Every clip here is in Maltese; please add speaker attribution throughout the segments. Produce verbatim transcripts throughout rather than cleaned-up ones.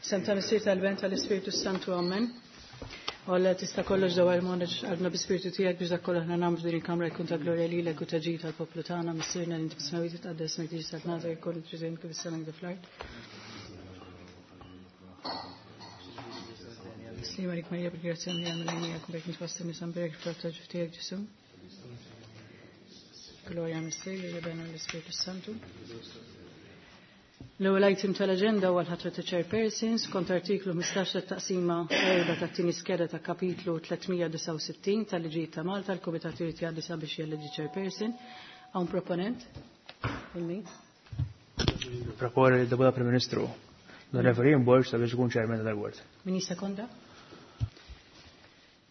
Speaker 1: Sem tal-Missier tal-Ben tal-Ispirtu Santu, Amen. U Alla tista' kollox dawar il-moneġ qalbna bi-spiritu tiegħek biex dak kollu aħna nagħmlu f'din il-kamra jkun ta' glorja lilek u ta' ġid tal-poplu tagħna, Missierna li inti fis-smewwiet titqaddes ismek tiġi saltnatek jkun trid kif is-sema kif fl-art. Slima lik Marija bil-grazzja mlija mill-għajnija kun bejk nitwassil nisa mberek frott ta' ġuf tiegħek Ġesu. Glorja Missier li l-Ispirtu Santu. L-ewwel item tal-aġenda huwa l-ħatra ta' chairpersons kont artiklu ħmistax tat-taqsima erba' tat-tieni skeda ta' kapitlu tliet mija disgħa u sittin tal-Liġijiet ta' Malta, l-Kumitat irid jgħaddi sabiex jeleġġi chairperson. Hawn proponent? Il-min?
Speaker 2: Proponi l-Deputat Prim Ministru l-Onorevoli Borg sabiex ikun chairman tal-board.
Speaker 1: Min jissekonda?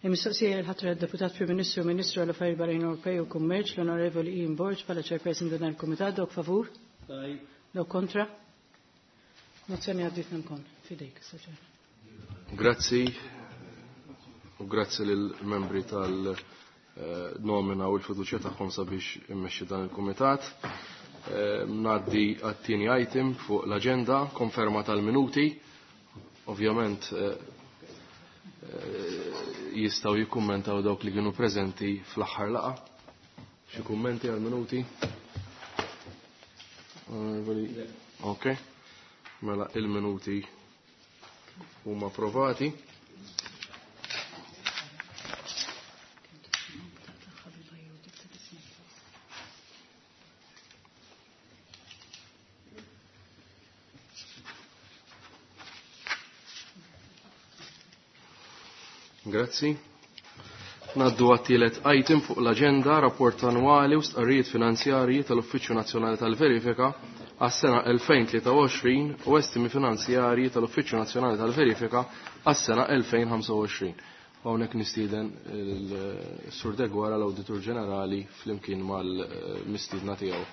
Speaker 1: Il-mistoqsija l-ħatra deputat Prim Ministru Ministru għal Affarijiet Barranin Ewropej u Kummerċ l-Onorevoli Ian Borg bħala chairperson dan il-Kumitat. Dawk favur? Dawk kontra? Mozzjoni għaddiet minn fidejk.
Speaker 3: Grazzi u grazzi lill-membri tal-nomina u l-fiduċja tagħhom sabiex immexxi dan il-kumitat. Ngħaddi għat-tieni item fuq l-aġenda, konferma tal-minuti. Ovvjament jistgħu jikkummentaw dawk li kienu preżenti fl-aħħar laqgħa. Xi kummenti għal-minuti? Ok. Mela il-minuti huma approvati. Grazzi. Naddu għat-tielet item fuq l-agenda, rapport annwali u stqarrijiet finanzjarji tal-Uffiċċju Nazzjonali tal-Verifika għas-sena elfejn tlieta u għoxrin u estimi finanzjarji tal-Uffiċċju Nazzjonali tal-Verifika għas-sena elfejn ħamsa u għoxrin. Hawnhekk nistieden il-Sur Deguara, l-Awditur Ġenerali, flimkien mal-mistiedna tiegħu.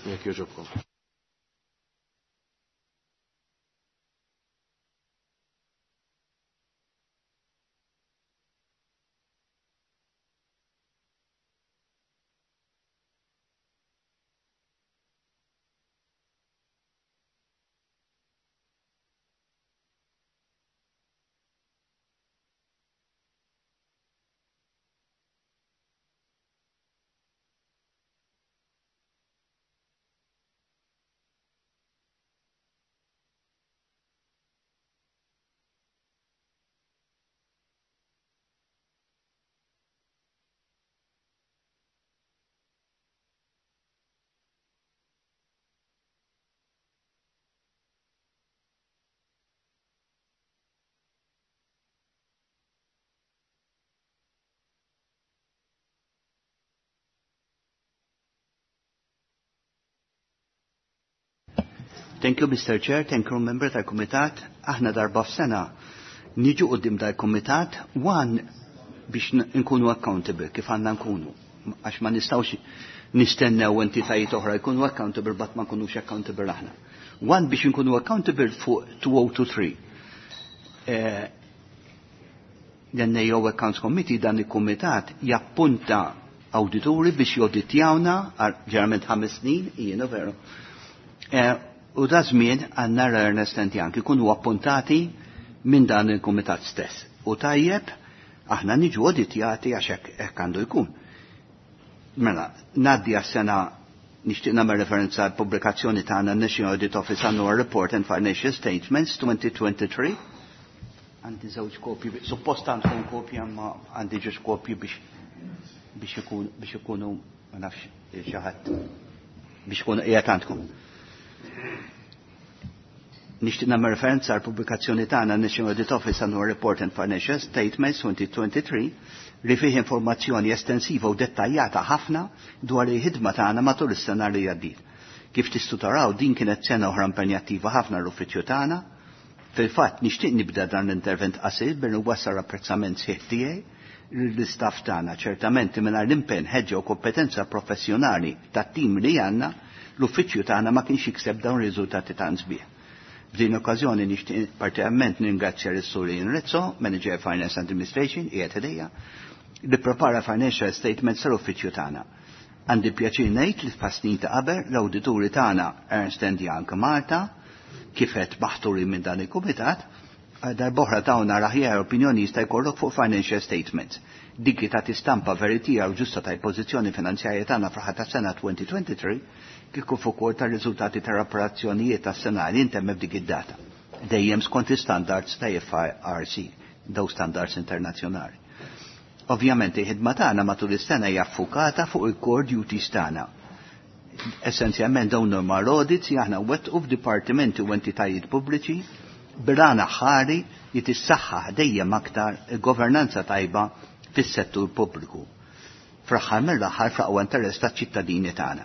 Speaker 3: Jekk jogħġobkom.
Speaker 4: Thank you, Mister Chair, thank you, member tal-Kumitat. Aħna darba f'sena niġu qudiem dal-Kumitat one biex nkunu accountable, kif għandna nkunu. Għax ma nistgħux nistennew entitajiet oħra jkunu accountable, but ma nkunux accountable aħna. One biex nkunu accountable fuq two oh two three. Eh, L-N A O Accounts Committee, dan il-Kumitat, jappunta awdituri biex joditjawna, ġeneralment ħames snin, jiena veru. Eh, u da żmien għandna Ernst and Young ikunu appuntati minn dan il-kumitat stess. U tajjeb, aħna niġu auditjati għax hekk, hekk għandu jkun. Mela, ngħaddi għas-sena nixtieq nagħmel referenza għal pubblikazzjoni tagħna National Audit Office Annual Report and Financial Statements twenty twenty-three. Għandi żewġ kopji, suppost għandkom kopja, ma għandi ġewġ kopji biex, biex ikun, biex ikunu, ma nafx xi ħadd, biex ikunu qiegħed għandkom. Nixtieq nagħmel referenza għal pubblikazzjoni tagħna National Audit Office Annual Report and Financial Statements twenty twenty-three li fih informazzjoni estensiva u dettaljata ħafna dwar il-ħidma tagħna matul is-sena li għaddiet. Kif tistgħu taraw, din kienet sena oħra impenjattiva ħafna l-uffiċċju tagħna. Fil-fatt nixtieq nibda dan l-intervent qasir billi nwassal apprezzament sħiħ tiegħi lill-istaff tagħna. Ċertament mingħajr l-impenn, ħeġġa u kompetenza professjonali tat-tim li għandna, l-uffiċċju tagħna ma kienx jikseb dawn ir-riżultati tant sbieħ. F'din okkażjoni nixtieq partikolarment ningrazzja lis-Sur Ian Rizzo, Manager Finance Administration, qiegħed ħdejja, li prepara financial statements tal-uffiċċju tagħna. Għandi pjaċir ngħid li f'snin ta' qabel l-awdituri tagħna Ernst and Young Malta kif qed maħturi minn dan il-kumitat darb'oħra tawna l-aħjar opinjoni jista' jkollok fuq financial statements. Dik li tagħti stampa veritiera u ġusta tal-pożizzjoni finanzjarja tagħna fl-aħħar tas-sena elfejn u tlieta u għoxrin kif ukoll tar-riżultati tal-operazzjonijiet tas-sena li ntemmet f'dik id-data. Dejjem skont standards ta' I F R C, daw standards internazzjonali. Ovvjament il-ħidma tagħna matul is-sena hija ffukata fuq il-core duties tagħna. Essenzjalment dawn normal audits li aħna wettqu f'dipartimenti u entitajiet pubbliċi bil-għan aħħari li tissaħħaħ dejjem aktar il-governanza tajba fis-settur pubbliku. Fl-aħħar mill-aħħar fl-aqwa interess taċ-ċittadini tagħna.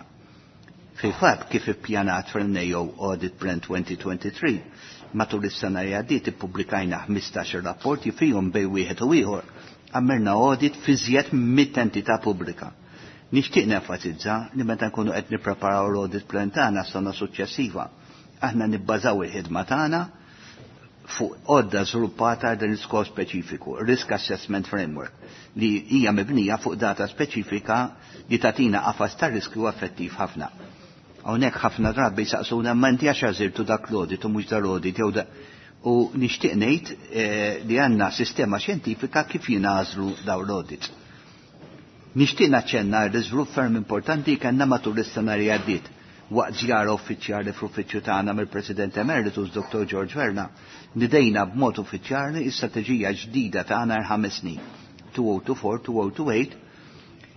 Speaker 4: Fil-fatt, kif ippjanat fil-N A O Audit Plan elfejn u tlieta u għoxrin, matul is-sena li għaddiet ippubblikajna ħmistax rapporti fihom bejn wieħed u ieħor għamilna audit f'iżjed mitt entità pubblika. Nixtieq nenfasizza li meta nkunu qed nippreparaw l-audit plan tagħna sena suċċessiva, aħna nibbażaw il-ħidma tagħna fuq għodda żviluppata dan l-iskop speċifiku, Risk Assessment Framework, li hija mibnija fuq data speċifika li tagħtina qafas ta' riskju effettiv ħafna. Hawnhekk ħafna drabi saqsuna, ma inti għax għażiltu dak l-audit u mhux dal-audit jew da, u nixtieq ngħid eh, li għandna sistema xjentifika kif jingħażlu dawn l-audits. Nixtieq naċċenna l-iżvilupp ferm importanti kellna matul is-sena li għaddiet waqt żjara uffiċjali fl-uffiċċju tagħna mill-President Emeritus Doctor George Verna, nidejna b'mod uffiċjali is-strateġija ġdida tagħna ħames snin elfejn u erbgħa u għoxrin-elfejn u tmienja u għoxrin,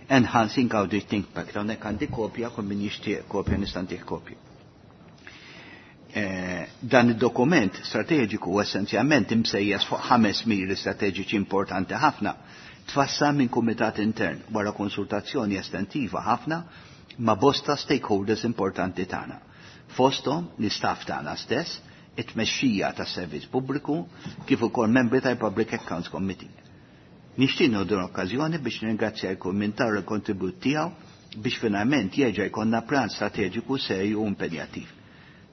Speaker 4: Enhancing Audit Impact. Hawnhekk għandi kopja, kull min jixtieq kopja nista' ntih kopja. Eh, dan id-dokument strateġiku essenzjalment imsejjes fuq ħames miri strateġiċi importanti ħafna, tfassal minn kumitat intern wara konsultazzjoni estentiva ħafna ma' bosta stakeholders importanti tagħna. Fosthom l-istaff tagħna stess, it-tmexxija tas-servizz pubbliku kif ukoll membri tal-Public Accounts Committee. Nixtieq nieħu l-okkażjoni biex nirringrazzja jkun min ta l-kontribut tiegħu biex finalment jerġa' jkollna pjan strateġiku serju u impenjattiv.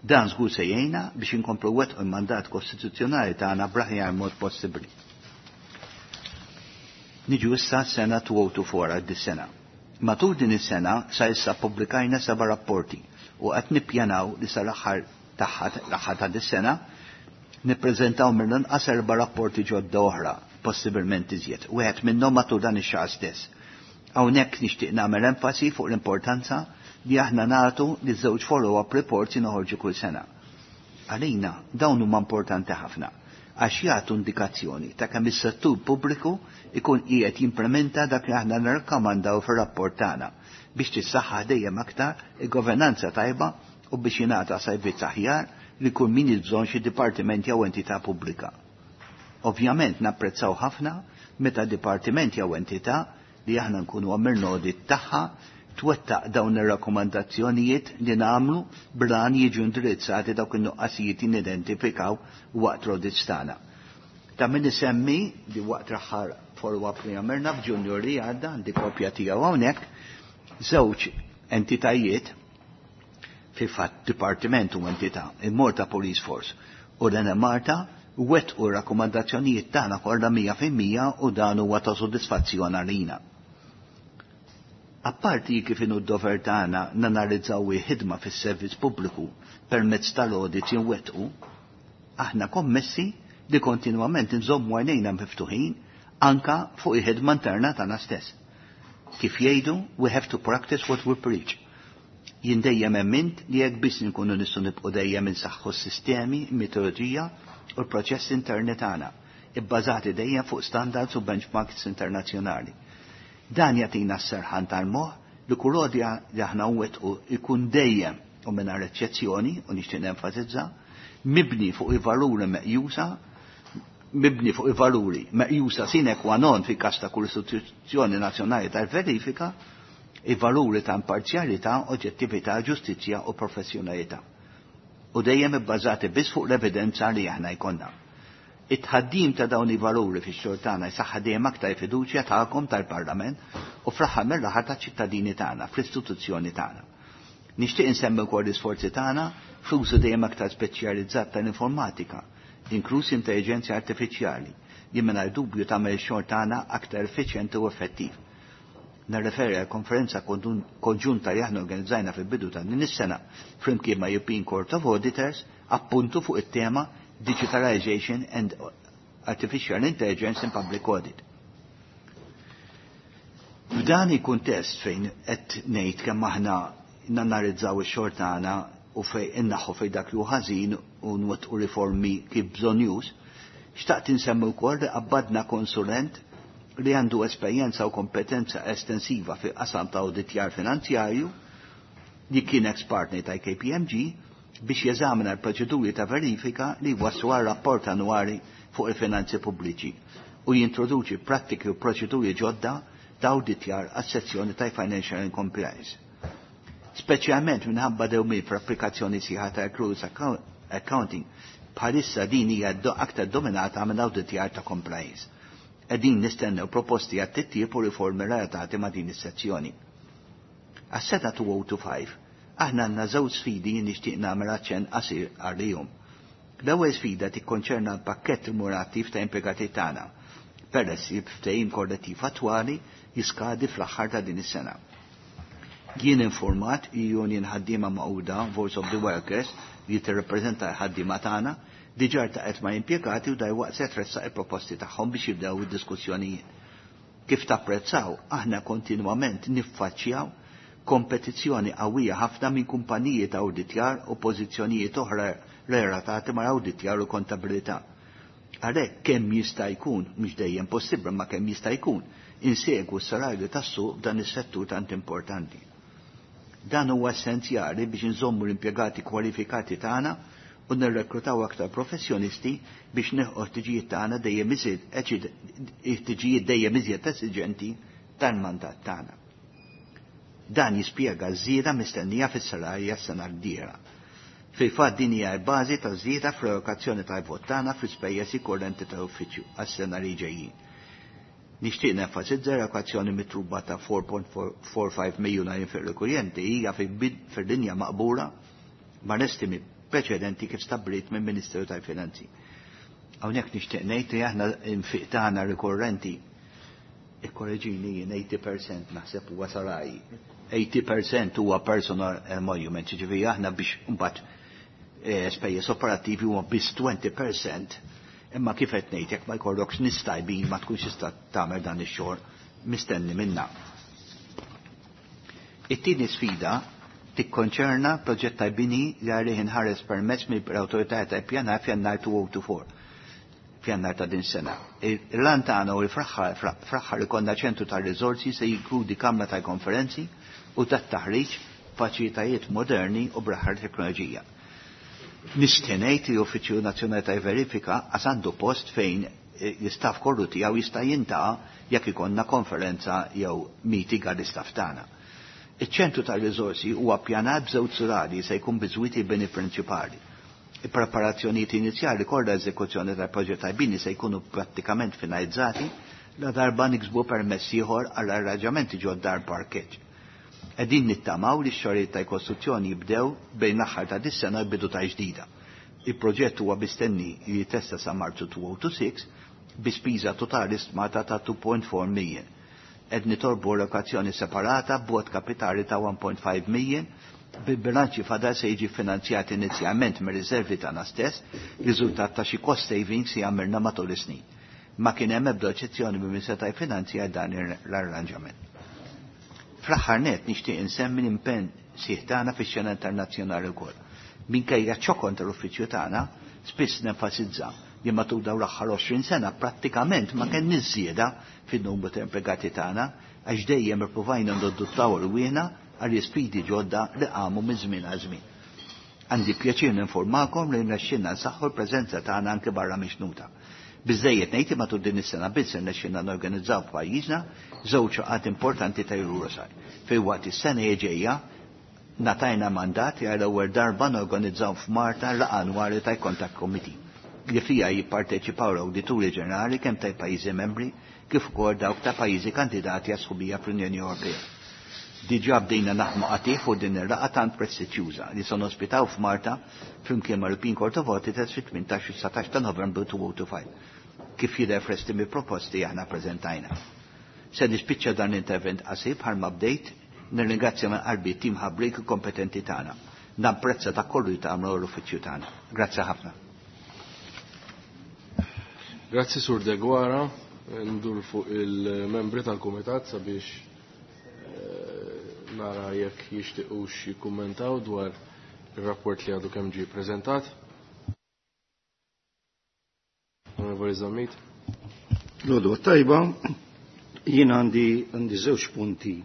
Speaker 4: Dan żgur se jgħinna biex inkomplu nwettqu il-mandat kostituzzjonali tagħna bl-aħjar mod possibbli. Niġu issa sena elfejn u erbgħa u għoxrin, dis-sena. Matul din is-sena sa issa pubblikajna seba' rapporti u qed nippjanaw li sal-aħħar tagħha, l-aħħar ta' dis-sena, nippreżentaw mill-inqas erba' rapporti ġodda oħra, possibilment iżjed. Wieħed minnhom matul dan ix-xahar stess. Hawnhekk nixtieq nagħmel enfasi fuq l-importanza li aħna nagħtu li żewġ follow-up reports noħorġu kull sena. Għalina dawn huma importanti ħafna għax jagħtu indikazzjoni ta' kemm is-settur pubbliku ikun qiegħed jimplementa dak li aħna nirrakkomandaw fir-rapport tagħna biex tissaħħaħ dejjem aktar il-governanza tajba u biex jingħata servizz aħjar li kull min bżonn xi dipartiment jew entità pubblika. Ovvjament napprezzaw ħafna meta dipartiment jew entità li aħna nkunu għamilna audit tagħha twettaq dawn ir-rakkomandazzjonijiet li nagħmlu bran jiġu indirizzati dawk in-nuqqasijiet nidentifikaw waqt l-audits tagħna. Ta' min isemmi li waqt l-aħħar follow-up li għamilna f'Ġunju li għadda, għandi kopja tiegħu hawnhekk, żewġ entitajiet, fi fatt dipartiment u entità, il-Malta Police Force u l-Enemalta, wettqu rakkomandazzjonijiet tagħna kollha mija fil-mija u dan huwa ta' sodisfazzjon għalina. Apparti kif inhu d-dover tagħna nanalizzaw il-ħidma fis-servizz pubbliku permezz tal-audit jinwettqu, aħna kommessi li kontinwament nżommu għajnejna miftuħin anka fuq il-ħidma interna tagħna stess. Kif jgħidu, we have to practice what we preach. Jien dejjem emmint li jekk biss nkunu nistgħu nibqgħu dejjem insaħħu s-sistemi, metodoloġija u l-proċess interni tagħna, ibbażati dejjem fuq standards u benchmarks internazzjonali. Dan jagħtina s-serħan tal-moħħ li kull li aħna nwettqu ikun dejjem u mingħajr eċċezzjoni, u nixtieq nenfasizza, mibni fuq il-valuri meqjusa mibni fuq il-valuri meqjusa sine qua non fi kas ta' kull istituzzjoni nazzjonali tal-verifika, il-valuri ta' imparzjalità, oġġettività, ġustizzja u professjonalità. U dejjem ibbażati biss fuq l-evidenza li aħna jkollna. It-tħaddim ta' dawn il-valuri fix-xogħol tagħna jsaħħa dejjem aktar fiduċja tagħkom tal-Parlament u fl-aħħar mill-aħħar taċ-ċittadini tagħna fl-istituzzjoni tagħna. Nixtieq insemmi wkoll l-isforzi tagħna fl-użu dejjem aktar speċjalizzat tal-informatika, inkluż intelligenza artifiċjali, li mingħajr dubju tagħmel ix-xogħol tagħna aktar effiċjenti u effettiv. Narreferi għal konferenza konġunta li aħna organizzajna fil-bidu ta' din is-sena flimkien ma' European Court of Auditors appuntu fuq it-tema Digitalization and Artificial Intelligence in Public Audit. F'dan il-kuntest fejn qed ngħid kemm aħna nanalizzaw ix-xogħol tagħna u fejn innaħħu fejn dak li hu ħażin u nwettqu riformi kif bżonjuż, xtaqt insemmi wkoll li qabbadna konsulent li għandu esperjenza u kompetenza estensiva fi qasam ta' awditjar finanzjarju li kien ex-partner ta' K P M G biex jeżamina l-proċeduri ta' verifika li waslu għal rapport annwali fuq il-finanzi pubbliċi u jintroduċi prattiki u proċeduri ġodda ta' awditjar għas-sezzjoni ta' Financial and Compliance. Speċjalment minħabba dewmien fl-applikazzjoni sħiħa ta' accruals accounting, bħalissa din hija aktar dominata minn awditjar ta' compliance. Qegħdin nistennew proposti għat titjib u riformi relatati ma' din is-sezzjoni. Għas-sena elfejn u ħamsa u għoxrin, aħna għandna żewġ sfidi nixtieq nagħmel aċċenn qasir għalihom. L-ewwel sfida tikkonċerna l-pakkett remunerattiv ta' impjegati tagħna, peress li ftehim kollettiv attwali jiskadi fl-aħħar ta' din is-sena. Jien informat Union Ħaddiema Magħquda, Voice of the Workers, li tirrappreżenta l-ħaddiema tagħna, diġà ltaqgħet ma' impjegati u dalwaqt se tressaq il-proposti tagħhom biex jibdew id-diskussjonijiet. Kif tapprezzaw, aħna kontinwament niffaċċjaw kompetizzjoni qawwija ħafna minn kumpaniji ta' awditjar u pożizzjonijiet oħra relatati ma' awditjar u kontabilità. Għalhekk kemm jista' jkun, mhux dejjem possibbli ma kemm jista' jkun, insegwu s-salarju tas-suq f'dan is-settur tant importanti. Dan huwa essenzjali biex inżommu l-impjegati kwalifikati tagħna u nirrekrutaw aktar professjonisti biex nilħqu ħtiġijiet tagħna dejjem iżjed ħtiġijiet dejjem iżjed esiġenti tal-mandat tagħna. Dan jispjega ż-żieda mistennija fis-salarja s-sena d-dieħla. Fil-fatt din hija l-bażi ta' żieda fl-allokazzjoni tal-vot tagħna fl-ispejjeż korrenti tal-uffiċċju għas-sena li ġejjin. Nixtieq nenfasizza l-allokazzjoni mitluba ta' erbgħa punt erbgħa ħamsa miljun għal rikurrenti hija fil-linja maqbula ma' estimi preċedenti kif stabbilit minn Ministeru tal-Finanzi. Hawnhekk nixtieq ngħid li aħna infiq tagħna rikorrenti, ikkoreġini jien, tmenin fil-mija naħseb huwa salarji. tmenin fil-mija huwa personal emolument, ġifieri aħna biex mbagħad eh, spejjeż operattivi huwa biss għoxrin fil-mija, imma kif qed ngħid, jekk ma jkollokx nies tajbin ma tkunx tista' tagħmel dan ix-xogħol mistenni minna. It-tieni sfida tikkonċerna proġett ta' bini li għalih inħareġ permess mill-awtorità ta' ippjanar f'Jannar elfejn u erbgħa u għoxrin, f'Jannar ta' din sena. Il-għan tagħna u l-fraħħar ikollna ċentru ta' riżorsi se jinkludi kamra ta' konferenzi u ta' taħriġ, faċilitajiet moderni u bl-aħħar teknoloġija. Nixtieq ngħid li Uffiċċju Nazzjonali ta' Verifika għas għandu post fejn l-istaff kollu tiegħu jista' jiltaqa' jekk ikollna konferenza jew meeting għall-istaff tagħna. Iċ-ċentru tal-riżorsi huwa ppjanat b'żewġ sulari se jkun biżwit il-bini prinċipali. Il-preparazzjonijiet inizjali kollha eżekuzzjoni tal-proġett tal-bini se jkunu prattikament finalizzati la darba niksbu permess ieħor għal arranġamenti ġodda parkeġġ. Qegħdin nittamaw li x-xogħlijiet ta' kostruzzjoni jibdew bejn l-aħħar ta' dis-sena u bidu ta' ġdida. Il-proġett huwa mistenni li jitlesta sa' Marzu elfejn u sitta u għoxrin bi spiża totali stmata ta' tnejn punt erbgħa million. Qed nitolbu allokazzjoni separata b'vot kapitali ta' wieħed punt ħamsa million, bil-bilanċi fadal se jiġi finanzjat inizjalment mir riservi tagħna stess, riżultat ta' xi cost savings li għamilna matul is-snin. Ma kien hemm ebda oġġezzjoni minn seta' jfinanzja dan l-arranġament. Fl-aħħar net nixtieq insemmi l-impenn sħiħ tagħna fix-xena internazzjonali wkoll. Minkejja ċokon tal-uffiċċju tagħna, spiss nenfasizza li matul dawn l-aħħar għoxrin sena prattikament ma kellniex żieda fin-numru ta' impjegati tagħna għax dejjem ippruvajna nadattaw rwieħna għal sfidi ġodda li qamu minn żmien għal żmien. Għandi pjaċir ninformakom li rnexxinna nsaħħu l-preżenza tagħna anke barra mix-xtutna. Biżejjed ngħid matul din is-sena biss rnexxinna norganizzaw f'pajjiżna żewġ laqgħat importanti ta' EUROSAI. Filwaqt is-sena ġejja ngħatajna mandat għal ewwel darba norganizzaw f'Malta laqgħa annwali ta' Contact Committee li fija jipparteċipaw l-awdituri ġenerali kemm ta' pajjiżi membri kif ukoll dawk ta' pajjiżi kandidati għas sħubija fl-Unjoni Ewropea. Diġà bdejna naħdmu qatigħ fuq din ir-laqgħa tant prestiġjuża li se nospitaw f'Malta flimkien ma' European Court of Auditors fit-tmintax u dsatax ta' Novembru elfejn u ħamsa u għoxrin, kif jidher fl-estimi proposti aħna preżentajna. Se nispiċċa dan l-intervent qasir bħalma bdejt, nirringrazzja minn qalbi tim ħabrik kompetenti tagħna. Napprezza ta' kollu li tagħmlu l-uffiċċju tagħna. Grazzi ħafna.
Speaker 3: Grazzi Sur Deguara, ndur fuq il-membri tal-kumitat sabiex nara jekk jixtiequx jikkummentaw dwar ir-rapport li għadu kemm ġie ppreżentat. Onorevoli Zammit.
Speaker 5: L-għodwa tajba, jien għandi għandi żewġ punti.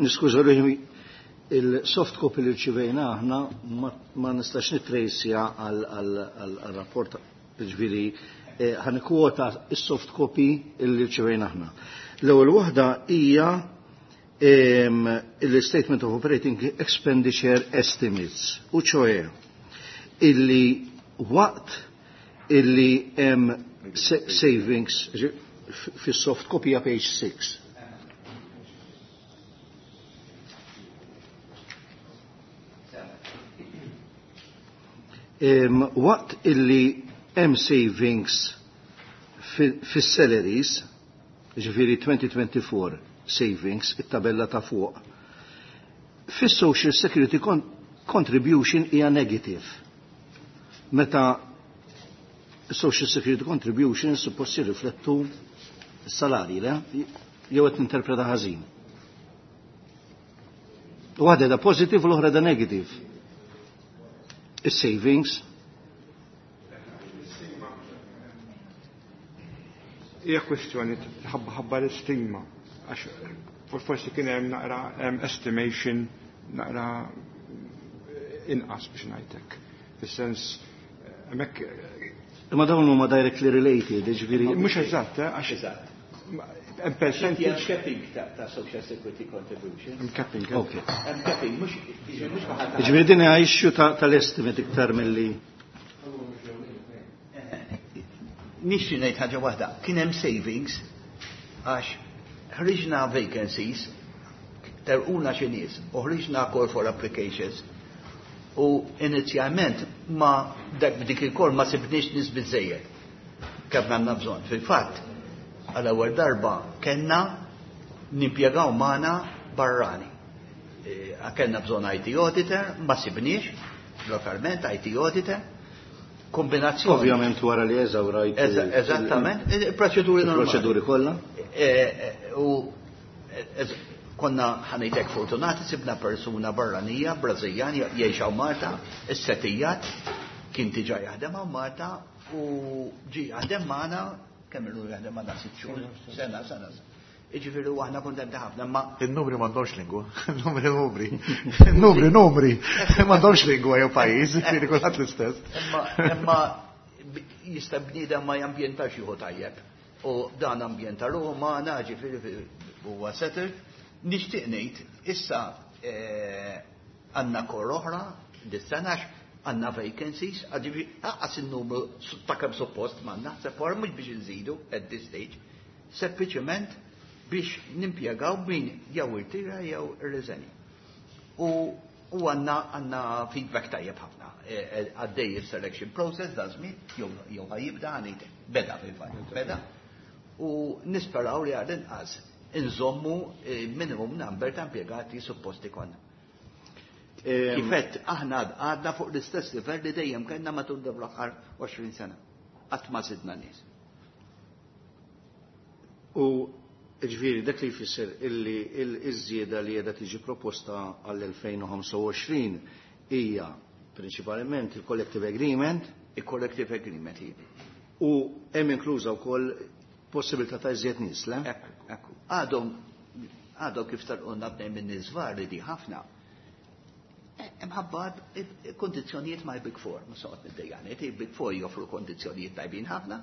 Speaker 5: Niskuża ruħi, il-soft copy li rċivejna aħna ma nistax nitrejsja għal-rapport, ġifieri ħanikwota il-soft copy li rċivejna aħna. L-ewwel waħda hija il-Statement of Operating Expenditure Estimates, u ċoe illi waqt illi hemm savings fis-soft copy page six. Waqt illi hemm savings fis-salaries, ġifieri twenty twenty-four savings, it-tabella ta' fuq, fis-social security con contribution hija negative. Meta social security contribution suppost jirriflettu s-salarji, le? Jew qed ninterpreta ħażin. Waħda da positive u l-oħra da negative. Is-savings.
Speaker 6: Hija kwestjoni ħabba ħabba l-istima, għax forsi kien hemm naqra estimation naqra inqas biex ngħidlek. Fis-sens hemmhekk.
Speaker 5: Imma dawn huma directly related, jiġifieri.
Speaker 6: Mhux eżatt, għax
Speaker 4: eżatt.
Speaker 6: Hemm percentage
Speaker 4: capping ta' social security contribution.
Speaker 6: Hemm capping.
Speaker 5: Okay.
Speaker 4: Hemm capping, mhux mhux waħda.
Speaker 5: Jiġifieri din hija issue tal-estimate iktar milli.
Speaker 4: Nixtieq ngħid ħaġa waħda, kien hemm savings għax ħriġna vacancies, terquna xi nies, u ħriġna call for applications u inizjalment ma dak b'dik il-kol ma sibniex nies biżejjed kemm għandna bżonn. Fil-fatt, għal ewwel darba kellna nimpjegaw magħna barrani. Kellna bżonn I T auditor, ma sibniex lokalment I T auditor. Kombinazzjoni.
Speaker 5: Ovvjament wara li eżawrajt
Speaker 4: Eżattament, il-proċeduri normali.
Speaker 5: Il-proċeduri kollha.
Speaker 4: U konna ħanejtek fortunati sibna persuna barranija, Brażiljan, jgħix hawn Malta, is-setijat, kien diġà jaħdem hawn Malta u ġi jaħdem magħna, kemm ilu jaħdem magħna sitt xhur, sena, sena. Jiġifieri u aħna kuntenti ħafna, ma
Speaker 7: Il-numri m'għandhomx lingwa, il-numri numri, il-numri numri, m'għandhomx lingwa jew pajjiż, jiġifieri kulħadd l-istess.
Speaker 4: Imma imma jista' bniedem ma jambjentax jieħu tajjeb. U dan ambjenta ruħu magħna, ġifieri huwa settled. Nixtieq ngħid, issa għandna kor oħra dis-sena għandna vacancies, ġifieri aqas in-numru ta' kemm suppost m'għandna, se for mhux biex inżidu at this stage, sempliċement biex nimpjegaw min jew irtira jew irriżenja. U għandna għandna feedback tajjeb ħafna. Għaddej il-selection process da żmien jew jew ħajjibda għanejt beda fil-fatt, beda. U nisperaw li għal inqas inżommu minimum number ta' impjegati supposti konna. Kifett aħna għadna fuq l-istess livell li dejjem kellna matul dawn l-aħħar għoxrin sena. Qatt ma żidna nies.
Speaker 5: U ġifieri dak li jfisser illi l-iżjieda li qiegħda tiġi proposta għall-elfejn u ħamsa u għoxrin hija prinċipalment il-collective agreement.
Speaker 4: Il-collective agreement hija.
Speaker 5: U hemm inkluża wkoll possibilità ta' iżjed nies, le?
Speaker 4: Ekku, ekku. Għadhom, għadhom kif tarqonna bnejn minn nies varji di ħafna. Imħabba kondizzjonijiet ma' Big Four, ma soqgħod niddejjaqni, il-Big Four joffru kondizzjonijiet tajbin ħafna.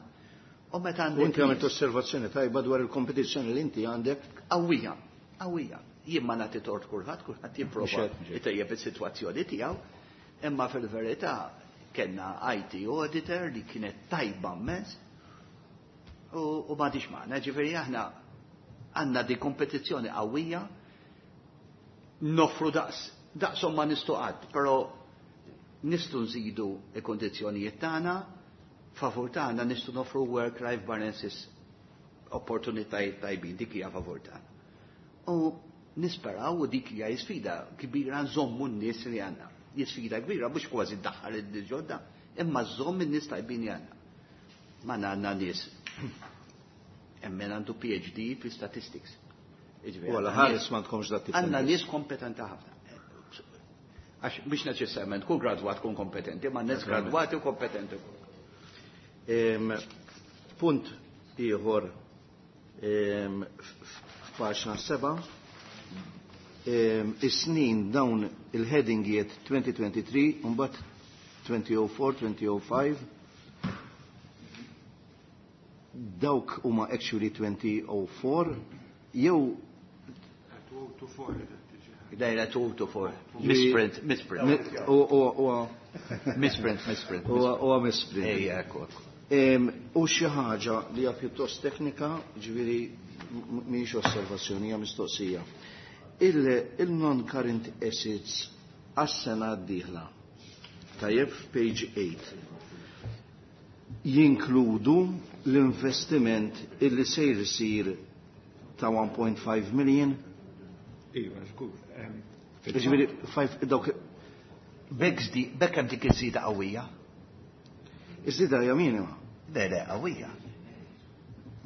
Speaker 4: U meta għandek
Speaker 5: U inti għamilt
Speaker 4: nies
Speaker 5: osservazzjoni tajba dwar il-kompetizzjoni li inti għandek.
Speaker 4: Qawwija, qawwija. Jien ma nagħti tort kulħadd, kulħadd jipprova
Speaker 5: Mhux hekk, mhux hekk.
Speaker 4: itejjeb is-sitwazzjoni tiegħu, imma fil-verità kellna I T auditor li kienet tajba mmens u, u m'għadix magħna. Ġifieri aħna għandna di kompetizzjoni qawwija, noffru daqs, daqshom ma nistgħu qatt, però nistgħu nżidu l-kondizzjonijiet tagħna, favur tagħna nistgħu noffru work-life balances Opportunitajiet tajbin, dik hija favur tagħna. U nisperaw u dik hija sfida kbira nżommu n-nies li għandna. Sfida kbira mhux kważi ddaħħal in-nies ġodda, imma żomm in-nies tajbin li għandna. Ma għandna nies hemm min għandu P H D fi statistics.
Speaker 5: U għala ħares ma tkomx dat.
Speaker 4: Għandna nies kompetenti ħafna. Għax mhux neċessarjament kull gradwat kun kompetenti, ma nies gradwati u kompetenti.
Speaker 5: Punt ieħor, f'paġna seba', is-snin dawn il-headingijiet elfejn u tlieta u għoxrin, mbagħad elfejn u erbgħa, elfejn u ħamsa, dawk huma actually elfejn u erbgħa jew
Speaker 4: Dajra two to four. Misprint, misprint.
Speaker 5: U
Speaker 4: Misprint, misprint.
Speaker 5: U misprint.
Speaker 4: Ejja, ekku.
Speaker 5: U xi ħaġa li hija pjuttost teknika, ġifieri mhijiex osservazzjoni, hija mistoqsija. Il-non-current assets għas-sena d-dieħla, tajjeb, page eight, jinkludu l-investiment illi sejr isir ta' one point five million?
Speaker 6: Iva, żgur.
Speaker 5: Ġifieri, dawk.
Speaker 4: Bekk bekk hemm dik iż-żieda qawwija.
Speaker 5: Iż-żieda hija minima.
Speaker 4: Le, le, qawwija.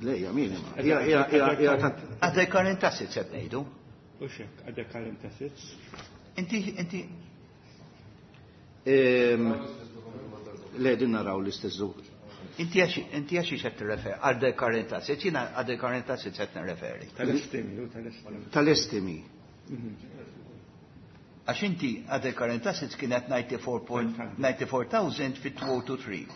Speaker 5: Le, hija minima. Hija tant.
Speaker 4: Other current assets qed ngħidu.
Speaker 6: U xek, other current assets.
Speaker 4: Inti, inti.
Speaker 5: Le, din naraw l-istess.
Speaker 4: Inti għax inti għax qed tirreferi other current assets, jiena other current assets qed nirreferi.
Speaker 6: Tal-estimi, u tal-estimi.
Speaker 5: Tal-estimi.
Speaker 4: Għax inti other current assets kienet disgħa u disgħin elf fit-elfejn u tlieta u għoxrin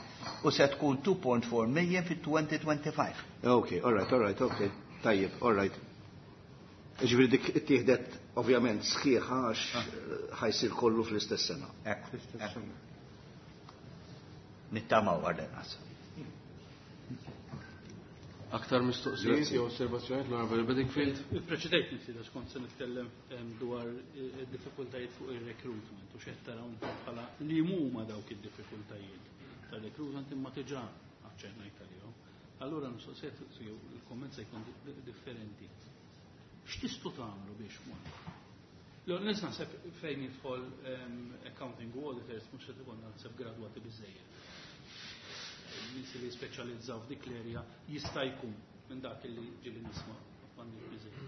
Speaker 4: u se tkun two point four million fit-elfejn u ħamsa u għoxrin.
Speaker 5: Ok, all right, all right, ok. Tajjeb, all right. Ġifieri dik ittieħdet ovvjament sħiħa għax ħa jsir kollu fl-istess sena.
Speaker 4: Ekku. Nittamaw għal-nas.
Speaker 3: Aktar mistoqsijiet jew osservazzjonijiet, l-Onorevoli Bedingfield?
Speaker 8: Preċedejt nifsi għax kont se nitkellem dwar id-diffikultajiet fuq il-recruitment u x'qed taraw bħala li huma dawk id-diffikultajiet tal-recruitment, imma diġà aċċennajt għalihom. Allura mistoqsijiet, il-komment se jkun differenti. X'tistgħu tagħmlu biex mod? L-nies naħseb fejn jidħol accounting u auditors mhux se tkun naħseb gradwati biżejjed. Nies li speċjalizzaw f'dik l-area jista' jkun minn dak li ġieli nisma' m'għandix biżejjed.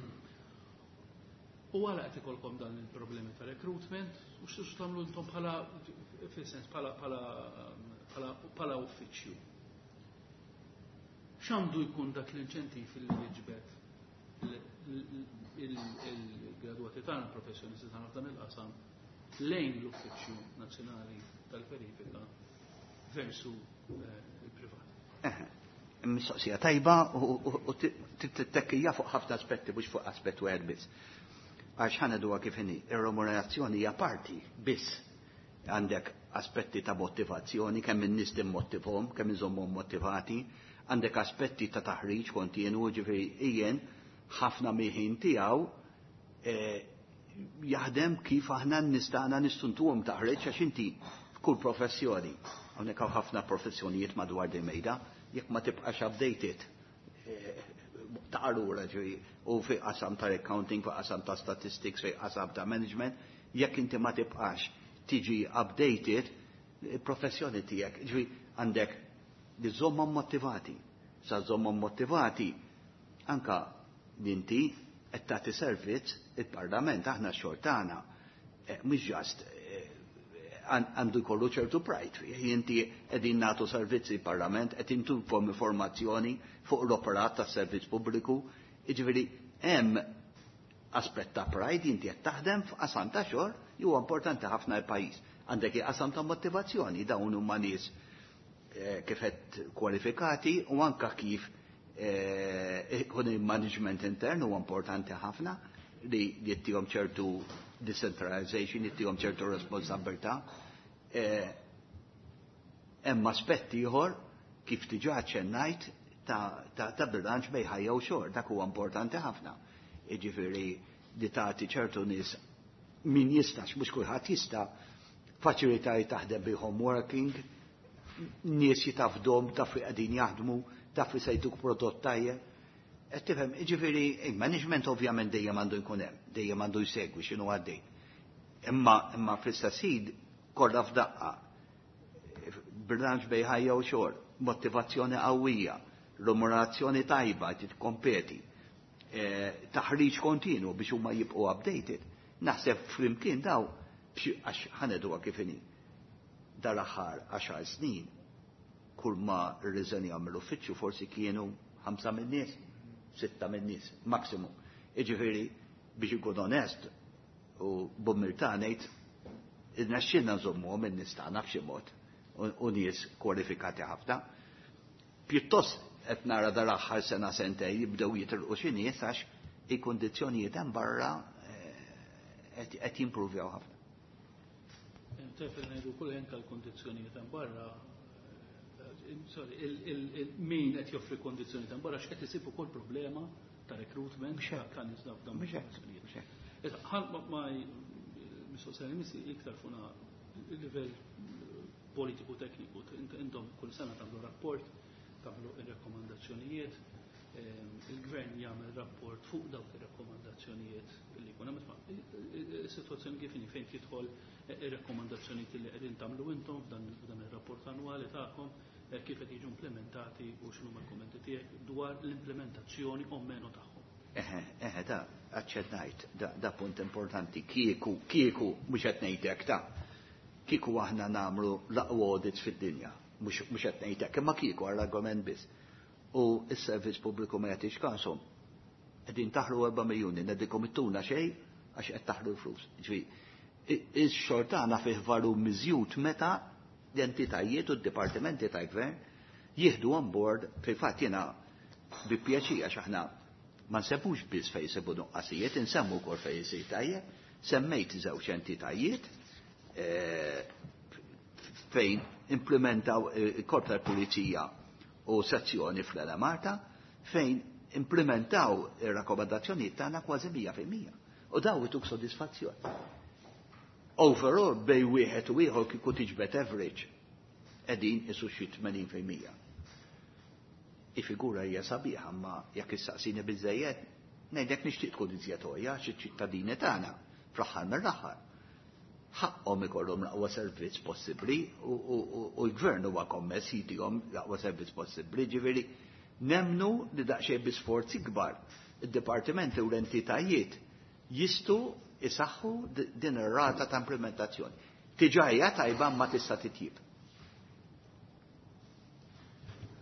Speaker 8: U għala qed ikolkom dan il-problemi ta' recruitment u x'tistgħu tagħmlu intom bħala, fis-sens, bħala bħala bħala bħala uffiċċju? X'għandu jkun dak l-inċentiv li jiġbed il-gradwati tagħna, professjonisti tagħna f'dan il-qasam lejn l-Uffiċċju Nazzjonali tal-Verifika versu il-privat?
Speaker 4: Mistoqsija tajba u tittekkija fuq ħafna aspetti, mhux fuq aspett wieħed biss. Għax ħa ngħiduha kif inhi, ir-remunerazzjoni hija parti biss. Għandek aspetti ta' motivazzjoni, kemm in-nies timmotivhom, kemm inżommhom motivati, għandek aspetti ta' taħriġ kontinu, ġifieri ijien ħafna mill-ħin tiegħu jaħdem kif aħna nistana nistuntuhom taħriġ, għax inti f'kull professjoni, hawnhekk hawn ħafna professjonijiet madwar di mejda, jekk ma tibqax updated ta' allura ġifieri u fi qasam ta' accounting, fi qasam ta' statistics, fi qasam ta' management, jekk inti ma tibqax tiġi updated, il-professjoni tiegħek, ġifieri għandek li żommhom motivati. Sa żommhom motivati anka inti qed tagħti servizz il-Parlament, aħna x-xogħol tagħna mhux just għandu jkollu ċertu pride fih. Inti qegħdin nagħtu servizzi parlament, qed intukom informazzjoni fuq l-operat tas-servizz pubbliku. Jiġifieri hemm aspett ta' pride, inti qed taħdem f'qasam ta' xogħol huwa importanti ħafna l-pajjiż. Għandek qasam ta' motivazzjoni, dawn huma nies kif qed kwalifikati u anka kif ikun il-management intern huwa importanti ħafna li jittihom ċertu decentralization, jittihom ċertu responsabilità. Hemm aspetti ieħor kif diġà ċennajt ta', ta, ta bilanċ bejn ħajja u xogħol, dak huwa importanti ħafna. Jiġifieri li tagħti ċertu nies, min jistax, mhux kulħadd jista', faċilitajiet taħdem bi home working, nies jitafdom, taf li qegħdin jaħdmu, taf li se jtuk prodott tajjeb. Qed tifhem, jiġifieri il-management ovvjament dejjem għandu jkun hemm, dejjem għandu jsegwi x'inhu għaddej. Imma imma fl-istess ħin kollha f'daqqa. Bilanċ bejn ħajja u xogħol, motivazzjoni qawwija, remunerazzjoni tajba titkompeti, eh, taħriġ kontinu biex huma jibqgħu updated. Naħseb flimkien daw għax ħa ngħiduha kif inhi. Dal-aħħar għaxar snin kull ma rriżenjaw mill-uffiċċju forsi kienu ħamsa min-nies, sitta min-nies, maximum. Jiġifieri biex ikun onest u b'umiltà ngħid irnexxielna nżommuhom in-nies tagħna b'xi mod u nies kwalifikati ħafna. Pjuttost qed nara dal-aħħar sena sentej jibdew jitilqu xi nies għax il-kundizzjonijiet hemm barra eh, qed jimpruvjaw ħafna.
Speaker 8: Tef ngħidu kull anke l-kondizzjonijiet hemm barra, eh, sorry, min qed joffri kondizzjonijiet hemm barra x'qed isib ukoll problema ta' recruitment ta' nies f'dawn il-kondizzjonijiet. Ħa ma mistoqsija missi iktar fuq il-livell politiku tekniku. Intom kull sena tagħmlu rapport, tagħmlu ir-rakkomandazzjonijiet, il-gvern jagħmel rapport fuq dawk ir-rakkomandazzjonijiet li jkun hemm. Is-sitwazzjoni kif inhi fejn tidħol ir-rakkomandazzjonijiet li qegħdin tagħmlu intom f'dan ir-rapport annwali tagħkom, kif qed jiġu implementati u x'inhuma l-kummenti tiegħek dwar l-implementazzjoni o meno tagħhom?
Speaker 4: Eħe, eħe, da, aċċennajt, da, da punt importanti, kieku, kieku, mhux qed ngħidlek ta' kieku aħna nagħmlu l-aqwa audits fid-dinja, mhux qed ngħidlek, imma kieku għall-argument biss. U s-servizz pubbliku ma jagħtix kashom. Qegħdin taħlu erba' miljuni, ngħidilkom ittuna xejn għax qed taħlu l-flus. Ġifieri, ix-xogħol tagħna fih valur miżjud meta l-entitajiet u d-dipartimenti tal-gvern jieħdu on board. Fil-fatt jiena bi pjaċir għax aħna ma nsemmux biss fejn jsibu nuqqasijiet, insemmu wkoll fejn isir tajjeb, semmejt żewġ entitajiet eh, fejn implementaw il-Korp tal-Pulizija u sezzjoni fl-Enemalta fejn implementaw ir-rakkomandazzjonijiet tagħna kważi mija fil-mija. U daw ituk sodisfazzjon. Overall, bejn wieħed u ieħor kieku tiġbed average qegħdin isu xi tmenin fil-mija. Il-figura hija sabiħa, ma jekk issaqsini biżejjed, ngħidlek nixtieq tkun iżjed għolja xi ċittadini tagħna fl-aħħar mill-aħħar ħaqhom ikollhom l-aqwa servizz possibbli u l-gvern huwa kommess jitihom l-aqwa servizz possibbli, ġifieri nemnu li daqsxejn bi sforzi kbar id-dipartimenti u l-entitajiet jistgħu isaħħu din ir-rata ta' implementazzjoni. Diġà hija tajba ma tista' titjib.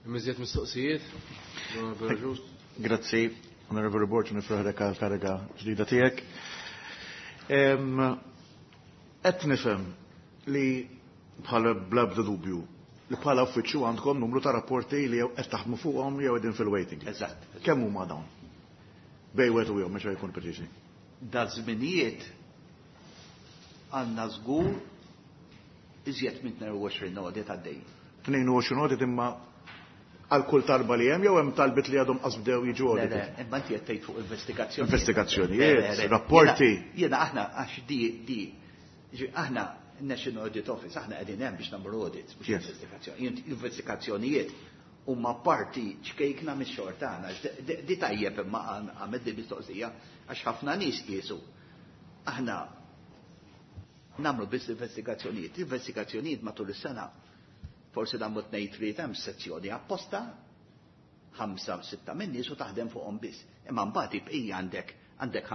Speaker 3: Iżjed mistoqsijiet?
Speaker 7: Grazzi, Onorevoli Borg, nifraħlek għal kariga ġdida tiegħek. Qed nifhem li bħala bla dubju li bħala uffiċċju għandkom numru ta' rapporti li qed taħdmu fuqhom jew qegħdin fil-waiting.
Speaker 4: Eżatt.
Speaker 7: Kemm huma dawn? Bejn wieħed u ieħor mhux jkun preċiżi.
Speaker 4: Da żminijiet għandna żgur iżjed minn tnejn u għoxrin audit għaddej.
Speaker 7: tnejn u għoxrin audit imma għal kull talba li hemm jew hemm talbit li għadhom qas bdew jiġu
Speaker 4: Le,
Speaker 7: audit?
Speaker 4: Le, imma inti qed tgħid fuq investigazzjoni.
Speaker 7: Investigazzjonijiet, rapporti.
Speaker 4: Jiena aħna għax di di ġi, aħna National Audit Office, aħna qegħdin hemm biex nagħmlu audits, biex
Speaker 7: Yes.
Speaker 4: investigazzjoni. Investigazzjonijiet huma parti ċkejkna mix-xogħol tagħna. Di- Di tajjeb imma għamel di mistoqsija għax ħafna nies qiesu. Aħna nagħmlu biss investigazzjonijiet. Investigazzjonijiet matul is-sena forsi nagħmlu tnejn tliet hemm sezzjoni apposta ħamsa sitta minn nies u taħdem fuqhom biss. Imma mbagħad ibqija għandek għandek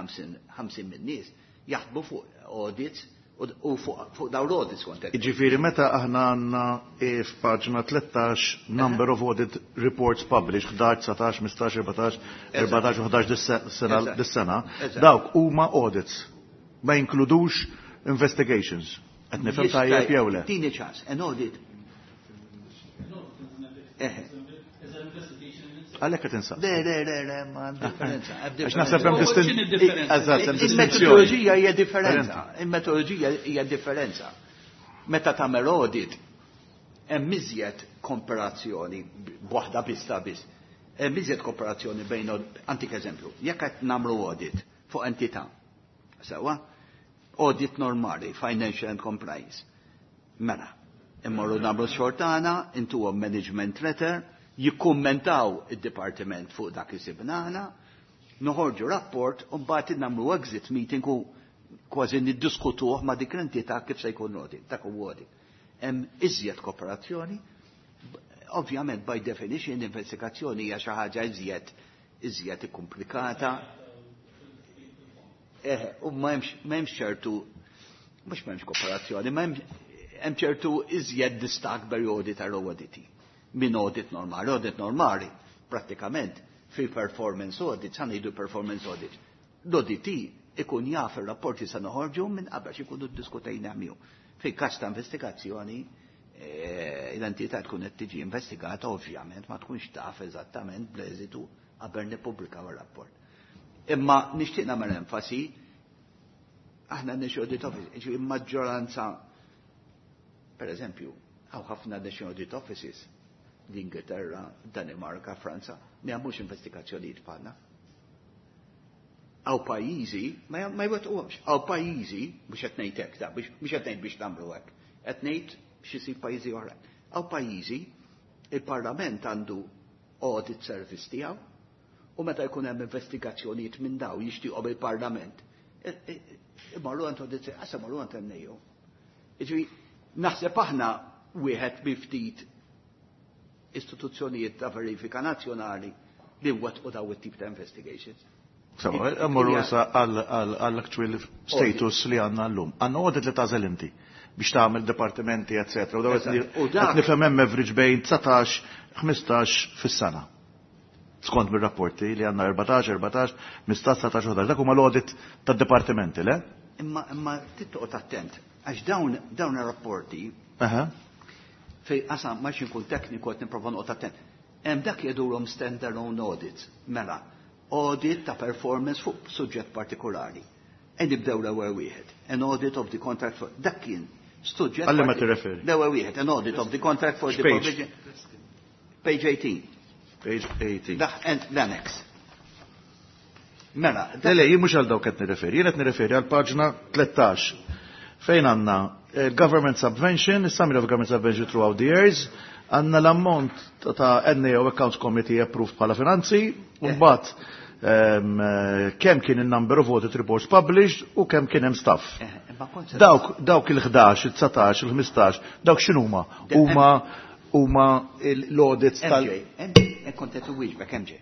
Speaker 4: ħamsin minn nies jaħdmu fuq audits u u fuq fuq dawn l-audits kont qed.
Speaker 7: Ġifieri meta aħna għandna eh, f'paġna tlettax number of audit reports published, ħdax, dsatax, ħmistax, erbatax, erbatax u ħdax dis-sena
Speaker 4: Eżatt.
Speaker 7: dis-sena,
Speaker 4: Eżatt.
Speaker 7: dawk huma audits. Ma jinkludux investigations. Qed nifhem tajjeb jew le?
Speaker 4: Tini ċans, an audit. Eh,
Speaker 7: Għalhekk qed insaqsi.
Speaker 4: Le, le, le, le, ma differenza. Hemm
Speaker 7: Għax naħseb hemm
Speaker 8: U
Speaker 7: distin-
Speaker 8: x'inhi d-differenza?
Speaker 7: Eżatt, hemm distinzjoni.
Speaker 4: Il-metodoloġija hija differenza. Il-metodoloġija hija differenza. Meta tagħmel audit, hemm iżjed komparazzjoni b'waħda biss ta' biss. Hemm iżjed komparazzjoni bejn antik eżempju, jekk qed nagħmlu audit fuq entità. Sewwa, audit normali, financial and compliance. Mela, immorru nagħmlu xogħol tagħna, intuhom management letter, Jikkummentaw id-dipartiment fuq dak li sibna aħna, noħorġu rapport u mbagħad nagħmlu exit meeting u kważi niddiskutuh ma' dik l-entità kif se jkun audit, dak huwa audit. Hemm iżjed kooperazzjoni, ovvjament by definition investigazzjoni hija xi ħaġa iżjed iżjed ikkomplikata. Eh, u ma hemmx ċertu, mhux m'hemmx kooperazzjoni, ma hemm ċertu iżjed distak perjodi tal-auditi minn audit normali. Audit normali, prattikament, fi performance audit, sa ngħidu performance audit. L-auditi ikun jaf ir-rapporti sa noħorġu minn qabel ikunu ddiskutejna miegħu. Fi każ ta' investigazzjoni, eh, l-entità tkun qed tiġi investigata, ovvjament ma tkunx taf eżattament bl-eżitu qabel nippubblikaw ir-rapport. Imma nixtieq nagħmel enfasi, aħna National Audit Office, ġifieri maġġoranza, per eżempju, hawn ħafna National Audit Offices, l-Ingilterra, Danimarka, Franza, ma jagħmlux investigazzjonijiet bħalna. Hawn pajjiżi, ma jwettquhomx, hawn pajjiżi, mhux qed ngħid hekk ta' mhux qed ngħid biex nagħmlu hekk, qed ngħid biex isir pajjiżi oħrajn. Hawn pajjiżi, il-Parlament għandu audit service tiegħu, u meta jkun hemm investigazzjonijiet minn daw jixtieqhom il-Parlament, imorru għand audit service, imorru għand N A O. Jiġifieri, naħseb aħna wieħed bi ftit istituzzjonijiet ta' verifika nazzjonali li wettqu daw it-tip ta' investigations.
Speaker 7: Sawa, mmorru issa għall-actual status li għandna llum. Għandna audit li tagħżel inti biex tagħmel departimenti, eccetera. U daw qed nifhem hemm average bejn dsatax, ħmistax fis-sena. Skont mir-rapporti li għandna erbatax, erbatax, ħmistax, dsatax, ħdax. Dak huma l-audit tad-dipartimenti, le?
Speaker 4: Imma imma tittoqgħod attent, għax dawn dawn ir-rapporti fej qasam ma nkun tekniku, qed nipprova noqgħod attent. Hemm dak jgħidulhom stand-alone audits. Mela, audit ta' performance fuq suġġett partikolari. E nibdew l-ewwel wieħed. An audit of the contract for, dak kien suġġett.
Speaker 7: Għal ma tirreferi?
Speaker 4: L-ewwel wieħed, an audit of the contract for the provision. Page eighteen.
Speaker 7: Page eighteen.
Speaker 4: Dak l-annex. Mela.
Speaker 7: Le, le, jien mhux għal dawk qed nirreferi, jien qed nirreferi għal paġna tlettax fejn għandna government subvention, summary of government subvention throughout the years, għandna l-ammont ta' N A O Accounts Committee approved bħala finanzi, u mbagħad kemm kien il-number of audit reports published u kemm kien hemm staff. Dawk dawk il-ħdax, il-dsatax, il-ħmistax, dawk x'inhuma? Huma huma l-audits
Speaker 4: tal. M J, kont qed wieġbek, M J.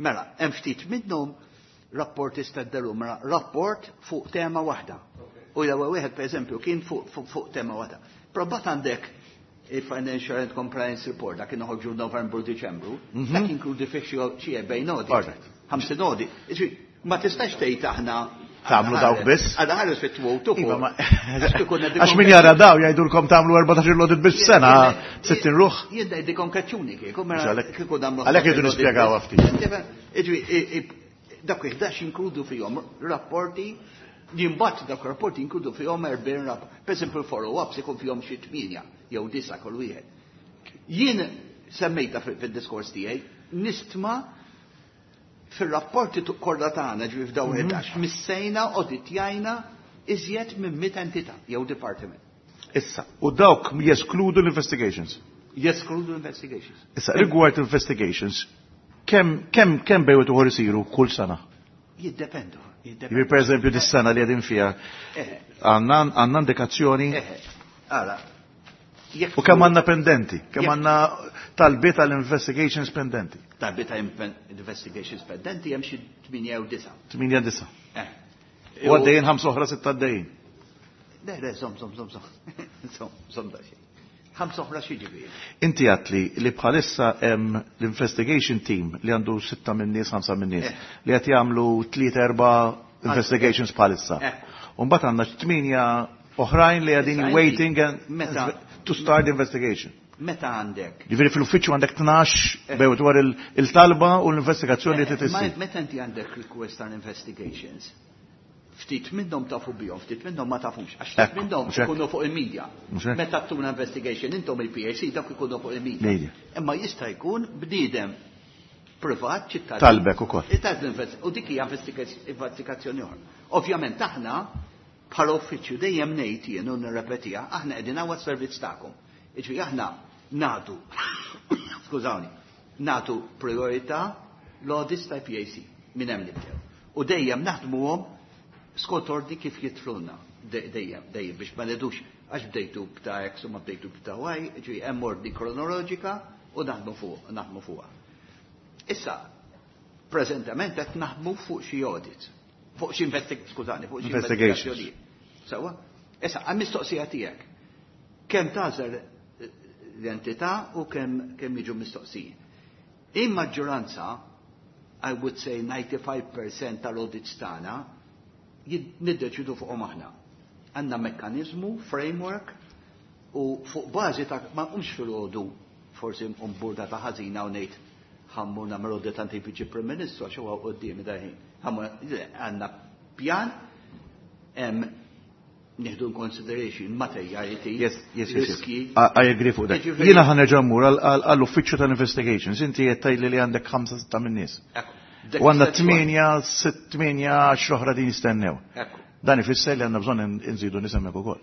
Speaker 4: Mela, hemm ftit minnhom rapporti staddalu, mela rapport fuq tema waħda. U l-ewwel wieħed, pereżempju, kien fuq tema waħda. Probat għandek il-Financial and Compliance Report, dak kien noħorġu Novembru, Diċembru, mhm. dak inkludi fih xi erbgħin audit. Ħamsin audit. Ma tistax tgħid aħna
Speaker 7: tagħmlu dawk biss.
Speaker 4: Għada ħares fit-twot.
Speaker 7: Għax min jara daw jgħidulkom tagħmlu erbatax audit biss sena, sittin ruħ.
Speaker 4: Jien ngħidikom kaċċuni kieku, mela
Speaker 7: kieku nagħmlu. Għalhekk jridu nispjegaw
Speaker 4: ftit. Dak ħdax inkludu fihom rapporti, jimbat dak rapporti inkludu fihom erbgħin rapport. Per esempio, follow-ups ikun fihom xi tmienja jew disa kull wieħed. Jien semmejta fid-diskors tiegħi, nistma fil-rapporti kollha tagħna, ġifi f'daw ħdax, mhm. missejna auditjajna iżjed minn mitt entità jew department.
Speaker 7: Issa, u dawk jeskludu l-investigations?
Speaker 4: Jeskludu l-investigations.
Speaker 7: Issa, rigward investigations, kemm kemm kemm bejn wieħed isiru kull sena?
Speaker 4: Jiddependu.
Speaker 7: Jiġifieri, per eżempju, dis-sena li qegħdin fiha eh. għandna indikazzjoni?
Speaker 4: Għala.
Speaker 7: U kemm għandna pendenti? Kemm għandna talbiet għal investigations pendenti?
Speaker 4: Talbiet għal investigations pendenti hemm xi tmienja jew disa.
Speaker 7: tmienja disa. Eh. U għaddejjin ħamsa oħra, sitta għaddejjin.
Speaker 4: Le, le, żomm, żomm, żomm, żomm. Żomm, żomm da xejn. Ħamsa oħra xi ġifieri?
Speaker 7: Inti għatli li bħalissa hemm l-investigation team li għandu sitta minn nies, ħamsa minn nies, eh. li qed jagħmlu tliet, erba' investigations bħalissa. Eh. U mbagħad għandna tmienja oħrajn li qegħdin waiting to start the investigation.
Speaker 4: Meta għandek?
Speaker 7: Ġifieri fil-uffiċċju għandek tnax eh. bejn dwar il-talba u l-investigazzjoni li trid issir.
Speaker 4: Meta inti għandek request on investigations, ftit minnhom tafu bihom, ftit minnhom ma tafux, għax ftit minnhom ikunu fuq il-media. Meta tuna investigation intom il-P A C, dak ikunu fuq il-media. Imma jista' jkun bniedem privat, ċittadin.
Speaker 7: Talbek ukoll.
Speaker 4: U dik hija investigazzjoni oħra. Ovvjament aħna bħala uffiċċju dejjem ngħid jien u nirrepetiha, aħna qegħdin hawn servizz tagħkom. Jiġifieri aħna nagħtu, skużawni, Nagħtu priorità l-audits ta' P A C minn hemm nibdew. U dejjem naħdmuhom skont ordni kif jidħlulna. Dejjem, dejjem biex ma ngħidux għax bdejtu b'ta' X u ma bdejtu b'ta' Y, ġifieri hemm ordni kronoloġika u naħdmu fuq, naħdmu fuqha. Issa, preżentament qed naħdmu fuq xi audit, fuq xi investig-, skużani, fuq xi
Speaker 7: Investigations.
Speaker 4: investigazzjonijiet. Sewwa? Issa, għal mistoqsija tiegħek. Kemm tagħżel l-entità u kemm, kemm jiġu mistoqsijin. In maġġoranza, I would say ninety-five percent tal-audits tagħna niddeċidu fuqhom aħna. Għandna mekkaniżmu, framework, u fuq bażi ta' ma nqumx filgħodu forsi nqum burda ta' ħażina u ngħid ħammur nagħmel audit għand il-Viċi Prim Ministru għax huwa quddiemi daħin. Ħammur, le, għandna pjan, hemm nieħdu in consideration materiality,
Speaker 7: Yes, yes, yes, yes.
Speaker 4: riski.
Speaker 7: I, I agree fuq dak.
Speaker 4: Jiġifieri
Speaker 7: Jiena ħa nerġa' mmur għal-, għal-, għall-uffiċċju tal-investigations. Inti qed tgħidli li għandek ħamsa sitta min-nies.
Speaker 4: Ekku. Dak
Speaker 7: U għandna
Speaker 4: is-sitwa.
Speaker 7: tmienja, sitt, tmienja, għaxra oħra din jistennew.
Speaker 4: Ekku.
Speaker 7: Dan ifisser li għandna bżonn in-, inżidu nies hemmhekk ukoll.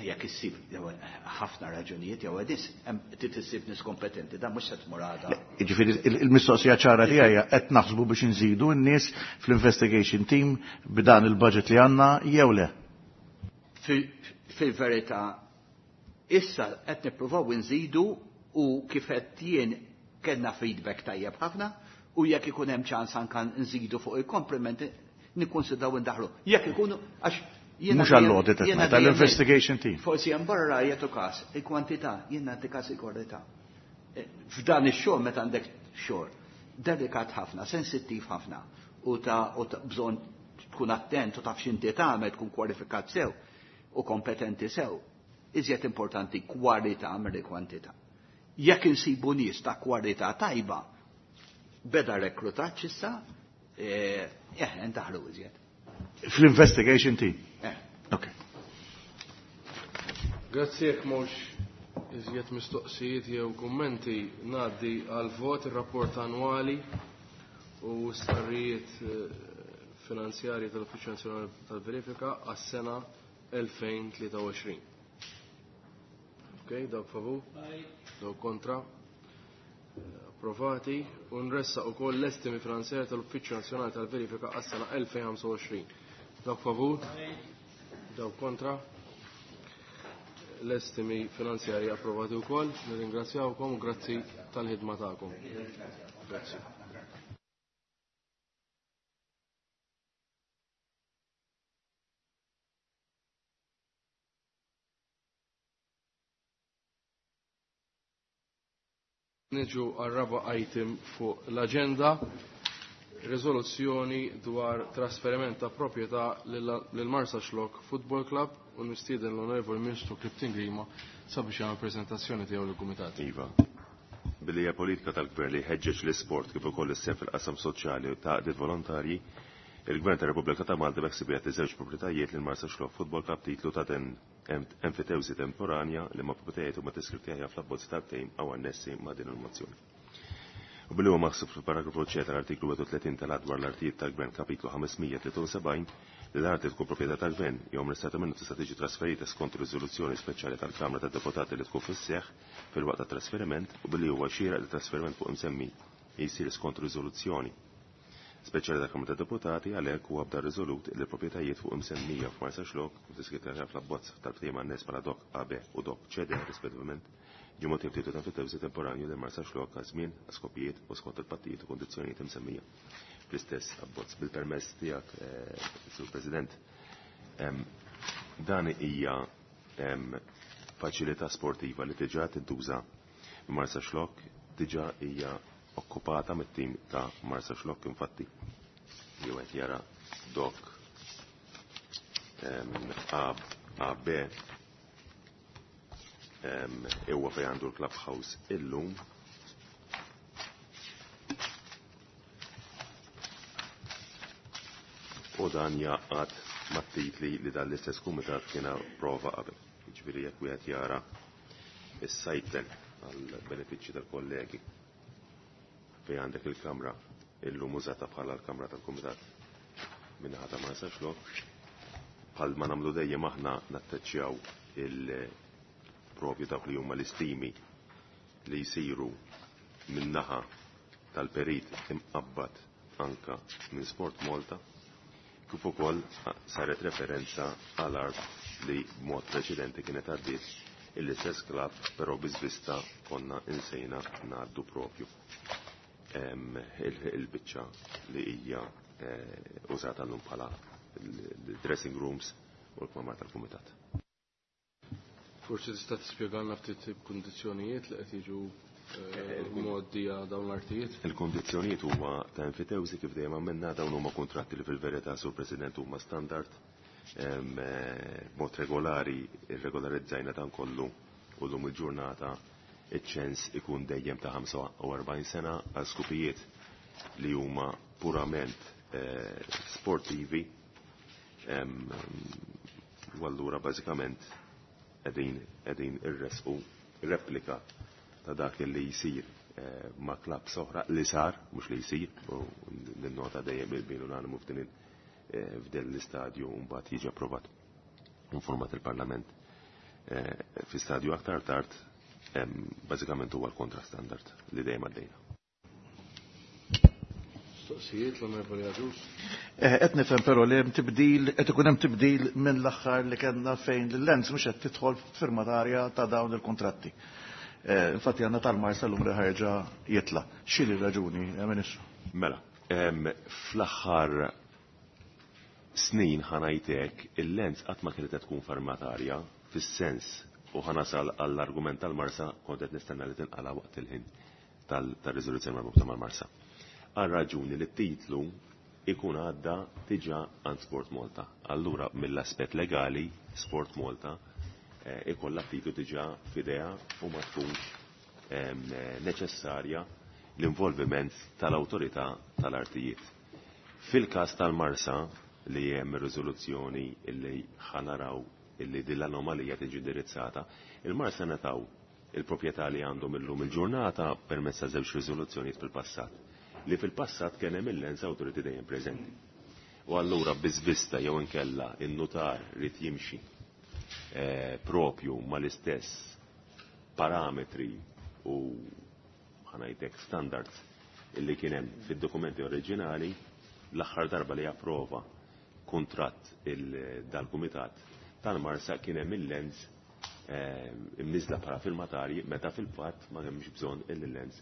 Speaker 4: Jekk issib jew ħafna raġunijiet jew għadis, hemm trid issib nies kompetenti, dan mhux se tmur għada.
Speaker 7: Le, jiġifieri il-, il-mistoqsija ċara tiegħi hija qed naħsbu biex inżidu n-nies fl-investigation team b'dan il-budget li għandna jew le?
Speaker 4: Fil-, fil-verità, issa qed nippruvaw inżidu u kif qed jien kellna feedback tajjeb ħafna u jekk ikun hemm ċans anke nżidu fuq il-komplimenti nikkonsidraw indaħlu. Jekk ikunu għax jiena
Speaker 7: Mhux
Speaker 4: dejjem
Speaker 7: għall-audit qed
Speaker 4: jiena
Speaker 7: ngħid,
Speaker 4: dejjem
Speaker 7: għall-investigation team.
Speaker 4: Forsi hemm barra jagħtu każ il-kwantità, jien nagħti każ il-kwalità. Eh, f'dan ix-xogħol meta għandek xogħol delikat ħafna, sensittiv ħafna u ta' u ta' bżonn tkun attent u taf x'inti tagħmel, tkun kwalifikat sew u kompetenti sew. Iżjed importanti kwalità mill kwantità. Jekk insibu nies ta' kwalità tajba, beda rekrutaġġ issa, eh, eh, ndaħlu iżjed.
Speaker 7: Fl-investigation team?
Speaker 4: Eh.
Speaker 7: Ok.
Speaker 3: Grazzi, jekk mhux iżjed mistoqsijiet jew kummenti, ngħaddi għal vot ir-rapport annwali u stqarrijiet, eh, finanzjarji tal-Uffiċċju Nazzjonali tal-Verifika għas-sena elfejn tlieta u għoxrin. Ok, dawk favur? Dawk kontra? Approvati. U nressaq ukoll l-estimi finanzjarji tal-Uffiċċju Nazzjonali tal-Verifika għas-sena elfejn ħamsa u għoxrin. Dawk favur? Dawk kontra? L-estimi finanzjarji approvati wkoll. Nirringrazzjawkom u grazzi tal-ħidma tagħkom. Grazzi. Niġu għar-raba' item fuq l-aġenda, riżoluzzjoni dwar trasferiment ta' proprjetà lil Marsaxlokk Football Club u nistieden l-Onorevoli Ministru Clifton Grima sabiex jagħmel preżentazzjoni tiegħu lill-Kumitat.
Speaker 9: Iva. Billi hija politika tal-Gvern li jħeġġeġ l-isport kif ukoll is-sehem fil-qasam soċjali u ta' għaqdiet volontarji, il-Gvern tar-Repubblika ta' Malta beħsieb jagħti żewġ proprjetajiet lil Marsaxlokk Football Club titlu ta' ten-, enfitewżi temporanja li ma' proprjetajiet huma deskritti aħjar fl-abbozz tal-ftehim aw annessi ma' din il-mozzjoni. U billi huwa maħsub fil-paragrafu C tal-artiklu wieħed u tletin tal-Att dwar l-artijiet tal-Gvern kapitlu ħamesmija tlieta u sebgħin li l-arti tkun proprjetà tal-Gvern jew amministrata minnu tista' tiġi trasferita skont riżoluzzjoni speċjali tal-Kamra tad-Deputati li tkun fis-seħħ fil-waqt tat-trasferiment u billi huwa xieraq li trasferiment fuq imsemmi jsir skont riżoluzzjoni speċjali tal-Kamra tad-Deputati, għalhekk huwa bda riżolut li l-proprjetajiet fuq imsemmija f'Marsaxlokk u tiskritta fl-abbozz tal-ftehim annes bħala dok A B u dok C D rispettivament ġie mogħti titlu ta' enfitewżi temporanju lil Marsaxlokk għal żmien, għal skopijiet u skont il-pattijiet u kondizzjonijiet imsemmija fl-istess abbozz. Bil-permess tiegħek, eh, Sur President, em, dan hija, em, faċilità sportiva li diġà tintuża Marsaxlokk, diġà hija okkupata mit-tim ta' Marsaxlokk, infatti jew qed jara dok, em, A, A B, em, huwa fejn għandu l-clubhouse illum. U dan jaqgħad mat-titli li dan l-istess kumitat kien approva qabel. Jiġifieri jekk wieħed jara is-site plan għall-benefiċċji tal-kollegi fejn għandek il-kamra illum użata bħala l-kamra tal-kumitat minnaħa ta' Marsaxlokk, bħal ma nagħmlu dejjem aħna natteċċjaw il-propju dawk li huma l-istimi li jsiru min-naħa tal-perit imqabbad anka minn Sport Malta, kif ukoll saret referenza għal art li b'mod preċedenti kienet għaddiet l-istess klabb, però bi żvista konna insejna ngħaddu propju il-biċċa li hija użata llum bħala l-dressing rooms u l-kmamar tal-kumitat.
Speaker 3: Forsi tista' tispjegalna ftit kundizzjonijiet li qed jiġu mgħoddija dawn l-artijiet?
Speaker 9: Il-kundizzjonijiet huma ta' enfitewsi kif dejjem għamilna, dawn huma kuntratti li fil-verità, Sur President, huma standard. B'mod regolari irregolarizzajna dan kollu u llum il-ġurnata iċ-ċens ikun dejjem ta' ħamsa u erbgħin sena għal skupijiet li huma purament sportivi. U allura bażikament qegħdin qegħdin irresqu replika ta' dak li jsir ma' klabb oħra li sar, mhux li jsir, u ninnota dejjem bil-bil unanimu f'din f'din l-istadju u mbagħad jiġi approvat informat il-Parlament fi stadju aktar tard. Bażikament huwa l-kontra standard li dejjem għaddejna.
Speaker 3: Mistoqsijiet l-Onorevoli Agius.
Speaker 7: Qed nifhem però li hemm tibdil, qed ikun hemm tibdil minn l-aħħar li kellna fejn l-Lens mhux qed tidħol firmatarja ta' dawn il-kuntratti. Infatti għandna tal-Marsa llum li ħarġa jitla'. X'inhi r-raġuni, Ministru?
Speaker 9: Mela, fl-aħħar snin ħanajtek il-Lens qatt ma kienet tkun firmatarja fis-sens, u ħanasal għall-argument tal-Marsa kont qed nistenna li tinqala waqt il-ħin tal-riżoluzzjoni marbuta mal-Marsa. Għal raġuni li t-titlu ikun għadda diġà għand Sport Malta. Allura mill-aspett legali Sport Malta ikollha titlu diġà f'idea u ma tkunx neċessarja l-involviment tal-awtorità tal-artijiet. Fil-każ tal-Marsa li hemm ir-riżoluzzjoni li ħanaraw illi din l-anomalija tiġi indirizzata, il-Marsa nataw il-proprjetà li għandhom illum il-ġurnata permezz ta' żewġ riżoluzzjonijiet fil-passat, li fil-passat kien hemm il-Lens Authority dejjem preżenti. U allura biżvista jew inkella in-nutar rid jimxi propju mal-istess parametri u ħanajtek standards illi kien hemm fid-dokumenti oriġinali. L-aħħar darba li approva kuntratt dal-kumitat tal-Marsa kien hemm il-Lens imniżla bħala firmatarji, meta fil-fatt ma hemmx bżonn il-Lens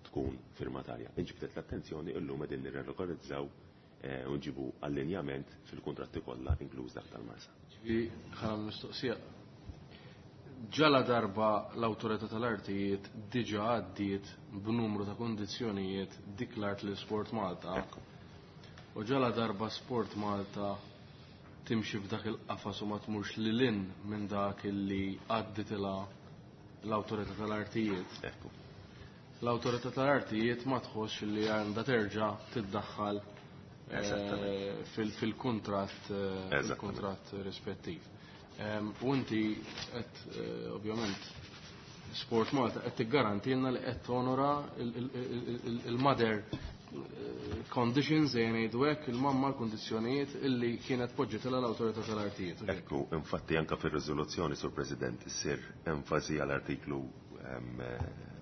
Speaker 9: tkun firmatarja. Inġibdet l-attenzjoni illum qegħdin nirregolarizzaw u nġibu allinjament fil-kuntratti kollha inkluż dak tal-Marsa.
Speaker 3: Ġifieri ħana mistoqsija. Ġala darba l-awtorità tal-artijiet diġà għaddiet b'numru ta' kundizzjonijiet dik l-art li Sport Malta. U ġala darba Sport Malta timxi f'dak il-qafas u ma tmurx lil minn dak illi għadditilha l-awtorità tal-artijiet. L-awtorità tal-artijiet ma tħossx li għandha terġa' tiddaħħal fil-kuntratt fil-kuntratt rispettiv. U inti qed ovvjament Sport Malta qed tiggarantilna li qed tonora il-mother conditions, ejja ngħidu hekk, il-mamma l-kundizzjonijiet illi kienet poġġitilha l-awtorità tal-artijiet.
Speaker 9: Ekku, infatti anke fir-riżoluzzjoni, Sur President, issir enfasi għall-artiklu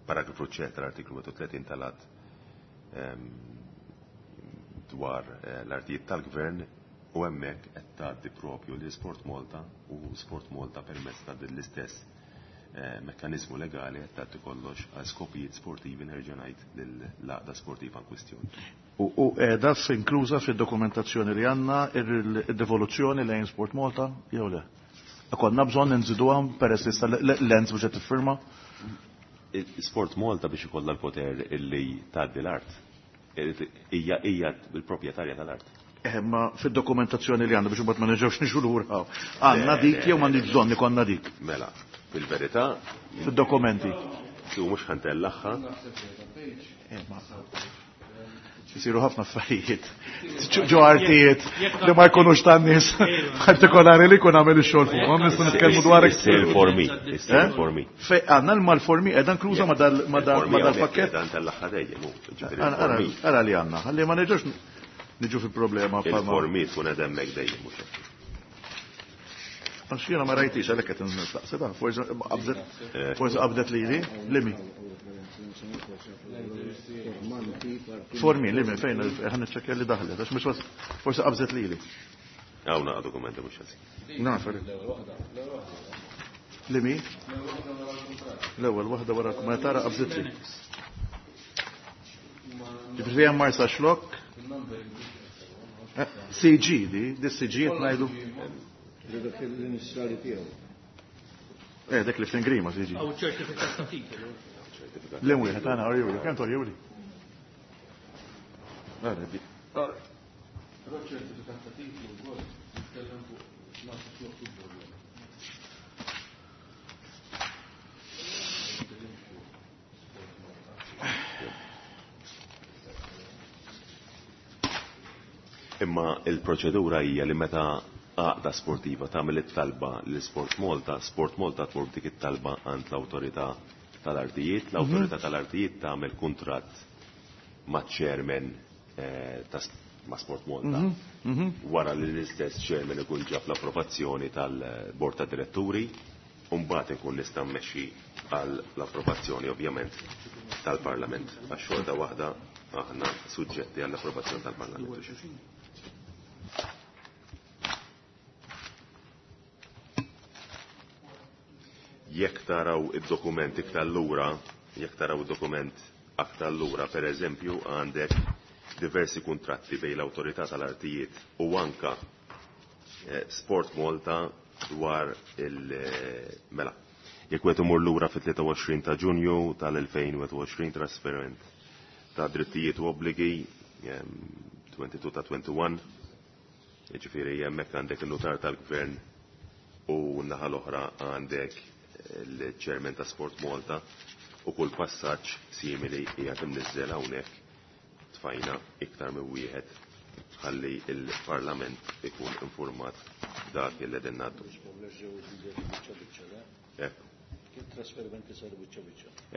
Speaker 9: paragrafu C tal-artiklu wieħed u tletin tal-att dwar l-artijiet tal-gvern, u hemmhekk qed tgħaddi propju li Sport Malta u Sport Malta permezz ta' din l-istess mekkaniżmu legali qed tagħti kollox għal skopijiet sportivi, nerġa' ngħid lill-għaqda sportiva in kwistjoni.
Speaker 7: U qiegħda inkluża fid-dokumentazzjoni li għandna id-devoluzzjoni lejn Sport Malta jew le? Konna bżonn nżiduha peress li issa l-Lens mhux qed tiffirma?
Speaker 9: Sport Malta biex ikollha l-poter illi tgħaddi l-art hija hija l-proprjetarja tal-art.
Speaker 7: Ma fid-dokumentazzjoni li għandna biex imbagħad ma nerġgħux niġu lura. Għandna dik jew m'għandix bżonn ikollna dik?
Speaker 9: Mela, fil-verità
Speaker 7: fid-dokumenti.
Speaker 9: U mhux ħantellaħħa.
Speaker 7: Isiru ħafna affarijiet. Ġo artijiet li ma jkunux tan-nies partikolari li jkun għamel ix-xogħol fuqhom, nistgħu nitkellmu dwar
Speaker 9: Issir formi, issir formi.
Speaker 7: Fej għandna l-malformi qiegħda inkluża ma dal-pakkett.
Speaker 9: Dan tal-aħħar dejjem hu.
Speaker 7: Ara li għandna, ħalli ma nerġgħux niġu fi problema.
Speaker 9: Il-formi tkun qed hemmhekk dejjem mhux hekk.
Speaker 7: Għax jiena ma rajtix għalhekk qed nistaqsi da, forsi qabdet forsi qabdet lili, limi. Formi, limi, fejn ħa niċċekkja li daħlet, għax mhux forsi qabżet lili.
Speaker 9: Hawn naqa' dokumenti mhux ħażin.
Speaker 7: Naf. Limi? L-ewwel waħda wara ma tara qabżet li. Ġifieri hemm Marsaxlokk. C G di, di C G qed ngħidu.
Speaker 5: Dak l-inizjali tiegħu.
Speaker 7: Eh, dak li f'Ingrima C G.
Speaker 8: Aw ċertifikat ta' titolu.
Speaker 7: Lem wieħed għana orjuli, kemm torjuli? Ara di.
Speaker 3: Però ċertifikat ta' titlu wkoll jitkellem fuq Marsaxlokk Football.
Speaker 9: Imma il-proċedura hija li meta għaqda sportiva tagħmel it-talba li Sport Malta, Sport Malta tmur dik it-talba għand l-awtorità tal-artijiet, l-awtorità tal-artijiet tagħmel kuntratt maċ-chairman ta' ma' Sport Malta. Wara li l-istess chairman ikun ġab l-approvazzjoni tal-bord ta' diretturi, u mbagħad ikun nista' mmexxi għal l-approvazzjoni ovvjament tal-Parlament. Għax xorta waħda aħna suġġetti għall-approvazzjoni tal-Parlament. Jekk taraw id-dokument iktar lura, jekk taraw id-dokument aktar lura, per eżempju, għandek diversi kuntratti bejn l-awtorità tal-artijiet u anka Sport Malta dwar il-mela. Jekk wieħed imur lura fit-tlieta u għoxrin ta' Ġunju tal-elfejn u għoxrin trasferiment ta' drittijiet u obbligi twenty-two ta' twenty-one, jiġifieri hemmhekk għandek il-notar tal-Gvern u n-naħa l-oħra għandek il-chairman ta' Sport Malta u kull passaġġ simili qiegħed imniżżel hawnhekk tfajna iktar minn wieħed ħalli il-Parlament ikun informat dak li qegħdin ngħaddu. Ekku.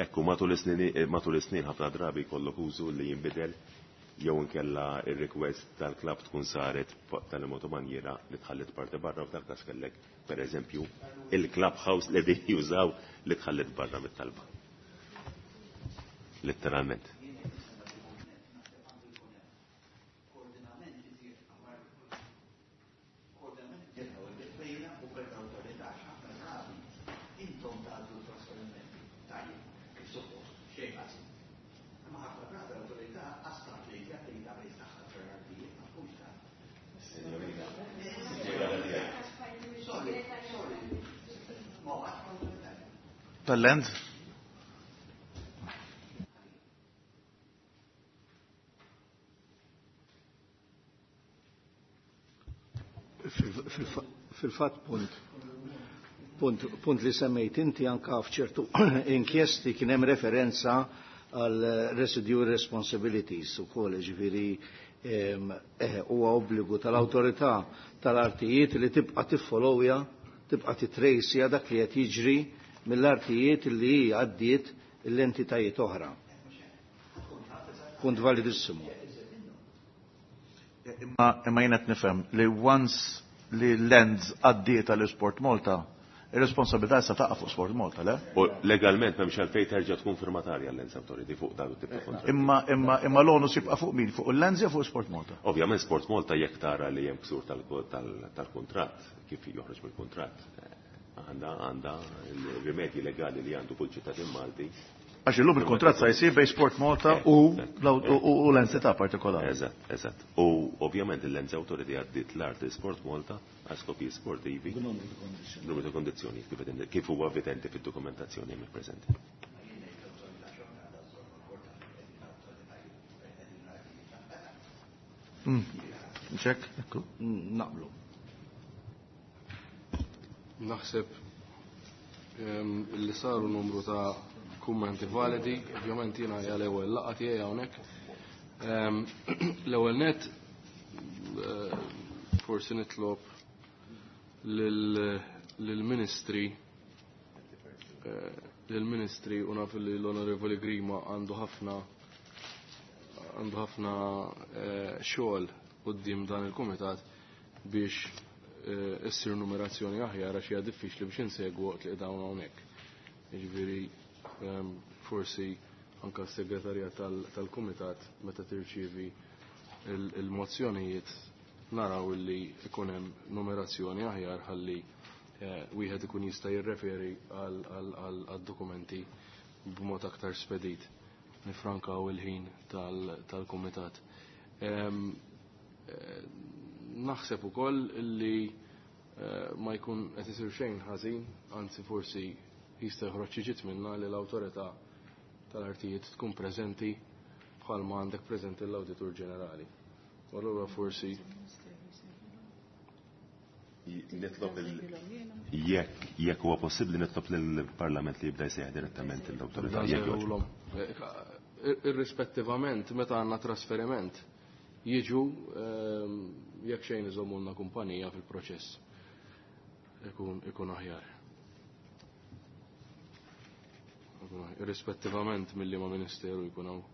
Speaker 9: Ekku, matul is-snin, matul is-snin ħafna drabi jkollok użu li jinbidel jew inkella ir-request tal-klabb tkun saret tal-mod manjiera li tħallit parti barra u f'dak każ kellek pereżempju il-club house li qegħdin jużaw li tħallit barra mit-talba. Letteralment.
Speaker 7: Tal-land?
Speaker 5: Fil-fat punt, punt, punt li semmejt inti anka f'ċertu inkjesti kien hemm referenza għal residue responsibilities ukoll, ġifieri huwa obbligu tal-awtorità tal-artijiet li tibqa' tiffollowja, tibqa' titrejsja dak li qed jiġri mill-artijiet li hi għaddiet l-entitajiet oħra. Punt validissimu.
Speaker 7: Imma, imma jien qed nifhem li once li l-lands għaddiet għal Sport Malta, ir-responsabilità issa taqa' fuq Sport Malta, le?
Speaker 9: U legalment m'hemmx għalfejn terġa' tkun firmatarja l-Lands Authority fuq dan it-tip ta' kontratt.
Speaker 7: Imma, imma, imma l-onus jibqa' fuq min? Fuq il-Lands jew fuq Sport Malta?
Speaker 9: Ovvjament Sport Malta jekk tara li hemm ksur tal-kuntratt, kif joħroġ mill-kuntratt, għandha, għandha il-rimedji legali li għandu kull ċittadin Malti.
Speaker 7: Għax illum il-kuntratt sa jsir bejn Sport Malta u u l-entità partikolari.
Speaker 9: Eżatt, eżatt. U ovvjament il-Lands Authority għaddiet l-art Sport Malta għal skopijiet sportivi. Numru ta' kondizzjoni kif huwa evidenti fid-dokumentazzjoni hemmhekk preżenti.
Speaker 7: Ċek, ekku.
Speaker 5: Naqblu.
Speaker 3: Naħseb li saru numru ta' kummenti validi, ovvjament jiena hija l-ewwel laqgħa tiegħi hawnhekk. L-ewwel net forsi nitlob lill-Ministri lill-Ministri u naf li l-Onorevoli Grima għandu ħafna għandu ħafna xogħol quddiem dan il-kumitat biex eh, issir numerazzjoni aħjar għax hija diffiċli biex insegwu waqt li dawn hawnhekk. Jiġifieri ehm, forsi anka s-segretarja tal-kumitat meta tirċievi il-mozzjonijiet naraw li ikun hemm numerazzjoni aħjar ħalli eh, wieħed ikun jista' jirreferi għal-dokumenti b'mod aktar spedit. Nifrankaw il-ħin tal-kumitat. Ehm, eh, naħseb ukoll li eh, ma jkun qed isir xejn ħażin, anzi forsi jista' joħroġ xi ġid minna li l-awtorità tal-artijiet tkun preżenti bħalma għandek preżenti l-Awditur Ġenerali. U allura forsi
Speaker 9: Nitlob il jekk jekk huwa possibbli nitlob lill-Parlament li jibda jsejjaħ direttament l-awtorità jekk jogħġbok.
Speaker 3: Irrispettivament meta għandna trasferiment jiġu ehm, jekk xejn iżommulna kumpanija fil-proċess. Ikun ikun aħjar. Ikun aħjar. Irrispettivament milli ma' ministeru jkun hawn.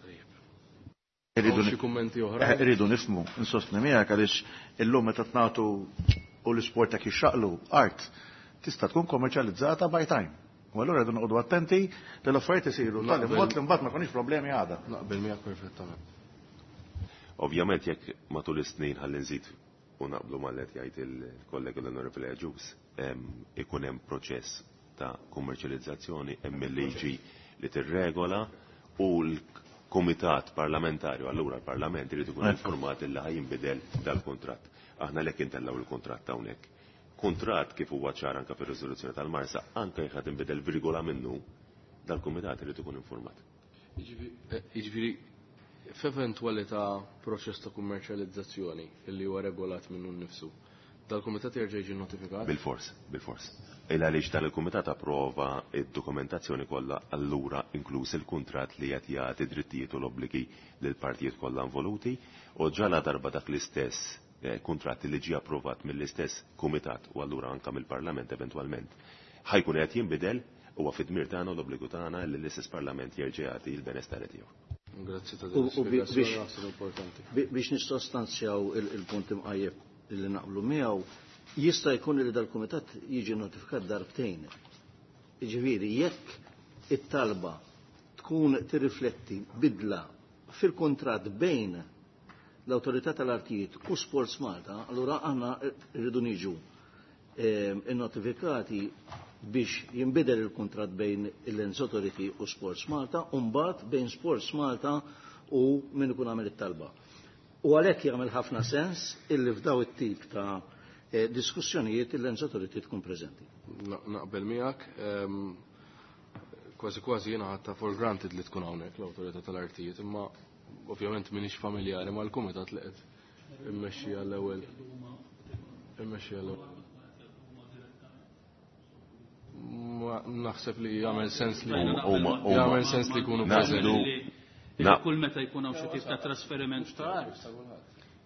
Speaker 3: Tajjeb.
Speaker 7: Irridu
Speaker 3: Hawn xi kummenti oħra?
Speaker 7: Eh, Irridu nifhmu, insostni miegħek għaliex illum meta tnagħtu u l-isport jekk jixxaqlu art tista' tkun kommerċjalizzata by time. U allura rridu noqogħdu attenti li l-affarijiet isiru tali
Speaker 3: Naqbel.
Speaker 7: mod li mbagħad ma jkunx problemi għada.
Speaker 3: Naqbel miegħek perfettament.
Speaker 9: Ovvjament jekk matul is-snin ħalli nżid u naqblu mal qed jgħid il-kollega l-Onorevoli Agius, ikun hemm proċess ta' kummerċjalizzazzjoni hemm il-liġi li tirregola u l-Kumitat Parlamentarju, allura l-Parlament irid ikun
Speaker 7: Ekku.
Speaker 9: informat illi ħajinbidel dal-kuntratt. Aħna lek intellgħu il-kuntratt hawnhekk. Kuntratt kif huwa ċar anke fir-riżoluzzjoni tal-Marsa, anke jekk ħad inbidel virgola minnu, dal-Kumitat irid ikun informat.
Speaker 3: Jiġifieri f'eventwalità proċess ta' kummerċjalizzazzjoni illi huwa regolat minnu nnifsu, dal-kumitat jerġa' jiġi notifikat?
Speaker 9: Bil-fors, bil-fors. Il għaliex tal-Kumitat approva id-dokumentazzjoni kollha allura inkluż il-kuntratt li qed jagħti drittijiet u l-obbligi lil partijiet kollha involuti u ġala darba dak l-istess eh, kuntratt li ġie approvat mill-istess kumitat u allura anka mill-Parlament eventwalment ħajkun qed jinbidel huwa fid-dmir tagħna u l-obbligu tagħna li l-istess Parlament jerġa' jagħti l-benestare tiegħu.
Speaker 3: Grazzi ta'
Speaker 5: U-
Speaker 3: din
Speaker 5: u bi-
Speaker 3: l-ispjegazzjoni
Speaker 5: biex-
Speaker 3: naħseb importanti.
Speaker 5: Bi- Biex nistostanzjaw il- il-punt imqajjeb li naqblu miegħu, jista' jkun li dal-kumitat jiġi notifikat darbtejn. Jiġifieri jekk it-talba tkun tirrifletti bidla fil-kuntratt bejn l-Awtorità tal-Artijiet u Sports Malta, allura aħna rridu niġu ehm, innotifikati biex jinbidel il-kuntratt bejn il-Lands Authority u Sports Malta, u mbagħad bejn Sports Malta u min ikun għamel it-talba. U għalhekk jagħmel ħafna sens illi f'daw it-tip ta' eh, diskussjonijiet il-Lands Authority tkun preżenti.
Speaker 3: Na- Naqbel miegħek, ehm, kważi kważi jiena ħadta for granted li tkun hawnhekk l-awtorità tal-artijiet, imma ovvjament m'iniex familjari mal-kumitat li qed immexxi għall-ewwel. Immexxi għall-ewwel. Ma naħseb li jagħmel sens li
Speaker 9: Huma- huma- huma-
Speaker 3: jagħmel sens li jkunu
Speaker 9: Naqblu.
Speaker 3: preżenti.
Speaker 9: Na-
Speaker 8: Kull meta jkun hawn xi tip ta' trasferiment ta' art.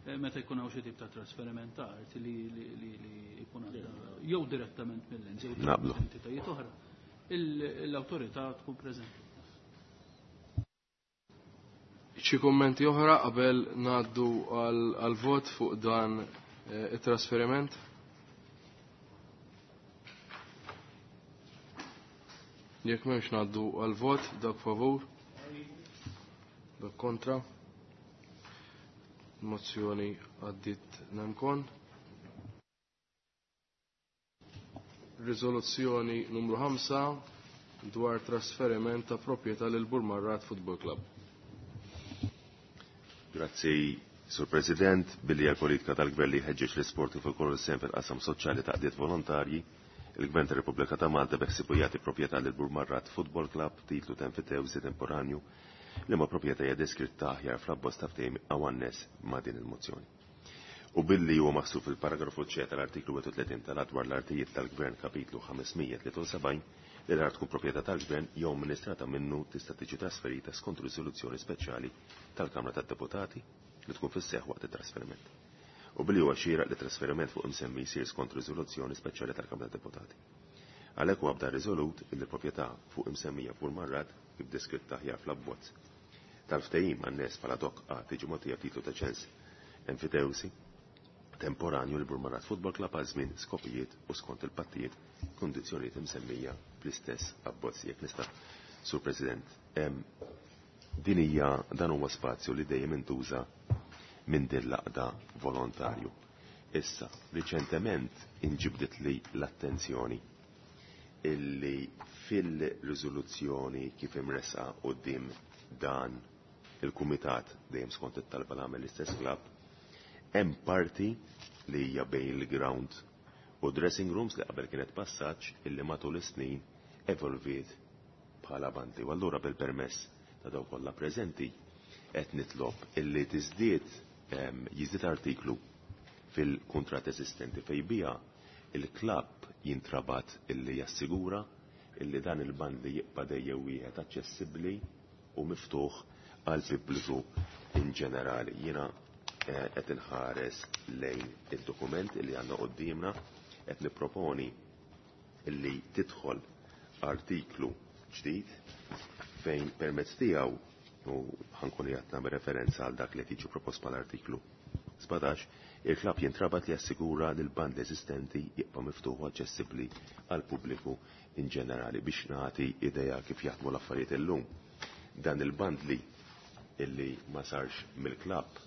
Speaker 8: Eh, Meta jkun hawn xi tip ta' trasferiment ta' art li li li li jkun għadda jew direttament mill-ens jew
Speaker 9: Naqblu.
Speaker 8: entitajiet oħra, il- l-awtorità tkun preżenti.
Speaker 3: Xi kummenti oħra qabel ngħaddu għal- għal-vot fuq dan eh, it-trasferiment? Jekk m'hemmx ngħaddu għal-vot, dak favur, dak kontra. Mozzjoni għaddit nemkon. Riżoluzzjoni numru ħamsa dwar trasferiment ta' proprjetà lil Burmarrad Football Club.
Speaker 9: Grazzi, Sur President, billi għal-politika tal-Gvern li jħeġġeġ l-isport kif ukoll is-sehem fil-qasam soċjali ta' qdiet volontarji, il-Gvern tar-Repubblika ta' Malta beħsibu jagħti proprjetà lil Burmarrad Football Club titlu ta' enfitewżi temporanju li ma proprjetà hija deskritta aħjar fl-abbozz ta' ftehim hawn ma' din il-mozzjoni. U billi huwa maħsub fil-paragrafu C tal-artiklu wieħed u tletin tal-Att dwar l-artijiet tal-Gvern kapitlu ħames mija tlieta u sebgħin li l-art tkun proprjetà tal-Gvern jew amministrata minnu tista' tiġi trasferita skont riżoluzzjoni speċjali tal-Kamra tad-Deputati li tkun fis-seħħ waqt it-trasferiment. U billi huwa xieraq li trasferiment fuq imsemmi jsir skont riżoluzzjoni speċjali tal-Kamra tad-Deputati. Għalhekk huwa bda riżolut li l-proprjetà fuq imsemmija Burmarrad kif deskritta aħjar fl-abbozz tal-ftehim għan-nies bħala dok A tiġi mogħtija titlu ta' ċens enfitewsi temporanju li Burmarrad Football Club għal żmien skopijiet u skont il-pattijiet kundizzjonijiet imsemmija fl-istess abbozz. Jekk nista', Sur President, din hija dan huwa spazju li dejjem intuża minn din l-għaqda volontarju. Issa, riċentement inġibdet li l-attenzjoni illi fil-riżoluzzjoni kif imresqa quddiem dan il-kumitat dejjem skont it-talba l għamel l-istess klabb, hemm parti li hija bejn il-ground u dressing rooms li qabel kienet passaġġ illi matul is-snin evolviet bħala bandli. U allura bil-permess ta' dawk kollha preżenti qed nitlob illi tiżdied jiżdied artiklu fil-kuntratt eżistenti fejn biha il-klabb jintrabat illi jassigura illi dan il-bandli jibqa' dejjem wieħed aċċessibbli u miftuħ għal pubbliku in ġenerali. Jiena qed inħares lejn id-dokument illi għandna quddiemna, qed nipproponi illi tidħol artiklu ġdid fejn permezz tiegħu u ħankun qed nagħmel referenza għal dak li qed jiġi propost mal-artiklu sbatax, il-klabb jintrabat li jassigura li l-band eżistenti jibqa' miftuħ u aċċessibbli għal pubbliku in ġenerali. Biex nagħti idea kif jaħdmu l-affarijiet illum, dan il-bandli illi ma sarx mill-klabb.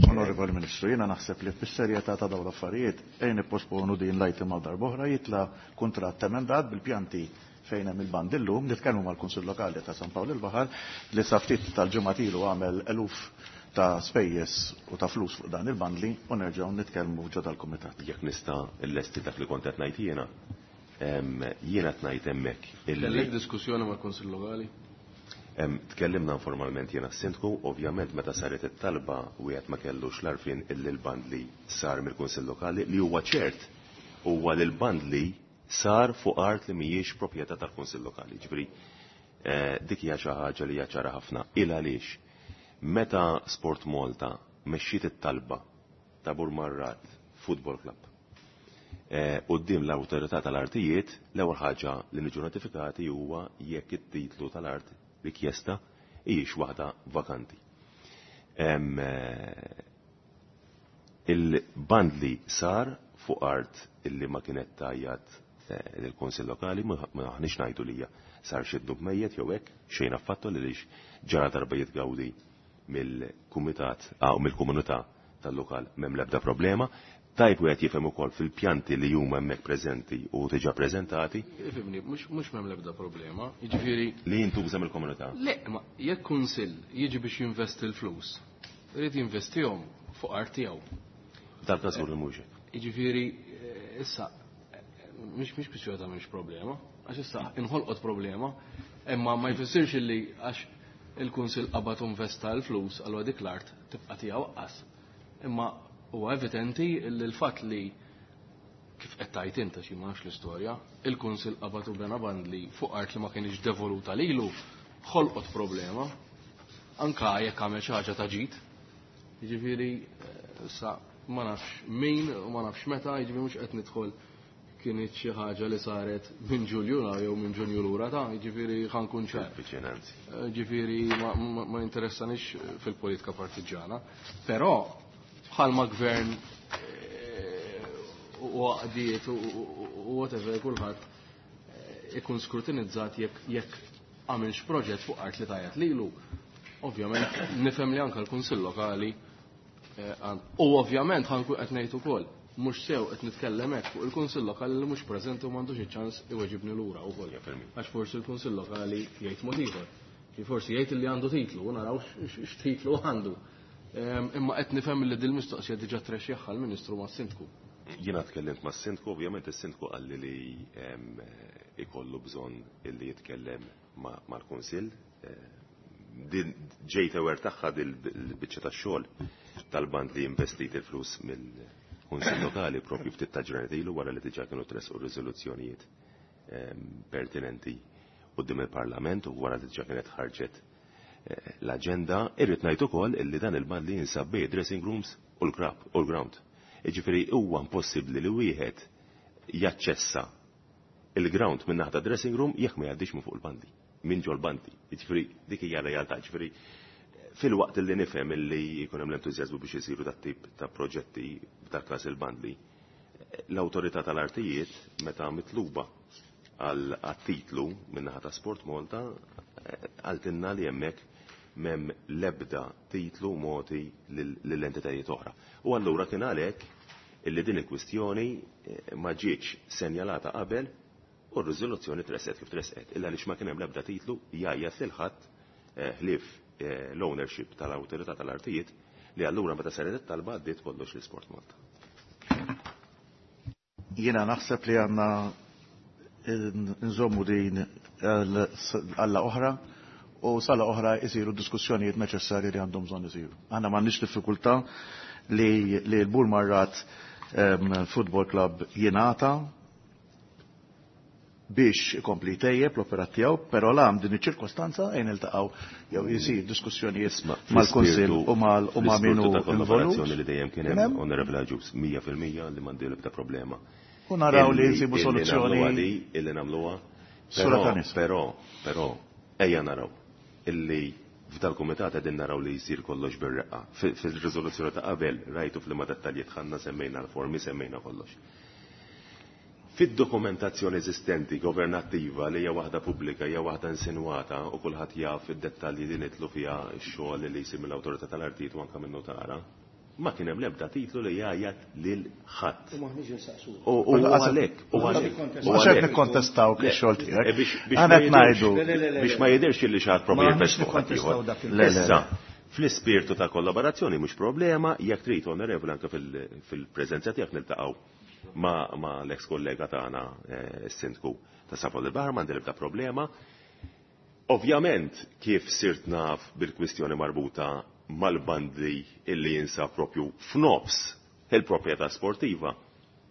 Speaker 7: Onorevoli Ministru, jiena naħseb li fis-serjetà ta' dawn l-affarijiet ejn nipposponu din l-item għal darb'oħra, jitla' kuntratt emendat bil-pjanti fejn hemm il-band illum, nitkellmu mal-Kunsill Lokali ta' San Pawl il-Baħar li sa ftit tal-ġimgħa ilu għamel eluf ta' spejjeż u ta' flus fuq dan il-bandli u nerġgħu nitkellmu ġo dal-kumitat.
Speaker 9: Jekk nista' llesti dak li kont qed ngħid jiena, jiena qed ngħid hemmhekk illi
Speaker 3: Kellek diskussjoni mal-Kunsill Lokali?
Speaker 9: Tkellimna informalment jiena s-sindku, ovvjament meta saret it-talba wieħed ma kellux l-arfin illi l-bandli sar mill-Kunsill Lokali, li huwa ċert huwa li l-bandli sar fuq art li mhijiex proprjetà tal-Kunsill Lokali. Ġifieri dik hija xi ħaġa li hija ċara ħafna. Il għaliex meta Sport Malta mexxiet it-talba ta' Burmarrad Football Club quddiem l-awtorità tal-artijiet, l-ewwel ħaġa li niġu notifikati huwa jekk it-titlu tal-art rikjesta hijiex waħda vakanti. Il-bandli sar fuq art illi ma kienet tajjat lill-Kunsill Lokali, ma aħniex ngħidu lija sar xi dnub mejjet jew hekk, xejn affattu li lix ġara darba jitgawdi mill-kumitat aw mill-komunità tal-lokal m'hemm l-ebda problema. Tajb wieħed jifhem ukoll fil-pjanti li huma hemmhekk preżenti u diġà preżentati.
Speaker 3: Ifhimni, mhux mhux m'hemm l-ebda problema, jiġifieri
Speaker 9: li jintuża mill-komunità.
Speaker 3: Le, ma jekk kunsill jiġi biex jinvesti l-flus, irid jinvestihom fuq art tiegħu.
Speaker 9: Dal-każ li mhux hekk.
Speaker 3: Jiġifieri issa mhix mhix kwistjoni ta' mhix problema, għax issa inħolqot problema, imma ma jfissirx illi għax il-kunsill qabad u investa l-flus allura dik l-art tibqa' tiegħu aqqas. Imma huwa evidenti li l-fatt li kif qed tgħid inta xi ma nafx l-istorja, il-kunsill qabad u bena bandli fuq art li ma kienx devoluta lilu, ħolqot problema, anka jekk għamel xi ħaġa ta' ġid. Jiġifieri issa ma nafx min u ma nafx meta, jiġifieri mhux qed nidħol kienet xi ħaġa li saret minn Ġulju jew minn Ġunju lura ta' jiġifieri ħankun ċar. Jiġifieri ma interessanix fil-politika partiġġana, però bħalma gvern u għaqdiet u whatever kulħadd ikun skrutinizzat jekk għamilx proġett fuq art li tajjat lilu. Ovvjament nifhem li anke l-Kunsill Lokali u ovvjament ħankun qed ngħid ukoll mhux sew qed nitkellem hekk fuq il-Kunsill Lokali li mhux preżenti u m'għandux iċ-ċans iweġibni lura wkoll. Għax forsi l-Kunsill Lokali jgħid mod ieħor. Forsi jgħid li għandu titlu, u naraw x'titlu għandu. Imma qed nifhem li din mistoqsija diġà trexxieħha l-Ministru mas-Sindku.
Speaker 9: Jiena tkellimt mas-Sindku, ovvjament is-Sindku qalli li ikollu bżonn illi jitkellem mal-Kunsill. Din ġejt ewer tagħha dil-biċċa tax-xogħol tal-band li investit il-flus mill-Kunsill Lokali propju ftit ta' ġranet ilu wara li diġà kienu tresqu riżoluzzjonijiet pertinenti quddiem il-Parlament u wara li diġà kienet ħarġet l-aġenda. Irrid ngħid ukoll illi dan il-band li jinsab bejn dressing rooms u l-krab u l-ground. Jiġifieri huwa impossibbli li wieħed jaċċessa il-ground minn naħa dressing room jekk ma jgħaddix minn fuq il-bandi, minn ġol bandi. Jiġifieri dik hija realtà. Jiġifieri Fil-waqt li nifhem illi jkun hemm l-entużjażmu biex isiru dat tip ta' proġetti f'dak każ il-bandli, l-awtorità tal-artijiet meta mitluba għal titlu min-naħa ta' Sport Malta għaltinna li hemmhekk m'hemm l-ebda titlu mogħti lill-entitajiet oħra. U allura kien għalhekk illi din il-kwistjoni ma ġietx senjalata qabel u r-riżoluzzjoni tresqet kif tresqet, illa għaliex ma kien hemm l-ebda titlu jgħajjat lil ħadd ħlief l-ownership tal-awtorità tal-artijiet li allura meta saret it-talba għaddiet kollox li Sport Malta.
Speaker 7: Jiena naħseb li għandna nżommu din għalla oħra u sala oħra jisiru diskussjonijiet neċessarji li għandhom bżonn isiru. Aħna m'għandniex diffikultà li li l-Burmarrad Football Club jingħata biex ikompli tejjeb l-operat tiegħu, però lam din iċ-ċirkostanza ejn iltaqgħu jew jsir diskussjonijiet mal-Kunsill u mal u ma' min hu involut.
Speaker 9: Li dejjem kien hemm Honorable Agius mija fil-mija li m'għandi l-ebda problema.
Speaker 7: U naraw li nsibu soluzzjoni
Speaker 9: illi nagħmluha. Però, però, però, ejja naraw illi f'dal-kumitat qegħdin naraw li jsir kollox bir-reqqa. Fil-riżoluzzjoni ta' qabel rajtu f'liema dettalji tħanna semmejna l-formi, semmejna kollox. Fid-dokumentazzjoni eżistenti governattiva li hija waħda pubblika, hija waħda insinwata u kulħadd jaf id-dettalji li nitlu fiha x-xogħol li jsir mill-awtorità tal-artijiet u anke min-notara, ma kien hemm l-ebda titlu li jgħajjat lil ħadd.
Speaker 5: U m'aħniex insaqsu.
Speaker 9: U għalhekk, u għalhekk.
Speaker 7: Mhux qed nikkontestaw ix-xogħol tiegħek. Aħna qed ngħidu
Speaker 9: biex ma jidhirx li xi ħadd proprju jifes fuq ħadd ieħor. Issa, fl-ispirtu ta' kollaborazzjoni mhux problema, jekk trid onorevoli anke fil-preżenza tiegħek niltaqgħu ma, ma l-ex kollega tagħna s-sindku ta' San Pawl il-Baħar, m'għandi l-ebda problema. Ovvjament kif sirt naf bil-kwistjoni marbuta mal-bandli illi jinsab propju f'nofs il-proprjetà sportiva,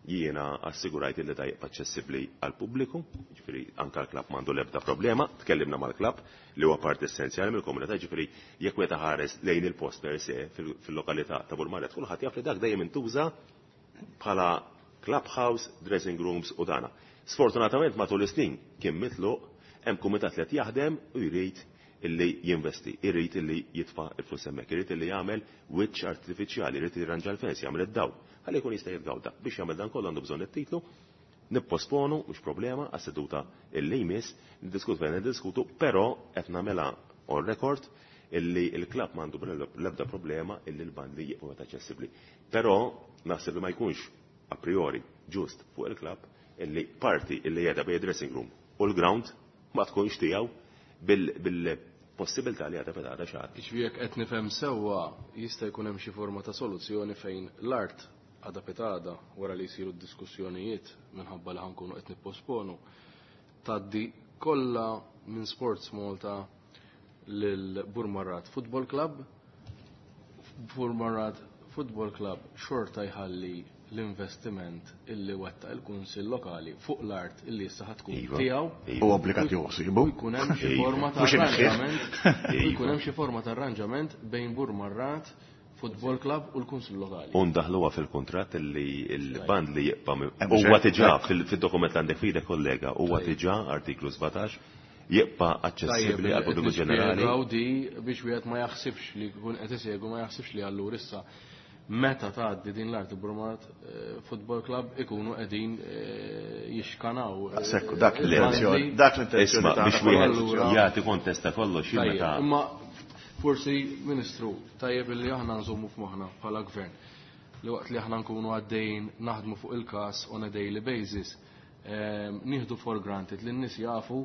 Speaker 9: jiena assigurajt illi da jibqa' aċċessibbli għall-pubbliku, jiġifieri anke l-klabb m'għandu l-ebda problema, tkellimna mal-klabb li huwa parti essenzjali mill-komunità, jiġifieri jekk wieħed ħares lejn il-post per se fil-lokalità ta' Burmarrad, kulħadd jaf li dak dejjem intuża bħala clubhouse, dressing rooms u dana. Sfortunatament matul is-snin kien mitluq, hemm kumitat li qed jaħdem u jrid illi jinvesti, jrid illi jitfa' il-flus hemmhekk, irid illi jagħmel wiċċ artifiċjali, jrid jirranġa l-fens, jagħmel id-dawl, ħalli jkun jista' jitgawda. Biex jagħmel dan kollu għandu bżonn it-titlu, nipposponu, mhux problema, għas-seduta illi jmiss, niddiskutu fejn niddiskutu, però qed nagħmilha on record illi l-klabb m'għandu l-ebda problema illi l-bandli jibqgħu aċċessibbli. Però naħseb li ma jkunx a priori ġust fuq il-klabb illi parti illi jeda bej dressing room u l-ground ma tkunx tiegħu bil-possibilità li għadha fetgħada xahar.
Speaker 3: Jiġifieri jekk qed nifhem sewwa jista' jkun hemm xi forma ta' soluzzjoni fejn l-art għadha petada wara li jsiru d-diskussjonijiet minħabba li ħankunu qed nipposponu tgħaddi kollha minn Sports Malta lil Burmarrad Football Club. Burmarrad Football Club xorta jħalli l-investiment illi wettaq il-Kunsill Lokali fuq l-art illi issa ħatkun tiegħu.
Speaker 7: U obbligat josibu.
Speaker 3: U jkun hemm xi forma ta' arranġament. U jkun hemm xi forma ta' arranġament bejn Burmarrad Football Club u l-Kunsill Lokali.
Speaker 9: U ndaħluha fil-kuntratt illi l-band li jibqa' huwa diġà fid-dokument li għandek f'idek kollega, huwa diġà artiklu sbatax jibqa' aċċessibbli għall pubbliku ġenerali.
Speaker 3: Di biex wieħed ma jaħsibx li jkun qed isegwu ma jaħsibx li allura issa meta tgħaddi din l-art Burmarrad Football Club ikunu qegħdin jixkanaw.
Speaker 7: Sekku, dak l-intenzjoni, dak l-intenzjoni
Speaker 9: biex wieħed jagħti kontesta kollox meta.
Speaker 3: Imma forsi Ministru, tajjeb illi aħna nżommu f'moħħna bħala gvern li waqt li aħna nkunu għaddejjin naħdmu fuq il-każ on a daily basis, nieħdu for granted li n-nies jafu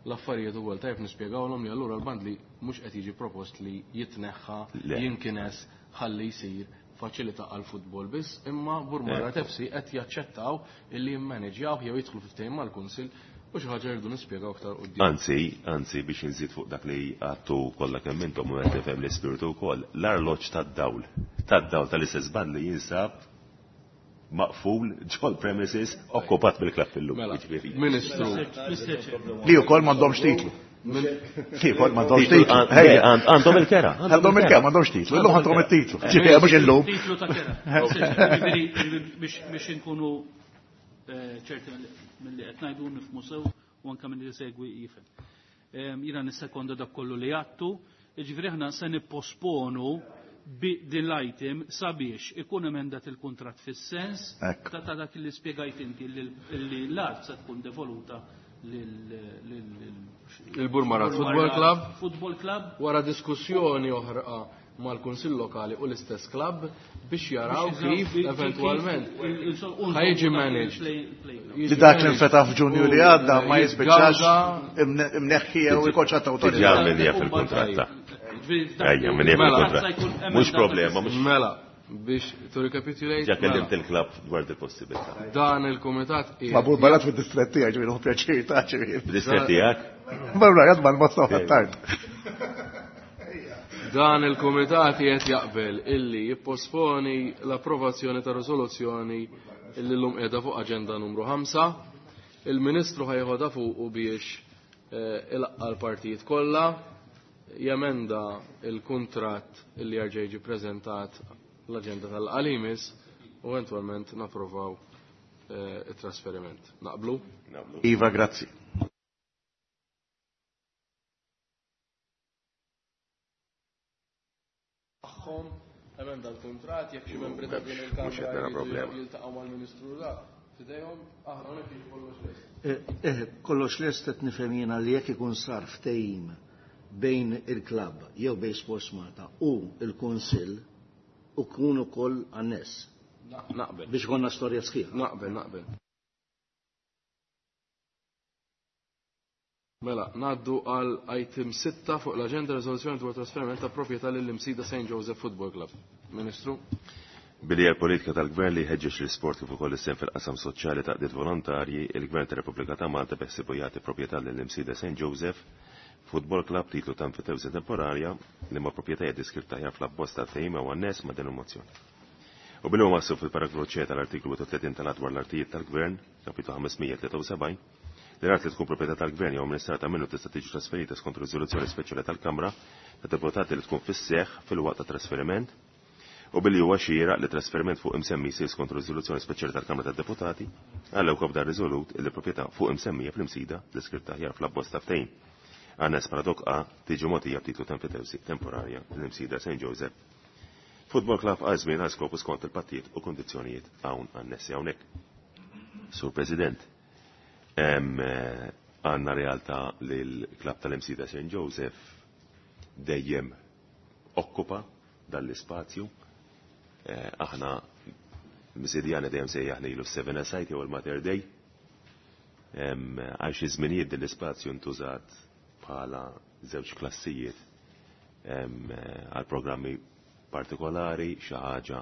Speaker 3: l-affarijiet ukoll tajjeb nispjegawlhom li allura l-bandli mhux qed jiġi propost li jitneħħa, jinkines, ħalli jsir faċilità għal futbol biss, imma Burmarrad F C qed jaċċettaw illi jimmaneġjaw jew jidħlu fi ftehim mal-Kunsill u xi ħaġa jridu nispjegaw aktar quddiem.
Speaker 9: Anzi, anzi biex inżid fuq dak li għattu kollha kemm intom u qed tifhem l-ispirtu wkoll, l-arloġġ tad-dawl, tad-dawl tal-istess band li jinsab maqful ġol premises okkupat bil-klabb illum.
Speaker 3: Ministru.
Speaker 7: Li wkoll m'għandhomx titlu. Li wkoll m'għandhomx titlu.
Speaker 9: Għandhom il-kera.
Speaker 7: Għandhom il-kera, m'għandhomx titlu. Illum għandhom it-titlu. Ġifieri mhux illum.
Speaker 8: Titlu ta' kera. Biex inkunu ċerti milli qed ngħidu nifhmu sew u anke milli segwi jifhem. Jiena nissekonda dak kollu li għattu, Jiġifieri aħna se nipposponu din l-item sabiex ikun emendat il-kuntratt fis-sens ta' ta' dak li spjegajt inti li l-art se tkun devoluta
Speaker 3: il-Burmarrad Football Club.
Speaker 8: Football Club.
Speaker 3: Wara diskussjoni oħra mal-Kunsill Lokali u l-istess klabb biex jaraw kif eventwalment ħajġi managed.
Speaker 7: Li dak li nfetaħ f'Ġunju li għadda ma jispiċċax imneħħi jew ikolx għatta awtorità.
Speaker 9: Diġà minnija fil-kuntratt. Ejja, minnija fil-kuntratt. Mhux problema, mhux.
Speaker 3: Mela, biex to recapitulate.
Speaker 9: Ġa kellimt il-klabb dwar il-possibilità.
Speaker 3: Dan il-kumitat.
Speaker 7: Ma Burmarrad fid-distrett tiegħi ġifieri hu pjaċir ta' ġifieri.
Speaker 9: Fid-distrett tiegħek?
Speaker 7: Burmarrad mal-Mostofa tard.
Speaker 3: Dan il-Kumitat qed jaqbel illi jipposponi l-approvazzjoni ta' riżoluzzjoni illi llum qiegħda fuq aġenda numru ħamsa. Il-Ministru ħajħodha fuqu biex ilaqqa l-partijiet kollha, jemenda il-kuntratt illi jerġa' jiġi preżentat l-aġenda tal-qalimis u eventwalment napprovaw it-trasferiment. Naqblu?
Speaker 9: Naqblu.
Speaker 7: Iva, grazzi.
Speaker 3: Emenda l-kontrat, jekk xi membri ta' din il-Kamra jiltaqgħu mal-Ministru da, f'idejhom aħna hawnhekk jiġi kollox lest.
Speaker 5: Eh, kollox lest qed nifhem jiena li jekk ikun sar ftehim bejn il-klabb jew bejn Sports Malta u l-Kunsill u kun ukoll anness.
Speaker 3: Naqbel.
Speaker 5: Biex konna storja sħiħa.
Speaker 3: Naqbel, naqbel. Mela, ngħaddu għal item sitta fuq l-aġenda riżoluzzjoni dwar trasferiment ta' proprjetà lill-Imsida Saint Joseph Football Club. Ministru.
Speaker 9: Billi hija l-politika tal-Gvern li jħeġġeġ l-isport kif ukoll is-sehem fil-qasam soċjali ta' qdiet volontarji, il-Gvern tar-Repubblika ta' Malta beħsiebu jagħti proprjetà lill-Imsida Saint Joseph Football Club titlu ta' enfitewżi temporarja li ma' proprjetà hija deskritta aħjar fl-abbozz tal-ftehim u anness ma' din il-mozzjoni. U billi huwa maħsub fil-paragrafu C tal-artiklu tletin tal-Att dwar l-Artijiet tal-Gvern, kapitlu ħames mija tlieta u sebgħin, li l-art li tkun proprjetà tal-Gvern jew amministrata minnu tista' tiġi trasferita skont riżoluzzjoni speċjali tal-Kamra ta' Deputati li tkun fis-seħħ fil-waqt ta' trasferiment, u billi huwa xieraq li trasferiment fuq imsemmi jsir skont riżoluzzjoni speċjali tal-Kamra tad-Deputati, għalhekk wkoll dan riżolut li proprjetà fuq imsemmija fl-Imsida deskritta aħjar fl-abbozz ta' ftehim. Anness paradok A tiġi mogħtija b'titlu ta' enfitewsi temporarja l-Imsida Saint Joseph Football Club għal żmien għal skopu skont il-pattijiet u kondizzjonijiet hawn annessi hawnhekk. Sur President, għandna realtà li l-klabb tal-Imsida Saint Joseph dejjem okkupa dan l-ispazju. Aħna Msidjana dejjem sejjaħ lilu seven aside jew il-Mater Dei. Għal xi żminijiet din l-ispazju ntużat bħala żewġ klassijiet għal programmi partikolari, xi ħaġa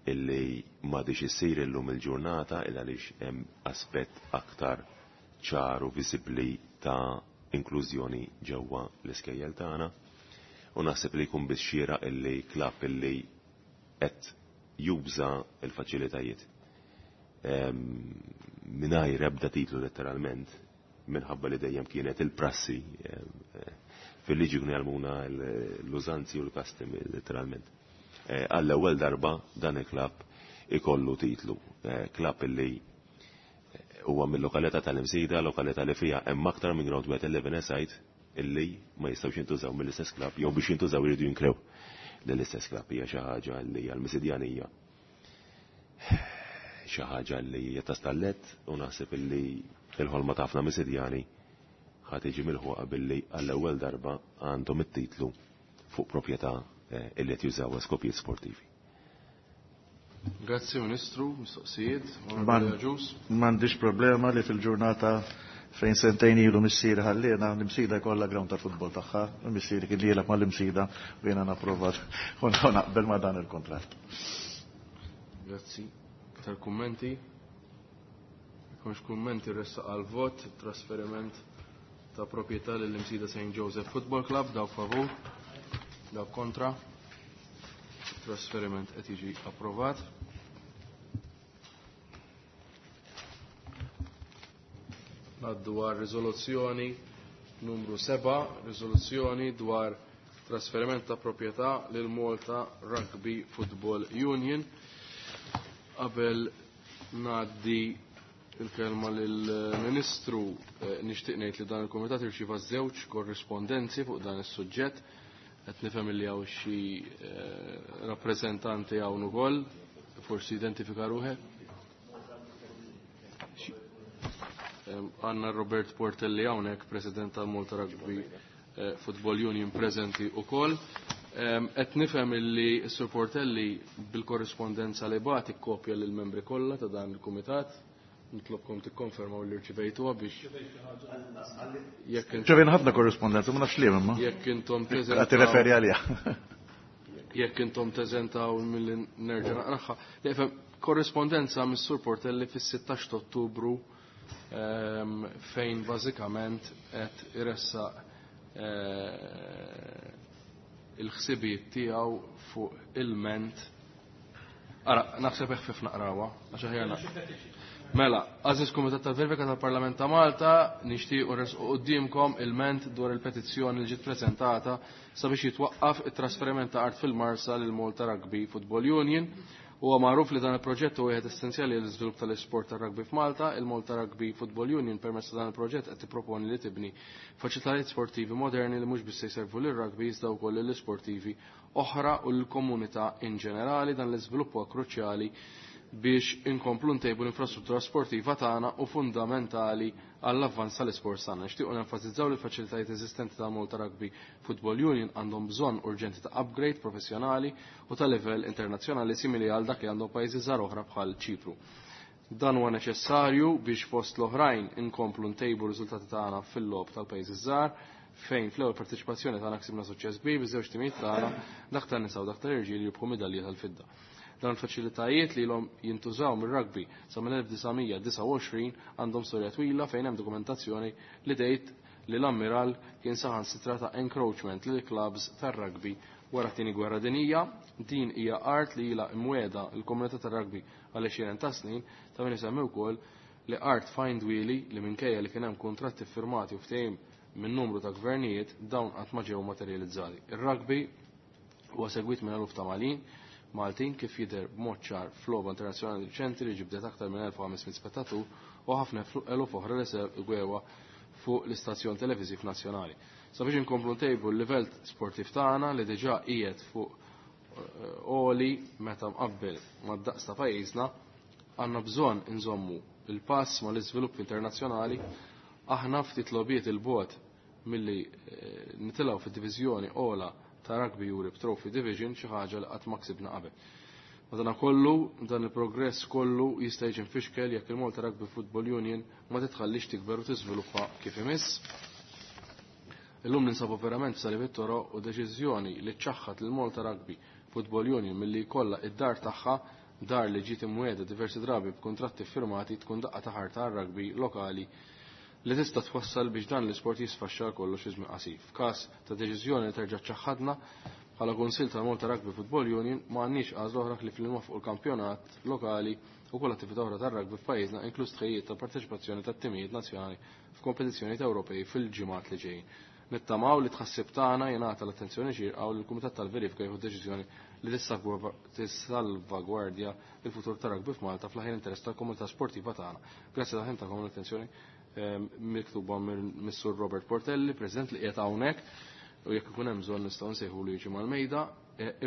Speaker 9: illi m'għadix issir illum il-ġurnata illa għaliex hemm aspett aktar ċar u viżibbli ta' inklużjoni ġewwa l-iskejjel tagħna. U naħseb li jkun biss xieraq illi klabb illi qed juża l-faċilitajiet mingħajr ebda titlu letteralment, minħabba li dejjem kienet il-prassi fil-liġi kienu jgħallmuna l-użanzi u l-custom letteralment. Għall-ewwel darba dan il-klabb ikollu titlu, klabb illi huwa mill-lokalità tal-Imsida, lokalità li fiha hemm aktar minn ground wieħed eleven aside illi ma jistgħux jintużaw mill-istess klabb jew biex jintużaw iridu jinkrew lill-istess klabb. Hija xi ħaġa li hija l-Misidjanija, xi ħaġa li hija ta' stallet, u naħseb illi il-ħolma ta' ħafna Misidjani ħa tiġi milħuqa billi għall-ewwel darba għandhom it-titlu fuq proprjetà illi qed jużawha skopijiet sportivi.
Speaker 3: Grazzi Ministru, mistoqsijiet,
Speaker 7: M'għandix problema li fil-ġurnata fejn sentejn ilu missieri ħallina, l-Imsida jkollha ground tal-futbol tagħha, missieri kien jilgħab mal-Imsida u jiena napprova u naqbel ma' dan il-kontratt.
Speaker 3: Grazzi. Iktar kummenti? Jekk kummenti ressaq għal vot, trasferiment ta' proprjetà lill-Imsida Saint Joseph Football Club, dawk favur, dawk kontra. Trasferiment qed jiġi approvat. Ngħaddu għal riżoluzzjoni numru seba', riżoluzzjoni dwar trasferiment ta' proprjetà lil Malta Rugby Football Union. Qabel ngħaddi il-kelma lill-Ministru, nixtieq ngħid li dan il-Kumitat irċieva żewġ korrispondenzi fuq dan is-suġġett. Qed nifhem li hawn xi eh, rappreżentanti hawn ukoll, forsi identifika ruħek. Għanna Robert Portelli hawnhekk, President tal-Malta Rugby eh, Football Union preżenti ukoll. Qed nifhem illi s-Sur Portelli bil-korrispondenza li bagħat ikkopja lill-membri kollha ta' dan il-kumitat. Nitlobkom tikkonfermaw li rċivejtuha biex jekk
Speaker 7: Ċevejna ħafna korrispondenza, ma nafx li imma.
Speaker 3: Jekk intom
Speaker 7: Qed tirreferi għaliha.
Speaker 3: Jekk intom teżentaw milli nerġa' naqraha. Le, korrispondenza mis-Sur Portelli fis-sittax ta' Ottubru ehm, fejn bażikament qed iressaq eh, il-ħsibijiet tiegħu fuq il-ment. Ara, naħseb eħfif naqrawha, għax aħjar Mela, għażiż Kumitat tal-Verifika tal-Parlament ta' Malta, nixtiequ nresqu quddiemkom il-ment dwar il-petizzjoni li ġiet preżentata sabiex jitwaqqaf it-trasferiment ta' art fil-Marsa lil Malta Rugby Football Union. Huwa magħruf li dan il-proġett huwa wieħed essenzjali għall iżvilupp tal-isport tar-rugby f'Malta. Il-Malta Rugby Football Union permezz ta' dan il-proġett qed tipproponi li tibni faċilitajiet sportivi moderni li mhux biss se jservu lir-rugby iżda wkoll lill-isportivi oħra u l-komunità in ġenerali. Dan l-iżvilupp huwa kruċjali biex inkomplu ntejbu l-infrastruttura sportiva tagħna u fundamentali għall-avvanz tal-isport tagħna. Nixtiequ nenfasizzaw li l-faċilitajiet eżistenti ta' Malta Rugby Football Union għandhom bżonn urġenti ta' upgrade professjonali u ta' livell internazzjonali simili għal dak li għandhom pajjiżi żgħar oħra bħal Ċipru. Dan huwa neċessarju biex fost l-oħrajn inkomplu ntejbu r-riżultati tagħna fil-logħob tal-pajjiżi żgħar, fejn fl-ewwel parteċipazzjoni tagħna ksibna suċċess kbir biż-żewġ timijiet tagħna, dak tan-nisa u dak tal-irġiel, jirbħu midalji tal-fidda. Dan il-faċilitajiet li l-om jintużaw mir-rugby sa mill-elf disa' mija disgħa u għoxrin għandhom storja twila fejn hemm dokumentazzjoni li tgħid li l-ammiral kien saħansitra ta' encroachment lil clubs tar-rugby wara t-tieni gwerra dinjija. Din hija art li ilha imwiegħda l-komunità tar-rugby għal għexieren ta' snin, ta' min isemmi wkoll li art Find Wheelie li minkejja li kien hemm kuntratti firmati u ftehim minn numru ta' gvernijiet dawn qatt ma ġew materializzati. Ir-rugby huwa segwit minn eluf ta' Malin Maltin kif jidher b'mod ċar f'logħba internazzjonali riċenti li ġibdet aktar minn elf u ħames mitt spettatur u ħafna eluf oħra li segwewa fuq l-istazzjon televiżiv nazzjonali. Sabiex inkomplu ntejbu l-livell sportiv tagħna li diġà qiegħed fuq għoli meta mqabbel mad-daqs ta' pajjiżna, għandna bżonn inżommu il-pass mal-iżvilupp internazzjonali. Aħna ftit logħbiet il-bogħod milli nitilgħu fid-diviżjoni ogħla ta' Rugby Europe Trophy Division, xi ħaġa li qatt ma ksibna qabel. Madankollu, dan il-progress kollu jista' jiġi mfixkel jekk il-Malta Rugby Football Union ma titħallix tikber u tiżviluppa kif imiss. Illum ninsabu verament f'salib it-toroq u deċiżjoni li ċaħħat lil Malta Rugby Football Union milli jkollha id-dar tagħha, dar li ġiet imwiegħda diversi drabi b'kuntratti firmati, tkun daqqa ta' ħarta għar-rugby lokali li tista' twassal biex dan l-isport jisfaxxa kollox fi żmien qasir. F'każ ta' deċiżjoni li terġa' ċaħħadna bħala Kunsill tal-Malta Rugby Football Union ma għandniex għażla oħra li fil fuq il-kampjonat lokali u kull attività oħra tar-rugby f'pajjiżna, inkluż tħejjiet ta' parteċipazzjoni tat-timijiet nazzjonali f'kompetizzjonijiet Ewropej fil-ġimgħat li ġejjin. Nittamaw li tħassib tagħna jingħata l-attenzjoni xierqa u li l-Kumitat tal-Verifika jieħu deċiżjoni li tissalvagwardja il-futur tar-rugby f'Malta fl-aħjar interess tal-komunità sportiva tagħna. Grazzi ta' ħin tagħkom l-attenzjoni miktuba mis-Sur Robert Portelli, President li qiegħed hawnhekk, u jekk ikun hemm bżonn nistgħu nsejħu li jiġi mal-mejda.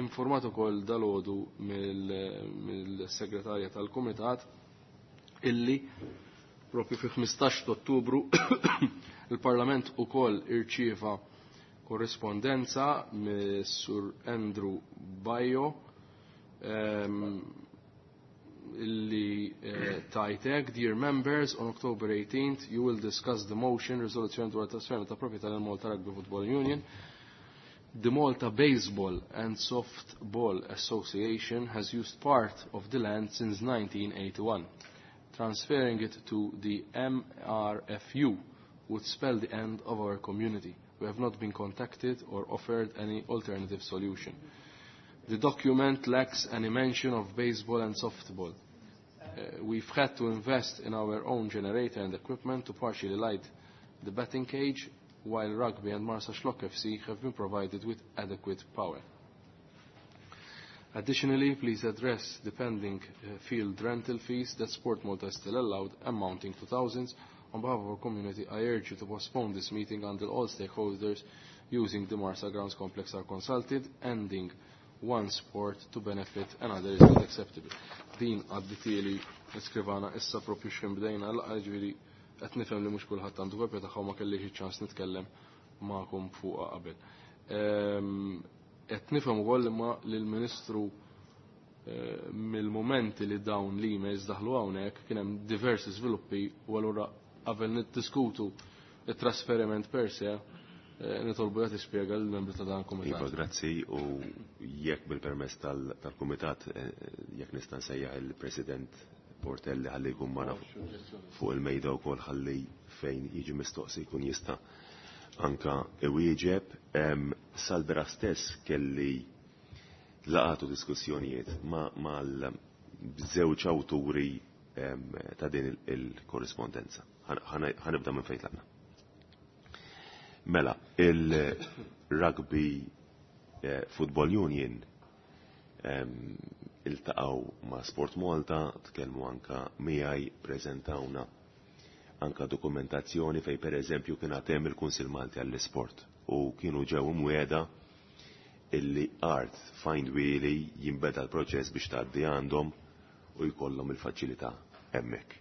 Speaker 3: Informat ukoll dalgħodu mill-segretarja tal-Kumitat illi propju fi ħmistax ta' Ottubru il-Parlament ukoll irċieva korrispondenza mis-Sur Andrew Bajo illi tajtek, dear members, on October eighteenth you will discuss the motion resolution dwar trasferiment ta' proprjetà lil Malta Rugby Football Union. The Malta Baseball and Softball Association has used part of the land since nineteen eighty-one. Transferring it to the M R F U would spell the end of our community. We have not been contacted or offered any alternative solution. The document lacks any mention of baseball and softball. Uh, we've had to invest in our own generator and equipment to partially light the batting cage, while rugby and Marsaxlokk F C have been provided with adequate power. Additionally, please address the pending, uh, field rental fees that Sport Malta is still allowed, amounting to thousands. On behalf of our community, I urge you to postpone this meeting until all stakeholders using the Marsa Grounds Complex are consulted, ending one sport to benefit another is not acceptable. Din għadditieli l-iskrivana issa propju x'kien bdejna l ġifieri qed nifhem li mhux kulħadd għandu kopja tagħha ma kellix iċ-ċans nitkellem magħkom fuqha qabel. Qed nifhem ukoll imma li l-Ministru eh, mill-momenti li dawn l-emails daħlu hawnhekk kien hemm diversi żviluppi u allura qabel niddiskutu it-trasferiment per se eh, nitolbu jagħti spjega lill-membri ta' dan il-kumitat.
Speaker 9: Iva, grazzi u jekk bil-permess tal-kumitat eh, jekk nista' nsejjaħ il-President Portelli ħalli jkun magħna fuq il-mejda wkoll ħalli fejn jiġi mistoqsi jkun jista' anka iwieġeb. Sal-bira stess kelli laqatu diskussjonijiet mal-żewġ awturi ta' din il-korrispondenza. Ħanibda minn fejn tlaqna. Mela, il-Rugby eh, Football Union iltaqgħu ma' Sport Malta, tkellmu anka miegħi, preżentawna anka dokumentazzjoni fej per eżempju kien hemm il-Kunsill Malti għall-Isport u kienu ġew imwiegħda illi art find wheelie jinbeda l-proċess biex tgħaddi għandhom u jkollhom il-faċilità hemmhekk.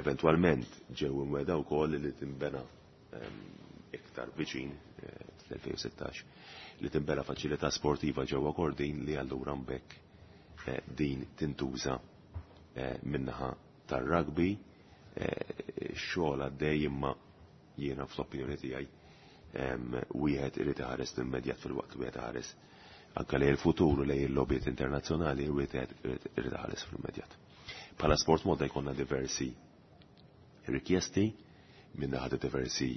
Speaker 9: Eventwalment ġew imwiegħda wkoll li tinbena iktar viċin eh, fl-elfejn u sittax li tinbena faċilità sportiva ġewwa Kordin li allura mbekk, eh, din tintuża, eh, minnaħa tar-rugby. Xogħol għaddej imma jiena fl-opinjoni tiegħi wieħed irid iħares l-immedjat fil-waqt li wieħed iħares anke lejn il-futur u lejn il-lobbiet internazzjonali wieħed irid iħares fl-immedjat. Bħala Sport Malta jkollna diversi rikjesti minn naħa diversi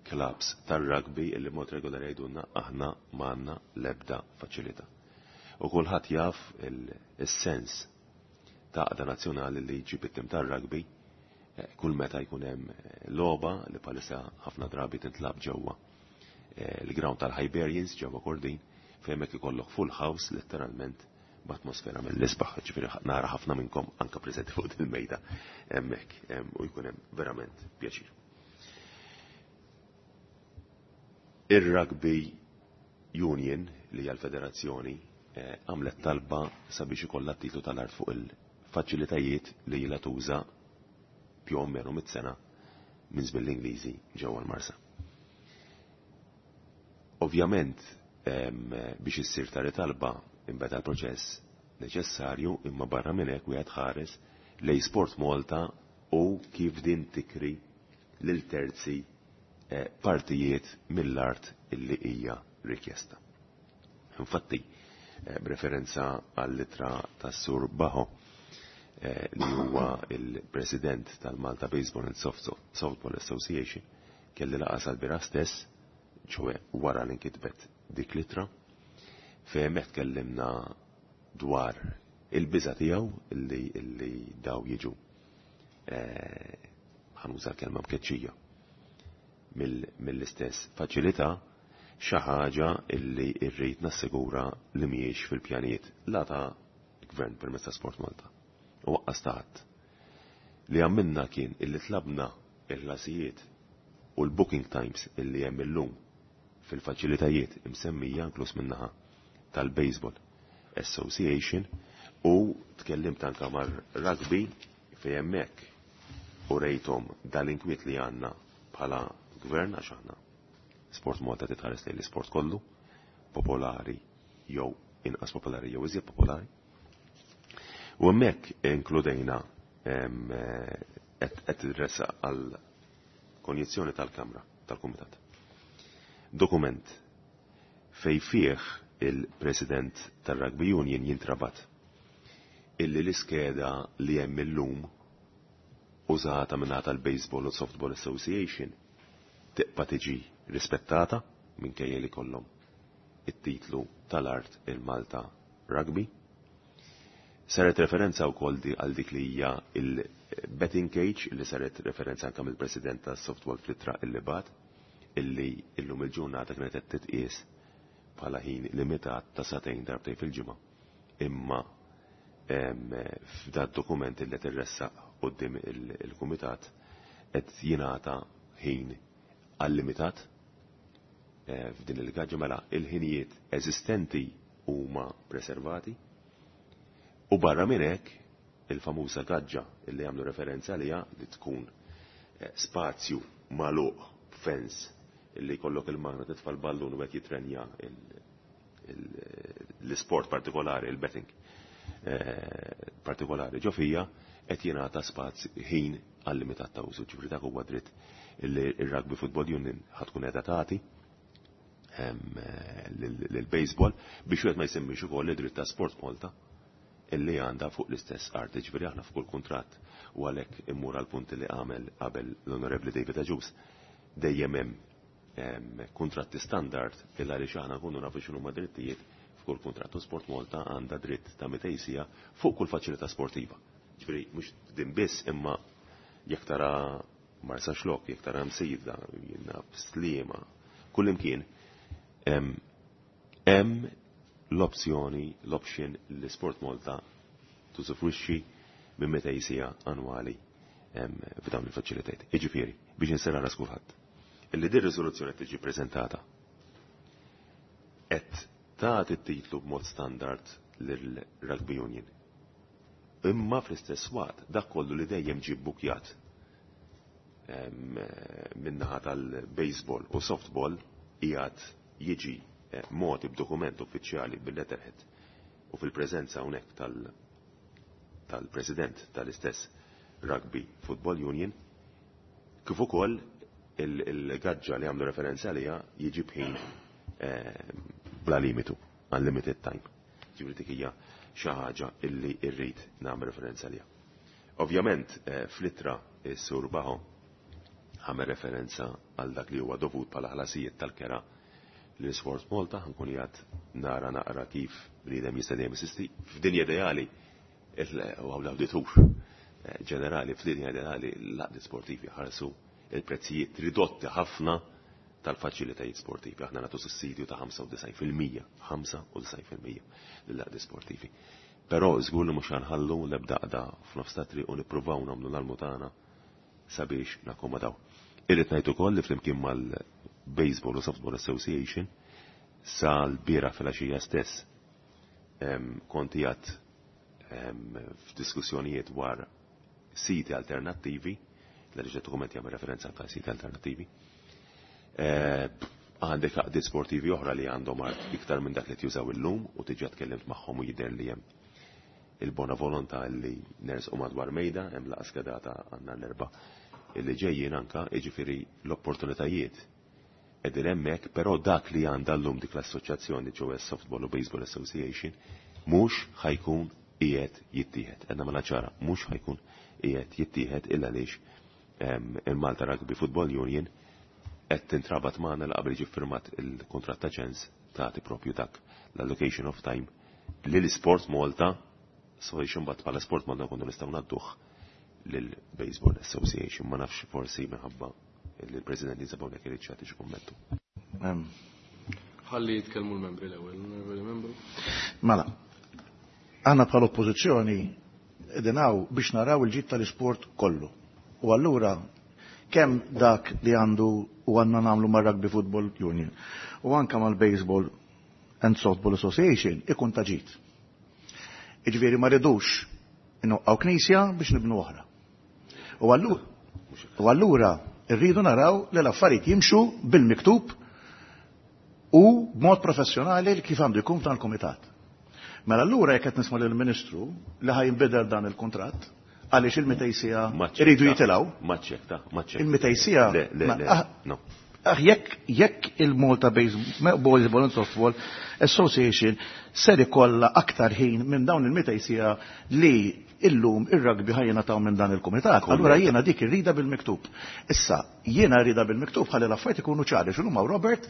Speaker 9: clubs tar-rugby illi mod regolari jgħidulna aħna m'għandna l-ebda faċilità. U kulħadd jaf il-sens ta' għaqda nazzjonali li jġib it-tim tar-rugby kull meta jkun hemm logħba li bħalissa ħafna drabi tintlab ġewwa il-ground tal-Hibernians ġewwa Kordin fejn hekk ikollok full house letteralment b'atmosfera mill-isbaħ, ġifieri nara ħafna minnkom anke preżenti fuq il-mejda hemmhekk u jkun hemm verament pjaċir. Ir-Rugby Union li hija l-federazzjoni għamlet talba sabiex ikollha titlu tal-art fuq il-faċilitajiet li ilha tuża più o meno mit-sena minn żmien l-Ingliżi ġewwa l-Marsa. Ovvjament biex issir tali talba imbeda l-proċess neċessarju imma barra minn hekk wieħed ħares lej Sport Malta u kif din tikri lil terzi partijiet mill-art illi hija rikjesta. Infatti, b'referenza għall-ittra tas-Sur Baho li huwa il-President tal-Malta Baseball and Softball Association, kelli laqgħa sal-bira stess, ċoe wara li nkitbet dik l-ittra, fejn hemmhekk tkellimna dwar il-biża' tiegħu illi, illi daw jiġu ħanuża l-kelma mkeċċija mill-istess faċilità, xi ħaġa illi rrid nassigura li mhijiex fil-pjanijiet la ta' gvern permezz ta' Sport Malta. U waqqas ta' ħadd. Li għamilna kien illi tlabna il-ħlasijiet u l-booking times illi hemm illum fil-faċilitajiet imsemmija inkluż min-naħa tal-Baseball Association u tkellimt anke mar-rugby fejn hemmhekk u rejthom dal-inkwiet li għandna bħala gvern għax aħna Sport Malta titħares lejn l-isport kollu, popolari jew inqas popolari jew iżjed popolari. U hemmhekk inkludejna qed idressa għal konjizzjoni tal-Kamra tal-Kumitat. Dokument fej fih il-President tal-Rugby Union jintrabat illi l-iskeda li hemm illum użata minn tal-Baseball u Softball Association tibqa' tiġi rispettata minkejja li kollhom it-titlu tal-art il-Malta Rugby. Saret referenza wkoll għal dik li hija il-betting cage li saret referenza anke mill-President tas-Softball fl-ittra illi bat illi illum il-ġurnata kienet qed titqies bħala ħin limitat ta' sagħtejn darbtejn fil-ġimgħa. Imma f'dat dokument illi qed irressaq quddiem il-kumitat qed jingħata ħin għal-limitat eh, f'din il-gaġġa. Mela il-ħinijiet eżistenti huma preservati u barra minn hekk il-famuża gaġġa illi għamlu referenza għaliha li tkun eh, spazju magħluq fence illi jkollok il-magna titfa' l-ballun u qed jitrenja l-isport partikolari, il-betting eh, partikolari ġo fija, qed jingħata spazju ħin għal limitat ta' użu. Ġifieri dak huwa dritt illi ir-Rugby Football Union ħatkun qiegħda tagħti lill-baseball biex wieħed ma jsemmix ukoll id-dritt ta' Sport Malta illi għandha fuq l-istess art. Ġifieri aħna f'kull kuntratt, u għalhekk immur għal punti li għamel qabel l-Onorevoli David Agius, dejjem hemm kontratti standard illa għaliex aħna nkunu nafu x'inhuma drittijiet f'kull kuntratt. U Sport Malta għandha dritt ta' mitejn siegħa fuq kull faċilità sportiva. Ġifieri mhux din biss, imma jekk tara Marsaxlokk, jekk tara Msida, jiena Sliema, kull imkien hemm l-opzjoni, l-option li Sport Malta tużufruxxi minn mitejn siegħa annwali f'dawn il-faċilitajiet. Jiġifieri, biex inserra ras kulħadd, illi din riżoluzzjoni tiġi preżentata qed tagħti t-titlu b'mod standard lill-Rugby Union. Imma fl-istess waqt dak kollu li dejjem ġie bbukjat min-naħa tal-baseball u softball qiegħed jiġi mogħti b'dokument uffiċjali bil-letterhead u fil-preżenza hawnhekk tal-president tal-istess Rugby Football Union, kif ukoll il-gaġġa li għamlu referenza għaliha jiġi bħin bla limitu, unlimited time. Ġifieri dik hija xi ħaġa illi rrid nagħmel referenza għaliha. Ovvjament fl-ittra s-Sur Baho għamel referenza għal dak li huwa dovut bħala ħlasijiet tal-kera li Sport Malta. Ħankun jgħad nara naqra kif bniedem jista' dejjem insisti. F'dinja ideali u l-awditur ġenerali, f'dinja ideali l-għaqdiet sportivi ħarsu il-prezzijiet ridotti ħafna tal-faċilitajiet sportivi. Aħna nagħtu sussidju ta' ħamsa u disgħin fil-mija, ħamsa u disgħin fil-mija lill-għaqdiet sportivi. Però żgur li mhux ħanħallu l-ebda qda f'nofs ta' triq u nippruvaw nagħmlu l-almu tagħna sabiex nakkomodaw. Irrid ngħid ukoll li flimkien mal-Baseball u Softball Association sal-bieraħ filgħaxija stess kont qiegħed f'diskussjonijiet dwar siti alternattivi, l-għaliex dokument jagħmel referenza anke siti alternattivi. Għandek għaqdiet sportivi oħra li għandhom art iktar minn dak li tjużaw illum u diġà tkellimt magħhom u jidher li hemm il-bona volontà li nersqu madwar mejda, hemm laqgħa skedata għandna l-erba' illi ġejjin anka, jiġifieri l-opportunitajiet qegħdin hemmhekk, però dak li għandha llum dik l-assoċjazzjoni ġewwa Softball u Baseball Association mhux ħajkun qiegħed jittieħed. Qed nagħmilha ċara, mhux ħajkun qiegħed jittieħed illa għaliex il-Malta Rugby Football Union qed tintrabat magħna li qabel jiġi ffirmat il-kuntratt ta' ċens tagħti propju dak l-allocation of time li l-Sport Malta, so biex imbagħad bħala Sport Malta nkunu nistgħu ngħadduh lill-Baseball Association. Ma nafx, forsi minħabba li l-President jinsab hawnhekk irid jagħti xi kummentu.
Speaker 3: Ħalli jitkellmu l-membri l-ewwel, l-onorevoli membru.
Speaker 7: Mela, aħna bħala oppożizzjoni qegħdin hawn biex naraw il-ġid tal-isport kollu. U allura kemm dak li għandu u għandna nagħmlu mar-Rugby Football Union u anka mal-Baseball and Softball Association ikun ta' ġid. Jiġifieri ma rridux inwaqqgħu knisja biex nibnu oħra. U allura rridu naraw li l-affarijiet jimxu bil-miktub u b'mod professjonali kif għandu jkun f'dan il-kumitat. Mela allura jekk qed nisma' lill-Ministru li ħa jinbidel dan il-kuntratt għaliex il-mitejn siegħa iridu jitilgħu.
Speaker 9: Maċċekta, maċċekta.
Speaker 7: Il-mitejn siegħa.
Speaker 9: Le, le, le, no.
Speaker 7: Ah, jekk jekk il-Malta Baseball and Softball Association ser ikollha aktar ħin minn dawn il-mitejn siegħa li illum ir-rugby ħa jingħataw minn dan il-kumitat. Allura jiena dik irrida bil-miktub. Issa, jiena rrida bil-miktub ħalli l-affarijiet ikunu ċari. X'inhuma Robert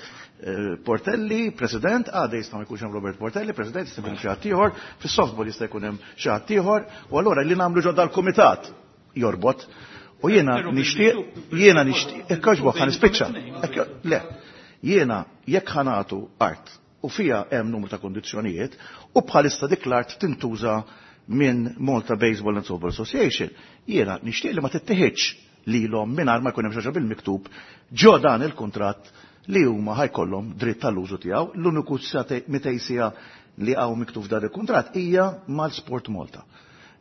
Speaker 7: Portelli, President, għada jista' ma jkunx hemm Robert Portelli, President, jista' jkun hemm xi ħadd ieħor, fis-softball jista' jkun hemm xi ħadd ieħor, u allura li nagħmlu ġodda l-kumitat jorbot. U jiena nixtieq, jiena nixtieq, jekk jogħġbok ħa nispiċċa. Le, jiena jekk ħa nagħtu art u fija hemm numru ta' kondizzjonijiet u bħalissa dik l-art tintuża minn Malta Baseball and Softball Association, jiena nixtieq li ma tittieħedx lilhom mingħajr ma jkun hemm xi ħaġa bil-miktub ġo dan il-kuntratt li huma ħa jkollhom dritt tal-użu tiegħu. L-uniku mitejn siegħa li hawn miktub f'dan il-kuntratt hija mal-Sport Malta.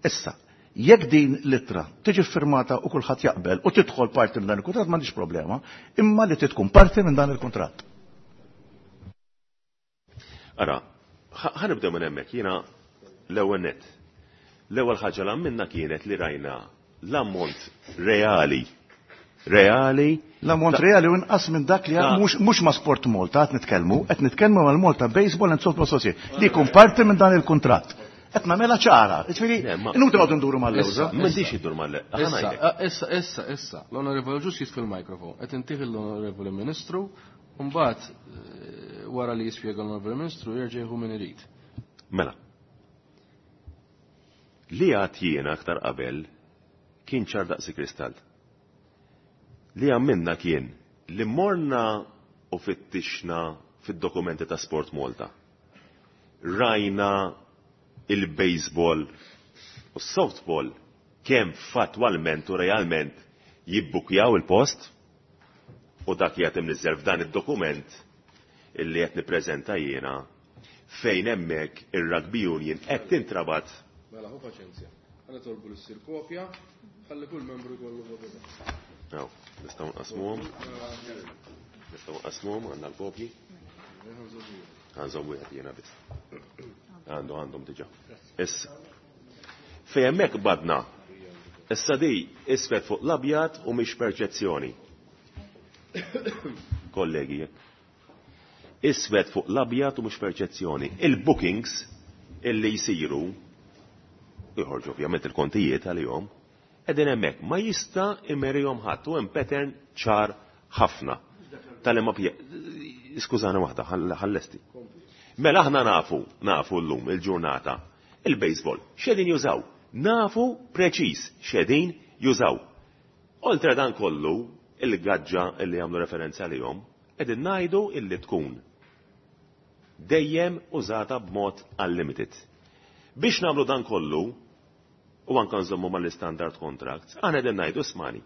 Speaker 7: Issa, jekk din l-ittra tiġi firmata u kulħadd jaqbel u tidħol parti minn dan il-kuntratt, m'għandix problema, imma li tkun parti minn dan il-kuntratt.
Speaker 9: Ara, ħa nibdew minn hemmhekk, jiena l-ewwel nett. L-ewwel ħaġa li għamilna kienet li rajna l-ammont reali. Reali.
Speaker 7: L-ammont reali u inqas minn dak li mhux ma' Sport Malta qed nitkellmu, qed nitkellmu mal-Malta Baseball and Softball Association li jkun parti minn dan il-kuntratt. Qed nagħmilha ċara, jiġifieri inutli noqogħdu nduru mal-lewża.
Speaker 9: M'għandix iddur mal-lewża.
Speaker 3: Issa, issa, issa, l-Onorevoli Ġus jitfi l-mikrofon, qed intih l-Onorevoli Ministru, u mbagħad wara li jispjega l-Onorevoli Ministru jerġa' jieħu min irid.
Speaker 9: Mela. Li għad jiena aktar qabel kien ċar daqsi kristall. Li għamilna kien li morna u fittixna fid-dokumenti ta' Sport Malta. Rajna il-baseball u s-softball kemm fattwalment u realment jibbukjaw il-post u dak jgħat imniżżel f'dan id-dokument illi qed nippreżenta jiena fejn hemmhekk ir-Rugby Union qed tintrabat.
Speaker 3: Mela ħu paċenzja. Ħa nitolbu li ssir kopja, ħalli kull membru jkollu kopja.
Speaker 9: Aw, nistgħu nqasmuhom. Nistgħu nqasmuhom għandna l-kopji. Għanżom wieħed jiena biss. Għandu għandhom diġà. Issa. Fejn hemmhekk badna. Issa di isfed fuq l-abjad u mhix perċezzjoni. Kollegi, iswed fuq l-abjad u mhux perċezzjoni. Il-bookings illi jsiru jħorġu ovvjament il-kontijiet għalihom, qegħdin hemmhekk ma jista' imerihom ħadd u hemm pattern ċar ħafna. Tal-imma skużani waħda, ħallesti. Mela aħna nafu, nafu llum il-ġurnata, il-baseball, x'qegħdin jużaw? Nafu preċiż x'qegħdin jużaw. Oltre dan kollu, il-gaġġa illi jagħmlu referenza għalihom, qegħdin ngħidu illi tkun dejjem użata b'mod unlimited. Biex nagħmlu dan kollu, u anke nżommu mal-standard contracts, aħna qegħdin ngħidu smani.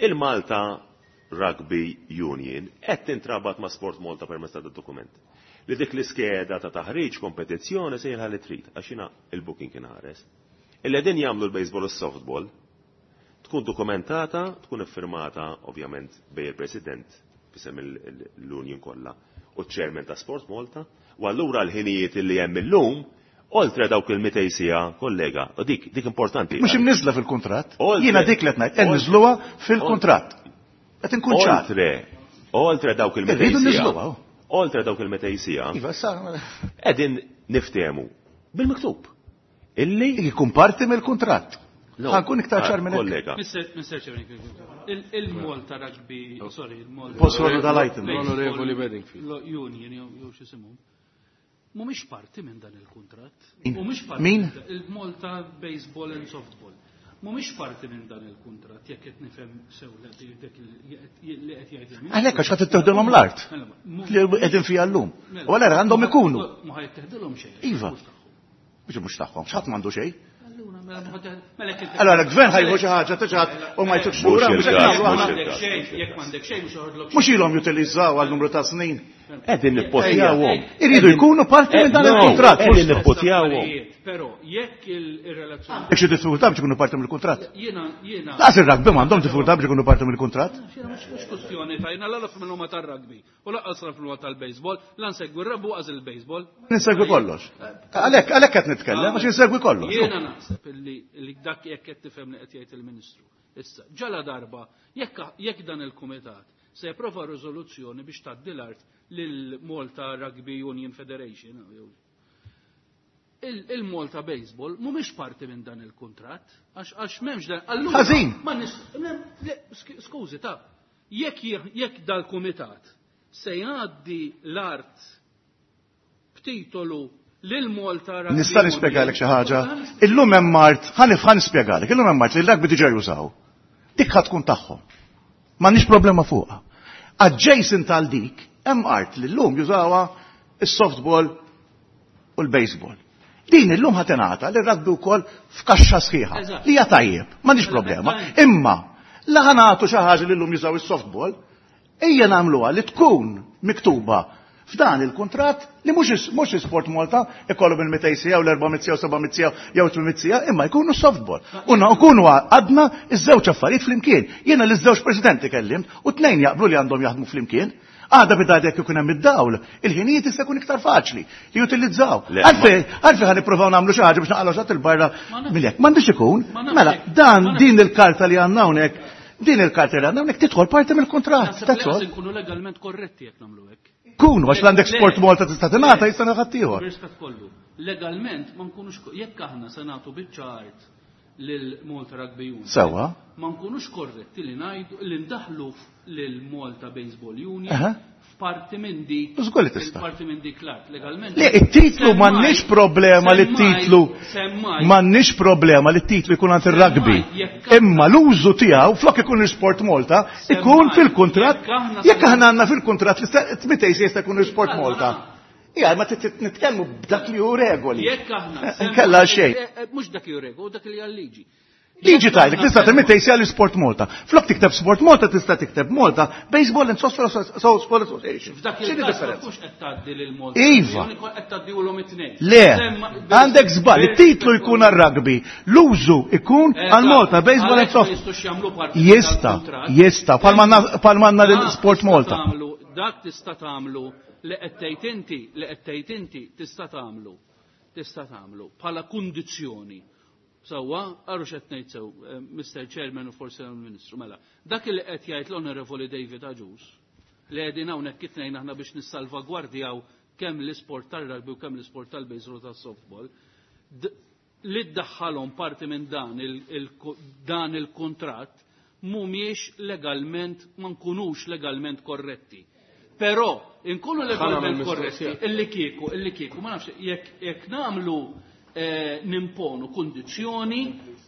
Speaker 9: Il-Malta Rugby Union qed tintrabat ma' Sport Malta permezz ta' dokument. Li dik l-iskeda ta' taħriġ kompetizzjoni se li trid, għax jiena il-booking kien ħares. Illi qegħdin jagħmlu l-baseball u s-softball tkun dokumentata, tkun iffirmata ovvjament bej il-President fisem l-Union kollha u ċ-Chairman ta' Sport Malta, u allura l-ħinijiet li hemm illum oltre dawk il-mitejn siegħa, kollega, u dik dik importanti.
Speaker 7: Mhux imniżla fil-kuntratt. Jiena dik li qed ngħid, qed niżluha fil-kuntratt. Qed inkun ċar.
Speaker 9: Oltre, oltre dawk il-mitejn siegħa. Oltre dawk il-mitejn siegħa.
Speaker 7: Iva, sa.
Speaker 9: Qegħdin niftehmu bil-miktub. Illi
Speaker 7: jkun parti mill-kuntratt. Ħa nkun iktar ċar minn
Speaker 9: hekk.
Speaker 8: Mister Chairman, il-Malta Rugby, sorry, il-Malta.
Speaker 7: Post dal-item.
Speaker 3: L-Onorevoli Bedingfield.
Speaker 8: Union, jew x'isimhom. Mhumiex parti minn dan il-kuntratt. Mhumiex parti.
Speaker 7: Min?
Speaker 8: Il-Malta Baseball and Softball. Mhumiex parti minn dan il-kuntratt jekk qed nifhem sew li qed jgħid.
Speaker 7: Għalhekk għax ħadd itteħdilhom l-art. Li qegħdin fiha llum. U allura għandhom ikunu.
Speaker 8: Ma ħajteħdilhom xejn.
Speaker 7: Iva. Mhux mhux tagħhom, x'ħadd m'għandu xejn.
Speaker 8: Allora
Speaker 7: Allora l-gvern ħajħu xi ħaġa tiġat u ma jtukx lura, mhux hekk nagħmlu aħna.
Speaker 8: Jekk m'għandek xejn mhux joħodlok.
Speaker 7: Mhux ilhom jutilizzaw għal numru ta' snin.
Speaker 9: Qegħdin nippotjawhom.
Speaker 7: Iridu jkunu parti minn dan il-kuntratt.
Speaker 9: Qegħdin nippotjawhom.
Speaker 8: Però jekk ir-relazzjoni.
Speaker 7: Jekk xi diffikultà biex ikunu parti mill-kuntratt.
Speaker 8: Jiena jiena.
Speaker 7: Laqas ir-rugby m'għandhom diffikultà biex ikunu parti mill-kuntratt.
Speaker 8: Mhux kwestjoni ta' jiena la fil huma tar-rugby u lanqas fil huma tal-baseball, la nsegwi r-rugby u qas il-baseball.
Speaker 7: Ninsegwi kollox. Għalhekk għalhekk qed nitkellem għax insegwi kollox.
Speaker 8: Jiena naħseb illi dak jekk qed tifhem li qed jgħid il-Ministru. Issa, ġala darba jekk jekk dan il-kumitat se japprova riżoluzzjoni biex tgħaddi l-art lil Malta Rugby Union Federation. Il-Malta Baseball mhumiex parti minn dan il-kuntratt, għax għax m'hemmx dan. Allura
Speaker 7: Ħażin.
Speaker 8: Skużi ta' jekk jekk dal-kumitat se jgħaddi l-art b'titolu lil Malta Rugby.
Speaker 7: Nista' nispjegalek xi ħaġa. Illum hemm art, ħa nispjegalek, illum hemm art li l-rugby diġà jużaw. Dik ħa tkun tagħhom. M'għandniex problema fuqha. Adjacent għal dik, hemm art li llum jużawha is-softball u l-baseball. Din illum ħa tingħata li rugby wkoll f'kaxxa sħiħa. Li hija tajjeb, m'għandix problema. Imma la ħa nagħtu xi ħaġa li llum jużaw is-softball, Ejja nagħmluha li tkun miktuba f'dan il-kuntratt li mhux mhux Sport Malta ikollhom il-mitejn siegħa u l-erba' mitt siegħa u seba' mitt siegħa jew tmien mitt siegħa, imma jkunu softball. U nkunu għadna iż-żewġ affarijiet flimkien. Jiena liż-żewġ presidenti kellimt u tnejn jaqblu li għandhom jaħdmu flimkien. Għada bidad jekk ikun hemm id-dawl, il-ħinijiet jista' jkun iktar faċli li jutilizzaw. Għalfejn għalfejn ħa nippruvaw nagħmlu xi ħaġa biex naqalgħu xi ħadd il-barra mill-hekk. M'għandux ikun. Mela, dan din il-karta li għandna hawnhekk, din il-karta li għandna hawnhekk tidħol parti mill-kuntratt.
Speaker 8: Naħseb li qas inkunu legalment korretti jekk nagħmlu hekk.
Speaker 7: Kunu, għax l-għandek Sport Malta tista' tingħata jista' ħadd ieħor.
Speaker 8: Bir-rispett kollu. Legalment ma nkunux jekk aħna se nagħtu biċċa art lil Malta Rugby Union.
Speaker 7: Sewwa.
Speaker 8: Ma nkunux korretti li ngħidu li ndaħlu lil Malta Baseball Union f'parti minn dik.
Speaker 7: Żgur li tista'.
Speaker 8: Parti minn dik l-art legalment.
Speaker 7: Le, it-titlu m'għandniex problema li t-titlu m'għandniex problema li t-titlu jkun għand ir-rugby. Imma l-użu tiegħu flok ikun l-Sport Malta ikun fil-kuntratt jekk aħna għandna fil-kuntratt li mitejn jista' jkun l-Sport Malta. Ija, ma nitkellmu b'dak li hu regoli.
Speaker 8: Jekk aħna.
Speaker 7: Nkella xejn.
Speaker 8: Mhux dak li hu regoli, dak li hija liġi.
Speaker 7: Liġi tajlek, tista' timittej sija l-Sport Malta. Flok tikteb Sport Malta tista' tikteb Malta Baseball and Softball Association.
Speaker 8: F'dak il-każ ma tkunx qed tgħaddi lil Malta.
Speaker 7: Iva.
Speaker 8: Qed tgħaddihulhom it-tnejn.
Speaker 7: Le, għandek żball, it-titlu jkun għar-rugby, l-użu ikun għal Malta Baseball and Softball. Jista, jista, palma għandna l-Sport Malta.
Speaker 8: Dak tista' tagħmlu li qed tgħid inti, li qed tgħid inti tista' tagħmlu. Tista' tagħmlu bħala kundizzjoni. Sewwa, għarru x'qed ngħid sew, Mister Chairman u forsi l-Ministru, mela. Dak li qed jgħid l-Onorevoli David Agius, li qegħdin hawnhekk it-tnejn aħna biex nissalvagwardjaw kemm l-isport tar-rugby u kemm l-isport tal-baseball u tas-softball, li ddaħħalhom parti minn dan dan il-kuntratt mhumiex legalment, ma nkunux legalment korretti. Però inkunu legalment korretti illi kieku, illi kieku, ma nafx jekk jekk nagħmlu nimponu kundizzjoni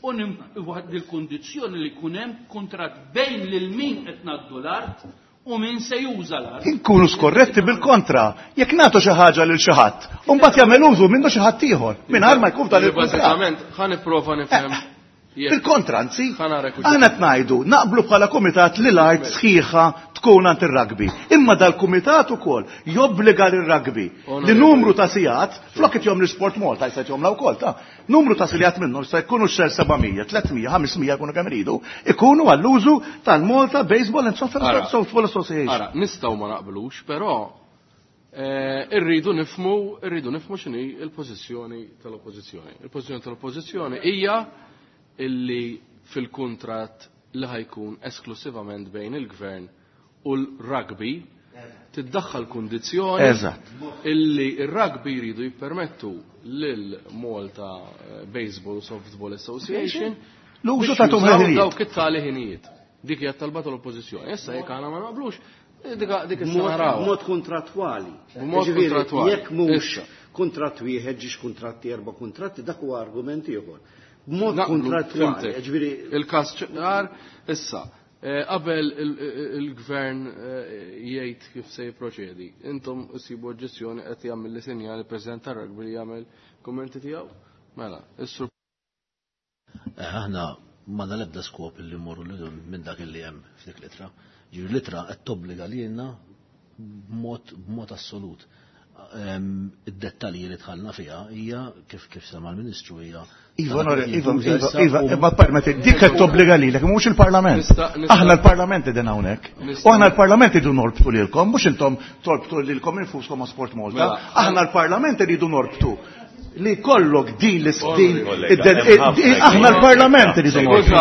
Speaker 8: u il-kundizzjoni li jkun hemm kuntratt bejn lil min qed ngħaddu l-art u min se juża l-art.
Speaker 7: Inkunu skorretti bil-kontra, jekk nagħtu xi ħaġa lil xi ħadd, u mbagħad jagħmel użu minnu xi ħadd ieħor, mingħajr ma jkun dan il-kuntratt.
Speaker 3: Bażikament ħa nipprova nifhem.
Speaker 7: Bil-kontra, anzi, aħna qed ngħidu naqblu bħala kumitat li l-art sħiħa tkun għand ir-rugby. Imma dal-kumitat ukoll jobbliga lir-rugby li numru ta' sigħat, flok qed jom l-Sport Malta jista' jomla wkoll ta' numru ta' sigħat minnhom se jkunu xer seba' mija, tliet mija, ħames mija jkunu kemm iridu, ikunu għall-użu tal-Malta Baseball and Softball Association.
Speaker 3: Ara, nistgħu ma naqblux, però irridu nifhmu, irridu nifhmu x'inhi l-pożizzjoni tal-oppożizzjoni. Il-pożizzjoni tal-oppożizzjoni hija illi fil-kuntratt li ħajkun esklusivament bejn il-gvern u l-rugby tiddaħħal kundizzjoni illi il-rugby jridu jippermettu lil Malta Baseball Softball Association
Speaker 7: l-użu ta'
Speaker 3: dawk it-tali ħinijiet. Dik hija talba tal-oppożizzjoni. Issa jekk aħna ma naqblux, dik issa naraw.
Speaker 5: B'mod kontrattwali.
Speaker 3: B'mod kontrattwali.
Speaker 5: Jekk mhux kuntratt wieħed ġiex kuntratti erba' kuntratti, dak huwa argument ieħor. B'mod kontrattwali.
Speaker 3: Ġifieri il-każ ċar issa. Qabel il-gvern jgħid kif se jipproċedi, intom issibu oġġezzjoni qed jagħmel li sinjal il-President tar-Rugby li jagħmel kummenti tiegħu? Mela, is-sur.
Speaker 5: Aħna m'għandna l-ebda skop li mmorru minn dak li hemm f'dik l-ittra. Ġifieri l-ittra qed tobbliga lilna b'mod b'mod assolut. Id-dettalji li dħalna fiha hija kif kif sema l-Ministru hija
Speaker 7: Iva, Iva, Iva, ma permetti, dik qed tobbliga lilek, mhux il-Parlament. Aħna l-Parlament qegħdin hawnhekk. U aħna l-Parlament idu norbtu lilkom, mhux intom torbtu lilkom infuskom ma' Sport Malta. Aħna l-Parlament iridu norbtu li kollok din l-din, aħna l-Parlament iridu norbtu.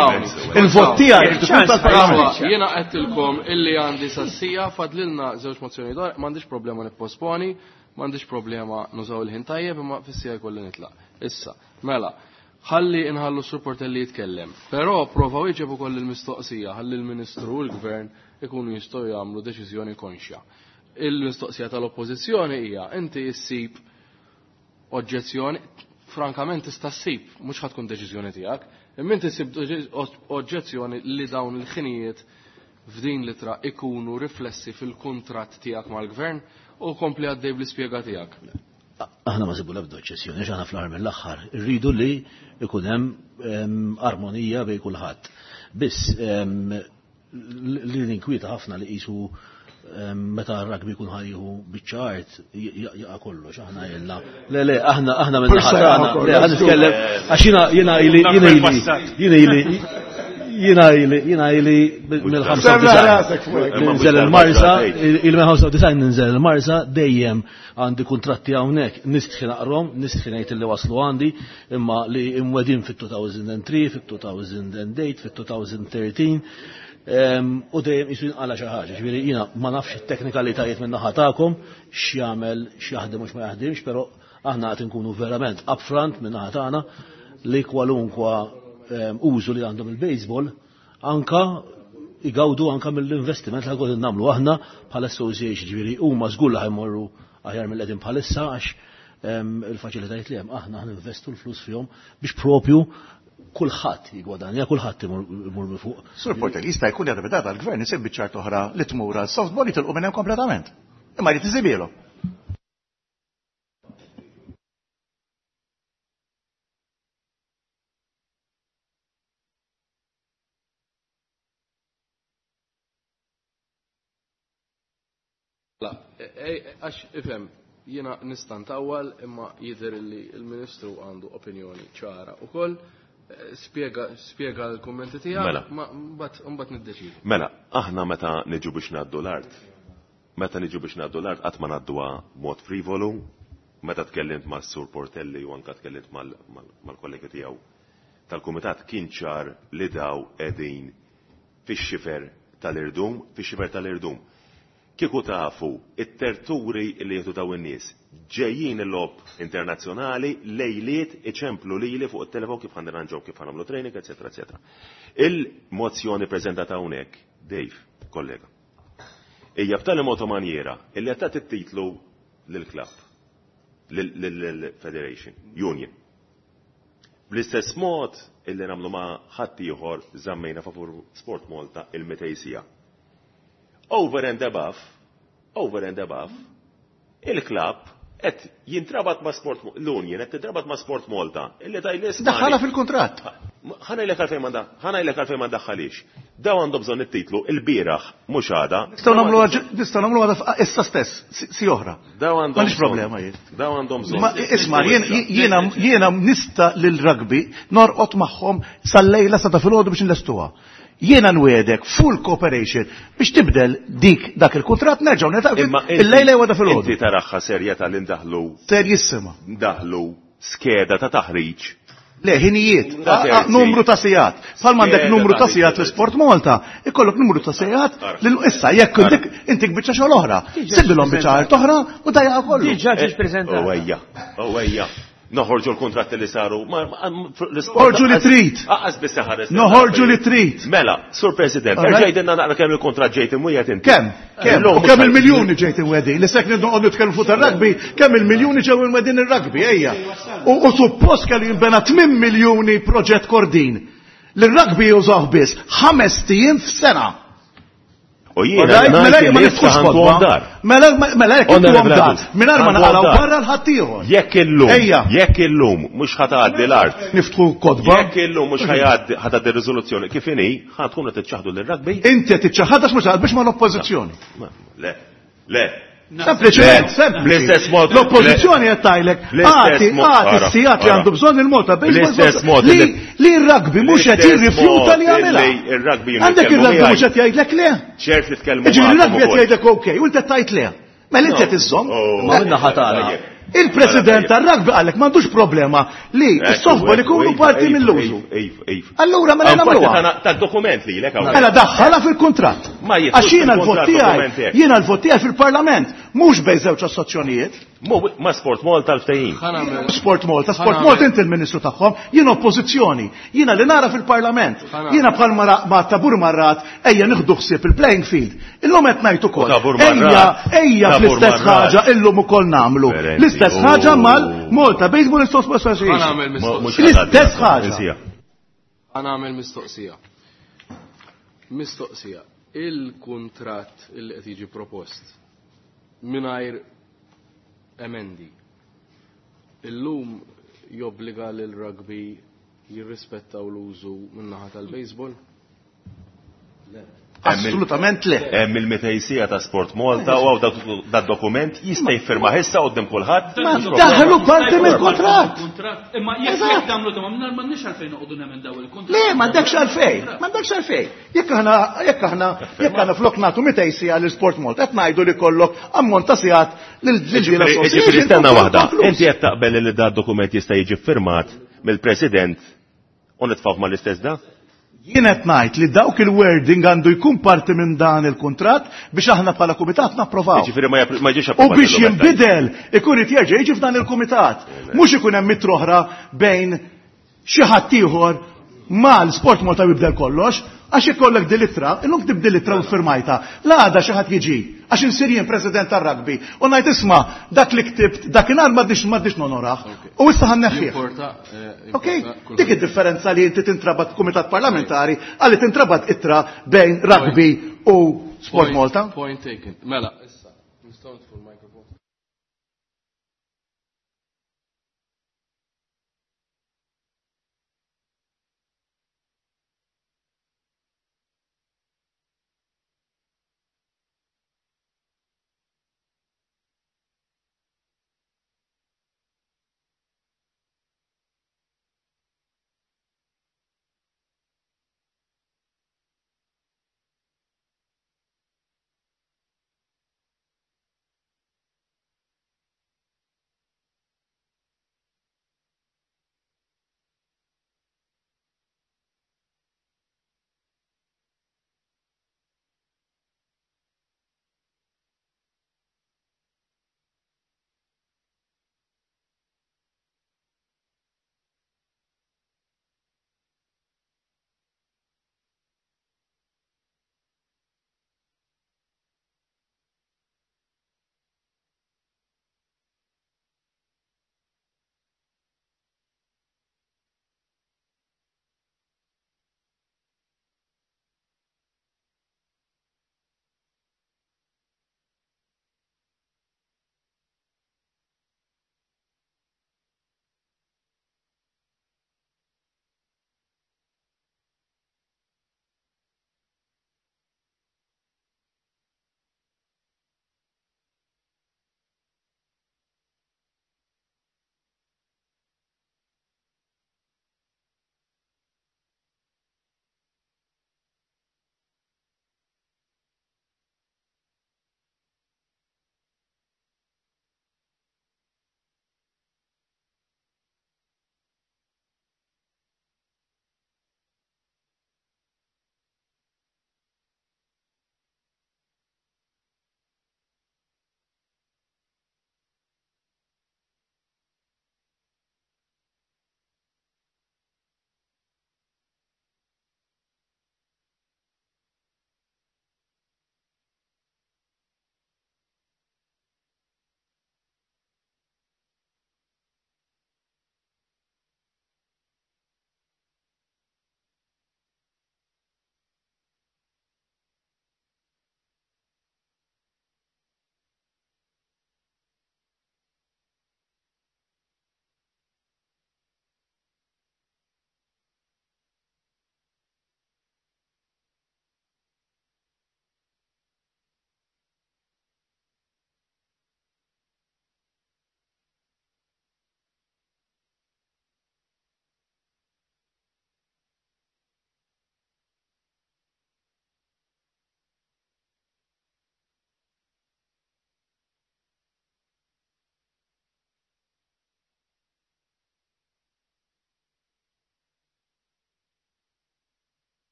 Speaker 7: Il-vot tiegħi irid ikun tal-Parlament.
Speaker 3: Jiena qedtilkom illi għandi sassija fadlilna żewġ mozzjoni dwar, m'għandix problema nipposponi, m'għandix problema nużaw il-ħin tajjeb, imma fis-sija jkolli nitlaq. Issa, mela, ħalli inħallu s-supportelli jitkellem. Però prova wieġeb ukoll il-mistoqsija, ħalli l-Ministru u l-Gvern ikunu jistgħu jagħmlu deċiżjoni konxja. Il-mistoqsija tal-Oppożizzjoni hija inti issib oġġezzjoni, frankament tista' ssib, mhux ħadd tkun deċiżjoni tiegħek, imma inti ssib oġġezzjoni li dawn il-ħinijiet f'din l-ittra ikunu riflessi fil-kuntratt tiegħek mal-Gvern u kompli għaddej bl-ispjega tiegħek.
Speaker 5: Aħna ma sibu l-ebda oġġezzjoni, għax aħna fl-aħħar mill-aħħar irridu li ikun hemm armonija bejn kulħadd. Biss li ninkwieta ħafna li qisu Meta r-rugby jkun ħajju biċċa art jaqa' kollox, aħna ilna. Le le, aħna aħna minn ħatana, le ħa nitkellem għax jiena jiena ili jiena ili jiena ili jiena ili jiena ili mill-ħamsa ninżel il-Marsa, il mill-ħamsa design ninżel il-Marsa dejjem għandi kuntratti hawnhekk nistħi naqrom, nistħi ngħid li waslu għandi, imma li imwedin fit-two thousand three, fit-two thousand eight, fit-two thousand thirteen. U dejjem jisu jinqala xi ħaġa, ġifieri jiena ma nafx it-teknikalitajiet minn naħa tagħkom x'jagħmel, x'jaħdem u x'ma jaħdimx, però aħna qed inkunu verament upfront minn naħa tagħna li kwalunkwa użu li għandhom il-baseball anka igawdu anka mill-investiment li ħagħod nagħmlu aħna bħala association, ġifieri huma żgur li ħajmorru aħjar mill-qegħdin bħalissa għax il-faċilitajiet li hemm aħna ħninvestu l-flus fihom biex propju kulħadd jigwadanja, kulħadd imur minn fuq.
Speaker 7: Sur Portelli, jista' jkun li għadha l-gvern isib biċ-ċart oħra li tmur għal softball jitilqu minn hemm kompletament. Imma jrid isibielu.
Speaker 3: La, għax ifhem, jiena nista' ntawwal imma jidher li l-Ministru għandu opinjoni ċara wkoll. Spjega, spjega l-kummenti tiegħek,
Speaker 9: Mela.
Speaker 3: ma mbagħad mbagħad niddeċidu.
Speaker 9: Mela, aħna meta niġu biex ngħaddu l-art, meta niġu biex ngħaddu l-art qatt ma ngħadduha mod frivolu, meta tkellimt ma' Sur Portelli u anka tkellimt mal-kollegi tiegħu tal-kumitat kien ċar li daw qegħdin fix-xifer tal-irdum, fix-xifer tal-irdum. Kieku tafu it-terturi li jieħdu daw in-nies ġejjin il-logħob internazzjonali lejliet iċemplu lili fuq it-telefon kif ħanirranġaw kif ħanamlu training, eċetera, eċetera. Il-mozzjoni preżentata hawnhekk, Dave, kollega, hija b'tali mod u manjera illi qed tagħti t-titlu lill-klabb, lill-Federation, Union. Bl-istess mod illi nagħmlu ma' ħadd ieħor żammejna favur Sport Malta il-mitej sija. Over and above, over and above, il-klabb qed jintrabat ma' Sport Mo-, l-Union qed tintrabat ma' Sport Malta, illi taj l-isma'
Speaker 7: Daħħalha fil-kuntratt.
Speaker 9: Ħa ngħidlek għalfejn ma da-, ħa ngħidlek għalfejn ma daħħalix. Daw għandhom bżonn it-titlu il-bieraħ mhux għada.
Speaker 7: Nistgħu nagħmlu għad-, nistgħu nagħmlu għada f-, issa stess, si, si oħra.
Speaker 9: Daw għandhom
Speaker 7: M'għandix
Speaker 9: bżonn.
Speaker 7: problema jien.
Speaker 9: Daw għandhom bżonn.
Speaker 7: Ma isma', jien, jiena, jiena nista' lil rugby norqod magħhom sal-lejla sa ta' filgħodu biex nlestuha. Jiena nwedek full cooperation biex tibdel dik dak il-kuntratt nerġgħu niltaqgħu
Speaker 9: Imma inti
Speaker 7: il-lejla jew għada filgħodu.
Speaker 9: Inti taraħħa serjetà li ndaħlu
Speaker 7: Serjissima.
Speaker 9: Ndaħlu skeda ta' taħriġ.
Speaker 7: Le, ħinijiet,
Speaker 9: Ta'
Speaker 7: a-, a-,
Speaker 9: terzi.
Speaker 7: numru ta' sigħat. Bħalma għandek
Speaker 9: Skeda
Speaker 7: numru ta'
Speaker 9: ta'
Speaker 7: sigħat l-Sport Malta, ikollok numru ta' sigħat
Speaker 9: Ara.
Speaker 7: lil issa jekk
Speaker 9: Ara.
Speaker 7: intik intik biċċa xogħol oħra.
Speaker 2: Diġà
Speaker 7: Sibilhom biċċa art oħra u dajja kollu.
Speaker 2: Diġà ġiet
Speaker 9: Eh,
Speaker 2: preżentata.
Speaker 9: Oh ejja, oh ejja. Noħorġu l-kontratti li saru. Ma, ma, ma, l-isport
Speaker 7: Noħorġu li
Speaker 9: aqas-
Speaker 7: trid.
Speaker 9: Aqas biss ħares.
Speaker 7: Noħorġu li trid.
Speaker 9: Mela, Sur President,
Speaker 7: All right.
Speaker 9: erġa' jgħidilna naqra kemm il-kontratt ġejt imwiegħed inti.
Speaker 7: Kemm? Kemm?
Speaker 9: Illum
Speaker 7: U kemm
Speaker 9: mhux
Speaker 7: il-miljuni ġejt imwegħdin? Li sekk noqogħdu nitkellmu fuq tar-rugby, kemm il-miljuni ġew imwegħdin ir-rugby, ejja. U, u suppost kellu jinbena tmien miljuni proġett Kordin. Li r-rugby jużaw biss ħames ijiem f'sena.
Speaker 9: U jiena
Speaker 7: Alright, mela
Speaker 9: ngħid
Speaker 7: jekk ma
Speaker 9: li
Speaker 7: niftħux
Speaker 9: issa
Speaker 7: kotba.
Speaker 9: ħantuhom dar.
Speaker 7: Mela, mela jekk
Speaker 9: Onorevole
Speaker 7: intuhom dar,
Speaker 9: Adus,
Speaker 7: mingħajr ma
Speaker 9: ħantuhom
Speaker 7: naqalgħu
Speaker 9: dar.
Speaker 7: barra l-ħaddieħor.
Speaker 9: Jekk illum,
Speaker 7: Ejja.
Speaker 9: jekk illum mhux ħatgħaddi l-art.
Speaker 7: Niftħu kotba.
Speaker 9: Jekk illum mhux ħajgħaddi ħatgħaddi r-riżoluzzjoni kif inhi, ħa tkunu qed tiċċaħdu lir-rugby?
Speaker 7: Inti qed tiċċaħħadha mhux biex ma l-oppożizzjoni.
Speaker 9: Ma, Le, le.
Speaker 7: Sempliċement,
Speaker 9: Le,
Speaker 7: sempliċi.
Speaker 9: Bl-istess mod.
Speaker 7: L-oppożizzjoni qed tgħidlek,
Speaker 9: Bl-istess
Speaker 7: agħti,
Speaker 9: mod,
Speaker 7: agħti
Speaker 9: ara,
Speaker 7: s-sigħat li
Speaker 9: ara.
Speaker 7: għandu bżonn il-Malta Baseball
Speaker 9: Bl-istess mod
Speaker 7: li
Speaker 9: li-
Speaker 7: li r-rugby mhux qed
Speaker 9: Bl-istess
Speaker 7: jirrifjuta li
Speaker 9: mod
Speaker 7: jagħmilha.
Speaker 9: li r-rugby
Speaker 7: Għandek
Speaker 9: jitkellmu
Speaker 7: ir-rugby mhux
Speaker 9: miegħi.
Speaker 7: qed jgħidlek le.
Speaker 9: Ċert li tkellmu
Speaker 7: Jiġifieri
Speaker 9: magħkom
Speaker 7: r-rugby qed
Speaker 9: ukoll.
Speaker 7: jgħidlek okej, u inti qed tgħid le. Mela inti qed iżżomm.
Speaker 9: Oh.
Speaker 5: Ma minna ħatana.
Speaker 9: Tajjeb.
Speaker 7: Il-president tar-rugby qalek m'għandux problema li
Speaker 9: Ekku,
Speaker 7: s-softball
Speaker 9: ekku,
Speaker 7: ikunu
Speaker 9: iva,
Speaker 7: parti
Speaker 9: iva,
Speaker 7: mill-użu.
Speaker 9: Iva, iva.
Speaker 7: Allura mela
Speaker 9: Għan parti
Speaker 7: nagħmluha.
Speaker 9: ta' tad-dokument li lek hawnhekk.
Speaker 7: Mela daħħalha fil-kuntratt.
Speaker 9: Ma jidħlux
Speaker 7: Għax jiena l-vot
Speaker 9: fil-kuntratt
Speaker 7: tiegħi,
Speaker 9: dokument hekk.
Speaker 7: jiena l-vot tiegħi fil-Parlament, mhux bejn żewġ assoċjazzjonijiet.
Speaker 9: Mu ma Sport Malta l-ftehim.
Speaker 3: Ħa nagħmel
Speaker 7: Sport Malta, Sport
Speaker 3: Ħa nagħmel-
Speaker 7: Malta inti l-Ministru tagħhom, jiena oppożizzjoni, jiena li nara fil-Parlament,
Speaker 3: Ħa nagħmel-
Speaker 7: jiena bħal ma ma tabur marrat, ejja nieħdu ħsieb il-playing field. Illum qed ngħid ukoll.
Speaker 9: U tabur
Speaker 7: Ejja,
Speaker 9: marrat.
Speaker 7: ejja
Speaker 9: Tabur
Speaker 7: fl-istess
Speaker 9: marrat.
Speaker 7: ħaġa illum ukoll nagħmlu.
Speaker 9: Verenti,
Speaker 7: L-istess
Speaker 9: oh.
Speaker 7: ħaġa mal-Malta Baseball and Softball Association.
Speaker 3: Ħa nagħmel
Speaker 9: Mhux
Speaker 3: mistoqsija.
Speaker 7: L-istess ħaġa.
Speaker 9: Insija.
Speaker 3: Ħa nagħmel mistoqsija. Mistoqsija. Il-kuntratt il qed jiġi propost mingħajr emendi. Illum jobbliga lil rugby jirrispettaw l-użu min-naħa tal-baseball?
Speaker 5: Le.
Speaker 7: Assolutament le.
Speaker 9: Hemm il-mitejn siegħa ta' Sport Malta u hawn dak dokument jista' jiffirma issa quddiem kulħadd.
Speaker 7: Ma daħlu parti mill-kuntratt.
Speaker 8: Imma jekk jekk tagħmlu ta' mingħajr m'għandniex għalfejn noqogħdu nemendaw il-kuntratt.
Speaker 7: Le, m'għandekx għalfejn, m'għandekx għalfejn. Jekk aħna jekk aħna jekk aħna flok nagħtu mitejn siegħa lil Sport Malta, qed ngħidu li kollok ammont ta' sigħat lil ġiela.
Speaker 9: Ġifieri stenna waħda. Inti qed taqbel li da dokument jista' jiġi ffirmat mill-President u nitfgħu mal-istess da?
Speaker 7: Jien qed ngħid li dawk il-wording għandu jkun parti minn dan il-kuntratt biex aħna bħala kumitat napprovaw.
Speaker 9: Ġifieri ma ma jiġix
Speaker 7: U biex jinbidel ikun irid jerġa' jiġi f'dan il-kumitat. Mhux ikun hemm ittra oħra bejn xi ħadd ieħor mal-Sport Malta jibdel kollox, għax ikollok din l-ittra, illum tibdel l-ittra u firmajta. L-għada xi ħadd jiġi, għax insir jien president tar-rugby, u ngħid isma' dak li ktibt dakinhar m'għaddix m'għaddix nonoraħ. U issa ħa nneħħih. Ok? Dik id-differenza li inti tintrabat kumitat parlamentari għalli tintrabat ittra bejn rugby u Sport Malta.
Speaker 3: Point taken. Mela, issa, nistgħu nitfu l-microphone.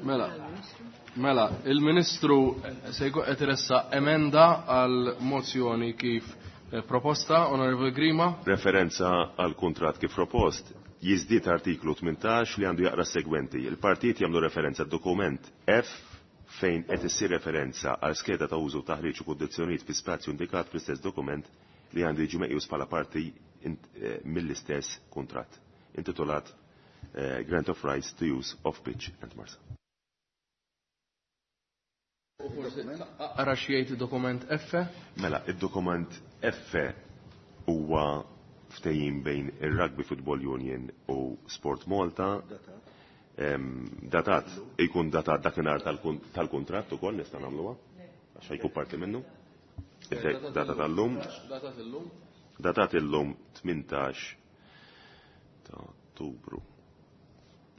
Speaker 3: Mela, mela, il-Ministru se jkun qed iressaq emenda għal mozzjoni kif eh, proposta, Onorevoli Grima.
Speaker 9: Referenza għal kuntratt kif propost, jiżdied artiklu tmintax li għandu jaqra s-segwenti. Il-partijiet jagħmlu referenza dokument F fejn qed issir referenza għal skeda ta' użu, taħriġ u kundizzjonijiet fi spazju indikat fl-istess dokument li għandu jiġi meqjus bħala parti int-, eh, mill-istess kuntratt, intitolat, eh, Grant of Rights to Use of Pitch and Marsa.
Speaker 3: Ara x'jgħid id-dokument F?
Speaker 9: Mela, id-dokument F huwa ftehim bejn ir-Rugby Football Union u Sport Malta. Em, datat, ikun datat dakinhar tal-kun-, tal-kuntratt ukoll nista' nagħmluha? Għax jkun parti minnu. Data tal-lum.
Speaker 3: Datat illum.
Speaker 9: Datat illum tmintax ta' Ottubru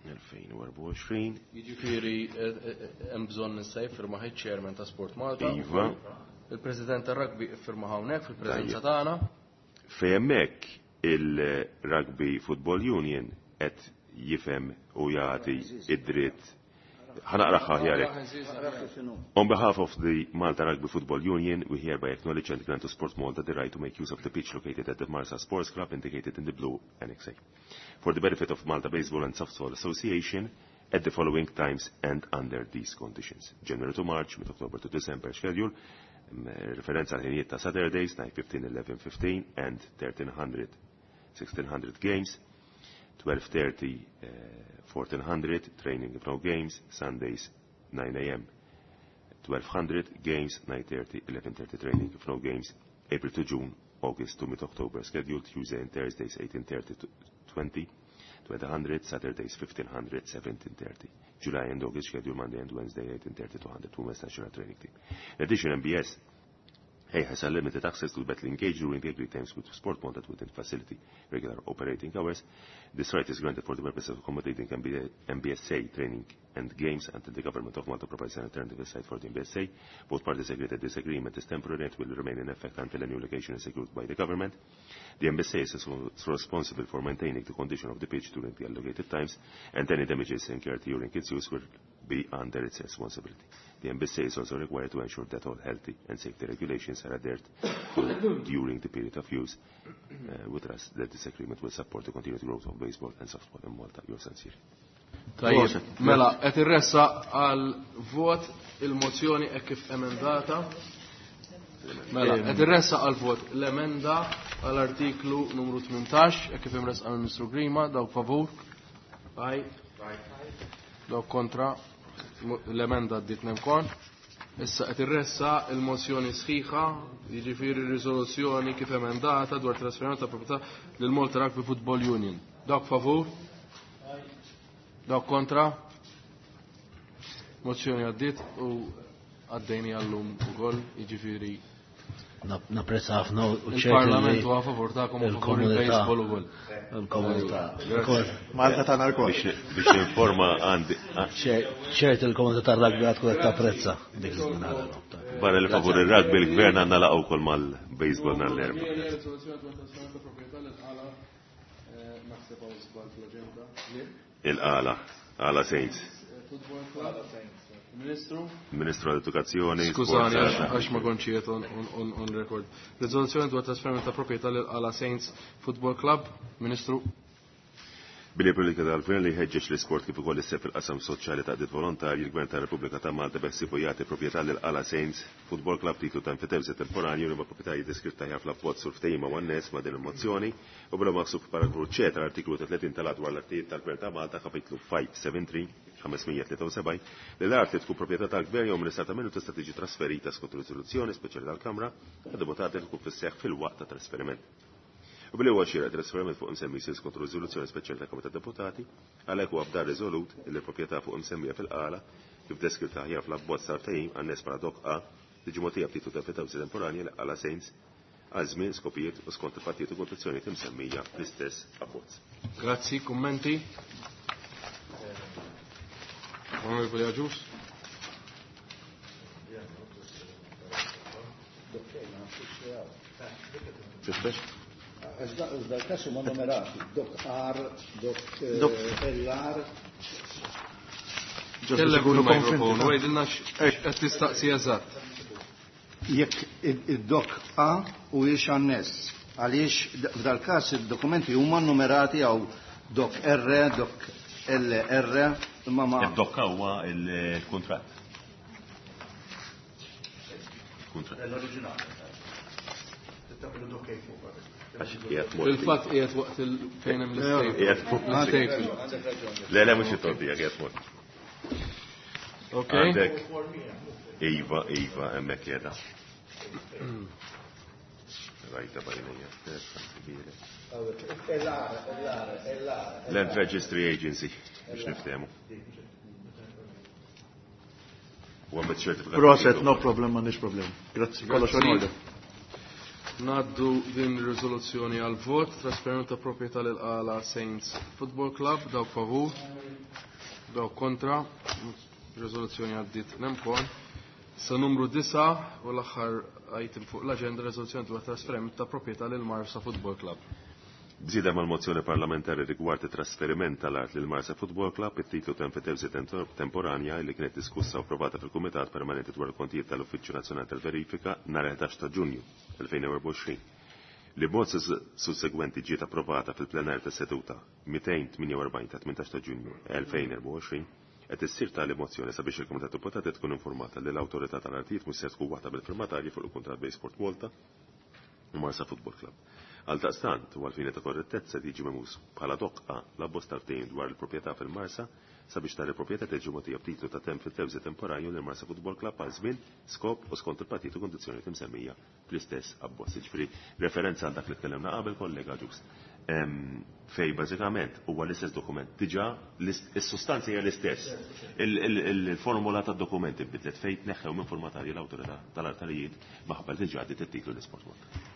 Speaker 9: elfejn u erbgħa u għoxrin.
Speaker 3: Jiġifieri, eh, eh, hemm bżonn issa jiffirma ħej chairman ta' Sport Malta.
Speaker 9: Iva.
Speaker 3: Il-President tar-Rugby iffirma hawnhekk fil-preżenza
Speaker 9: Tajjeb.
Speaker 3: tagħna.
Speaker 9: Fejn hemmhekk il-Rugby Football Union qed jifhem u jagħti id-dritt. Ħa naqraha aħjar hekk. On behalf of the Malta Rugby Football Union, we hereby acknowledge and grant to Sport Malta the right to make use of the pitch located at the Marsa Sports Club indicated in the blue Annex A. For the benefit of Malta Baseball and Softball Association at the following times and under these conditions. January to March, mid-October to December schedule, um, referenza għal ħinijiet ta' Saturdays, nine fifteen, eleven fifteen and thirteen hundred, sixteen hundred games, twelve thirty, uh, fourteen hundred, training with no games, Sundays nine A M, twelve hundred, games, nine thirty, eleven thirty, training with no games, April to June, August to mid-October, scheduled Tuesday and Thursdays eighteen thirty to twenty, twenty hundred, Saturdays fifteen hundred, seventeen thirty. July and August schedule Monday and Wednesday eighteen thirty to hundred, Women's National Training Team. In addition, M B S A has a limited access to the battling cage during the agreed times with Sport Malta within facility regular operating hours. This right is granted for the purpose of accommodating M B, M B S A training and games until the government of Malta provides an alternative site for the M B S A. Both parties agree that this agreement is temporary and will remain in effect until a new location is secured by the government. The M B S A is responsible for maintaining the condition of the pitch during the allocated times, and any damages incurred during its use will be under its responsibility. The M B S A is also required to ensure that all healthy and safety regulations are adhered to during the period of use. Uh, with us, that this agreement will support the continued growth of baseball and softball in Malta. Yours sincerely.
Speaker 3: Tajjeb, mela, qed irressa għal vot il-mozzjoni hekk kif emendata. Mela, qed irressa għal vot l-emenda għall-artiklu numru tmintax hekk kif imressqa mill-Ministru Grima, dawk favur. Aj. Dawk kontra. L-emenda għaddiet nemkon. Issa qed irressa il-mozzjoni sħiħa, jiġifieri r-riżoluzzjoni kif emendata dwar trasferiment ta' proprjetà lil Malta Rugby Football Union. Dawk favur? Dawk kontra? Mozzjoni għaddiet u għaddejni għallum ukoll, jiġifieri
Speaker 5: Nap-, napprezza ħafna u ċert
Speaker 3: Il-Parlament
Speaker 5: li
Speaker 3: huwa favur tagħkom u favur
Speaker 5: il-komunità.
Speaker 3: il-baseball ukoll.
Speaker 5: Il-komunità.
Speaker 3: Grazie.
Speaker 7: Malta tagħna lkoll.
Speaker 9: Biex, biex ninforma għandi, ah.
Speaker 5: Ċer-, ċert il-komunità tar-rugby għad tkun qed tapprezza dik li nagħmlu.
Speaker 9: Barra li favur ir-rugby il-gvern għandna laqgħu wkoll mal-baseball nhar l-Erbgħa. Il-Qala, Qala Saints.
Speaker 3: Ministru?
Speaker 9: Ministru għall-Edukazzjoni,
Speaker 3: Skużani,
Speaker 9: Sport,
Speaker 3: għax, għax ma kontx qiegħed on, on, on, on record. Riżoluzzjoni dwar trasferiment ta' proprjetà lil Qala Saints Football Club. Ministru?
Speaker 9: Billi politika tal-gvern li jħeġġeġ l-isport kif ukoll is-sehem fil-qasam soċjali ta' qdiet volontarji, il-Gvern tar-Repubblika ta' Malta beħsiebu jagħti proprjetà lil Qala Saints Football Club titlu ta' enfitewżi temporanju li ma' proprjetarji deskritta ħjar fl-abbozz u l-ftehima u n-nies ma' din il-mozzjoni u bla maħsub f'paragrafu C tal-artiklu tletin tal-att dwar l-artijiet tal-Gvern ta' Malta kapitlu five seven three, ħames mija tlieta u sebgħin, li l-art li tkun proprjetà tal-Gvern jew mill-Istat minnu tista' tiġi trasferita skont riżoluzzjoni speċjali tal-Kamra għad-deputati li tkun fis-seħħ fil-waqt ta' trasferiment. U billi huwa xieraq trasferiment fuq imsemmi jsir skont riżoluzzjoni speċjali tal-Kamra tad-Deputati, għalhekk huwa f'dan riżolut li l-proprjetà fuq imsemmija fil-Qala kif deskritta aħjar fl-abbozz tal-ftehim għan-nies bħala dok A tiġi mogħtija b'titlu ta' enfitewżi temporanja li Qala Saints għal żmien, skopijiet u skont il-pattijiet u kondizzjonijiet imsemmija fl-istess abbozz.
Speaker 3: Grazzi, kummenti. Onorevoli Agius.
Speaker 9: Tiftax?
Speaker 5: Iżda l-każ huma numerati, dok R, dok, eh,
Speaker 7: Dok.
Speaker 5: L R.
Speaker 7: Just
Speaker 3: Kellem
Speaker 7: biex ikunu
Speaker 3: fil-mikrofon,
Speaker 7: konvinti.
Speaker 3: u għidilna x'qed tistaqsi eżatt.
Speaker 5: Jekk id-dok A u jiex annes, għaliex f'dal każ id-dokumenti huma numerati għaw dok R, dok L R, imma ma.
Speaker 9: Id-dokka huwa il-kuntratt. Kuntratt.
Speaker 7: L-oriġinali.
Speaker 9: Għax qiegħed mod.
Speaker 3: Fil-fatt qiegħed waqt il fejn hemm l-istejt.
Speaker 9: Qiegħed mod.
Speaker 3: L-istejt.
Speaker 9: Le, le, mhux it-tordija, qiegħed mod.
Speaker 3: Ok.
Speaker 9: Għandek. Iva, iva, hemmhekk qiegħda. Rajta bajnija stess, kbira. Land Registry Agency, biex niftehmu. U għamet ċertifikat.
Speaker 7: Proset, no problem, m'għandix problem. Grazzi, kollox in order.
Speaker 3: Naddu din ir-riżoluzzjoni għal vot, trasferiment ta' proprjetà lil Qala Saints Football Club, dawk favur, dawk kontra, riżoluzzjoni għaddiet nemkon. Sa numru disa u l-aħħar item fuq l-aġenda, riżoluzzjoni dwar trasferiment ta' proprjetà lil Marsa Football Club.
Speaker 9: Bżieda mal-mozzjoni parlamentari rigward it-trasferiment tal-art lil Marsa Football Club, it-titlu ta' enfitewsi temporanja li kienet diskussa u approvata fil-Kumitat Permanenti dwar il-Kontijiet tal-Uffiċċju Nazzjonali tal-Verifika nhar ħdax ta' Ġunju elfejn u erbgħa u għoxrin. Li b'mod sussegwenti ġiet approvata fil-plenar ta' seduta mitejn tmienja u erbgħin ta' tmintax ta' Ġunju elfejn u erbgħa u għoxrin, qed issir tali mozzjoni sabiex il-Kumitat Deputati tkun informata li l-Awtorità tal-Artijiet mhux se tkun waħda bil-firmatarji fuq il-kuntratt bejn Sport Malta u Marsa Football Club. Għaldaqstant, u għalfini ta' korrettezza tiġi memus bħala doqqa l-abbozz tal-ftehim dwar il-proprjetà fil-Marsa sabiex tali proprjetà tiġi mogħtija b'titlu ta' temp fil-tewżi temporanju lil Marsa Football Club għal żmien, skop u skont il-partit u kondizzjonijiet imsemmija fl-istess abbozz. Jiġifieri referenza għal dak li tkellimna qabel kollega Ġust. Fej bażikament huwa l-istess dokument. Diġà is-sustanza hija l-istess. Il-formula tad-dokumenti bidlet fejn tneħħew minn formatarji l-awtorità tal-artarijiet maħabba li diġà għaddiet it-titlu l-Isport Malta.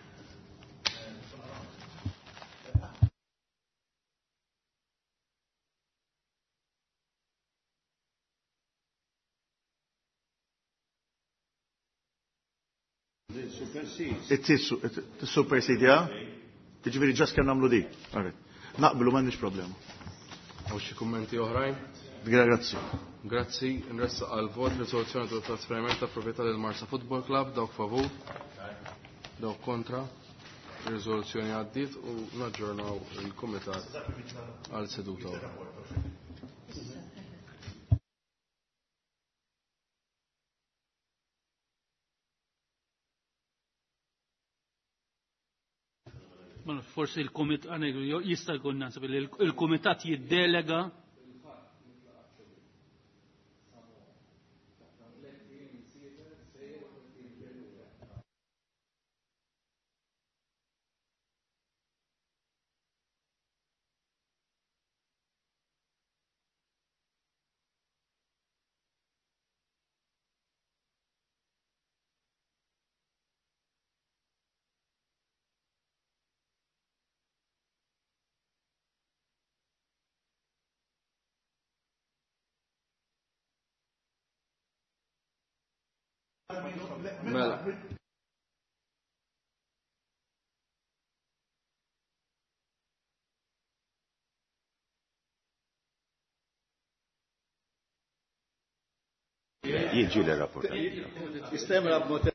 Speaker 7: It-supersidja? Tiġifieri ġas kemm nagħmlu di. Naqblu m'għandniex problema.
Speaker 3: Hawn xi kummenti oħrajn?
Speaker 7: Grazzi.
Speaker 3: Grazzi, nressaq għal vot riżoluzzjoni tal trasferiment ta' proprjetà lil Marsa Football Club, dawk favur, dawk kontra. Riżoluzzjoni għaddiet u naġġornaw il-kumitat għal seduta oħra.
Speaker 8: Forsi il-komitat, jista' jkun naħseb li il-komitat jiddelega.
Speaker 3: Mela.
Speaker 9: Jiġi l-rapport.
Speaker 5: Jistemra b'mod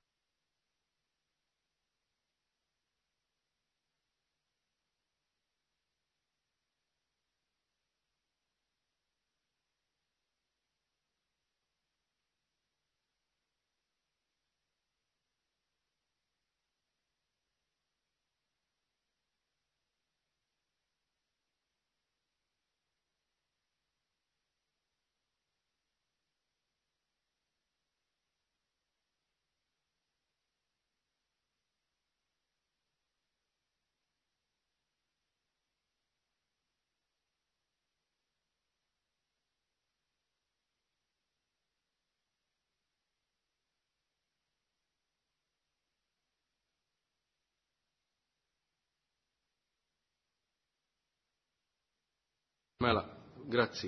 Speaker 3: Mela, grazzi.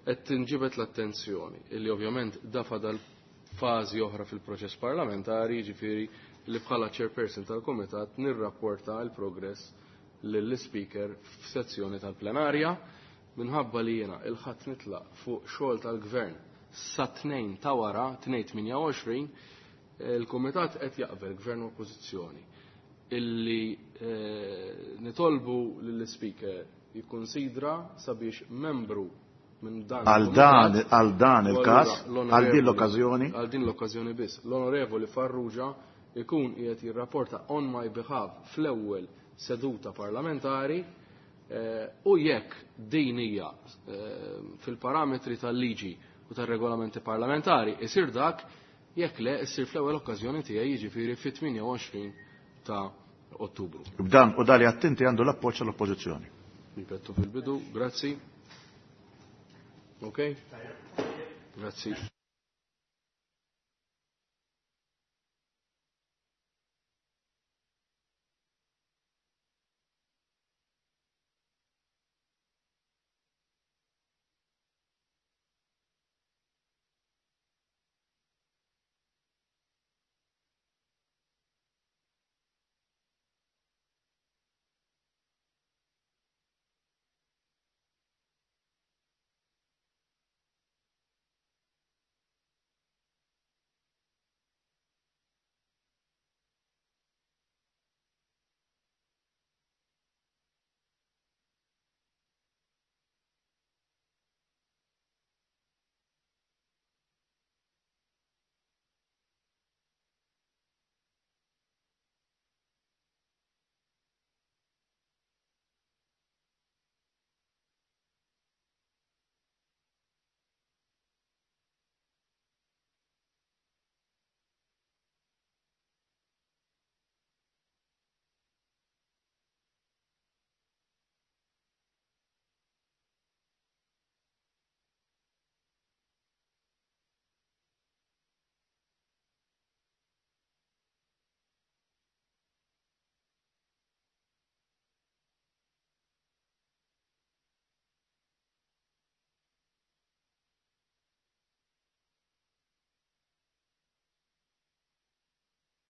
Speaker 3: Qed tinġibet l-attenzjoni illi ovvjament dafa dal-fażi oħra fil-proċess parlamentari, jiġifieri li bħala chairperson tal-Kumitat nirrapporta l-progress lill-speaker f'sezzjoni tal-plenarja minħabba li jiena il-ħadd nitlaq fuq xogħol tal-gvern sa tnejn ta' wara, tnejn tmienja u għoxrin, il-Kumitat qed jaqbel Gvern u Oppożizzjoni illi eh, nitolbu lill-Speaker jikkonsidra sabiex membru minn dan
Speaker 7: Għal dan, għal dan il-każ, għal din l-okkażjoni.
Speaker 3: Għal din l-okkażjoni biss. L-Onorevoli Farrugia ikun qiegħed jirrapporta on my behalf fl-ewwel seduta parlamentari eh, u jekk din hija eh, fil-parametri tal-liġi u tar-regolamenti parlamentari isir dak, jekk le issir fl-ewwel okkażjoni tiegħi, jiġifieri fit-tmienja u għoxrin ta' Ottubru.
Speaker 7: B'dan u dali attenti għandu l-appoġġ tal-Oppożizzjoni.
Speaker 3: Ripettu fil-bidu, grazzi. Ok? Grazzi.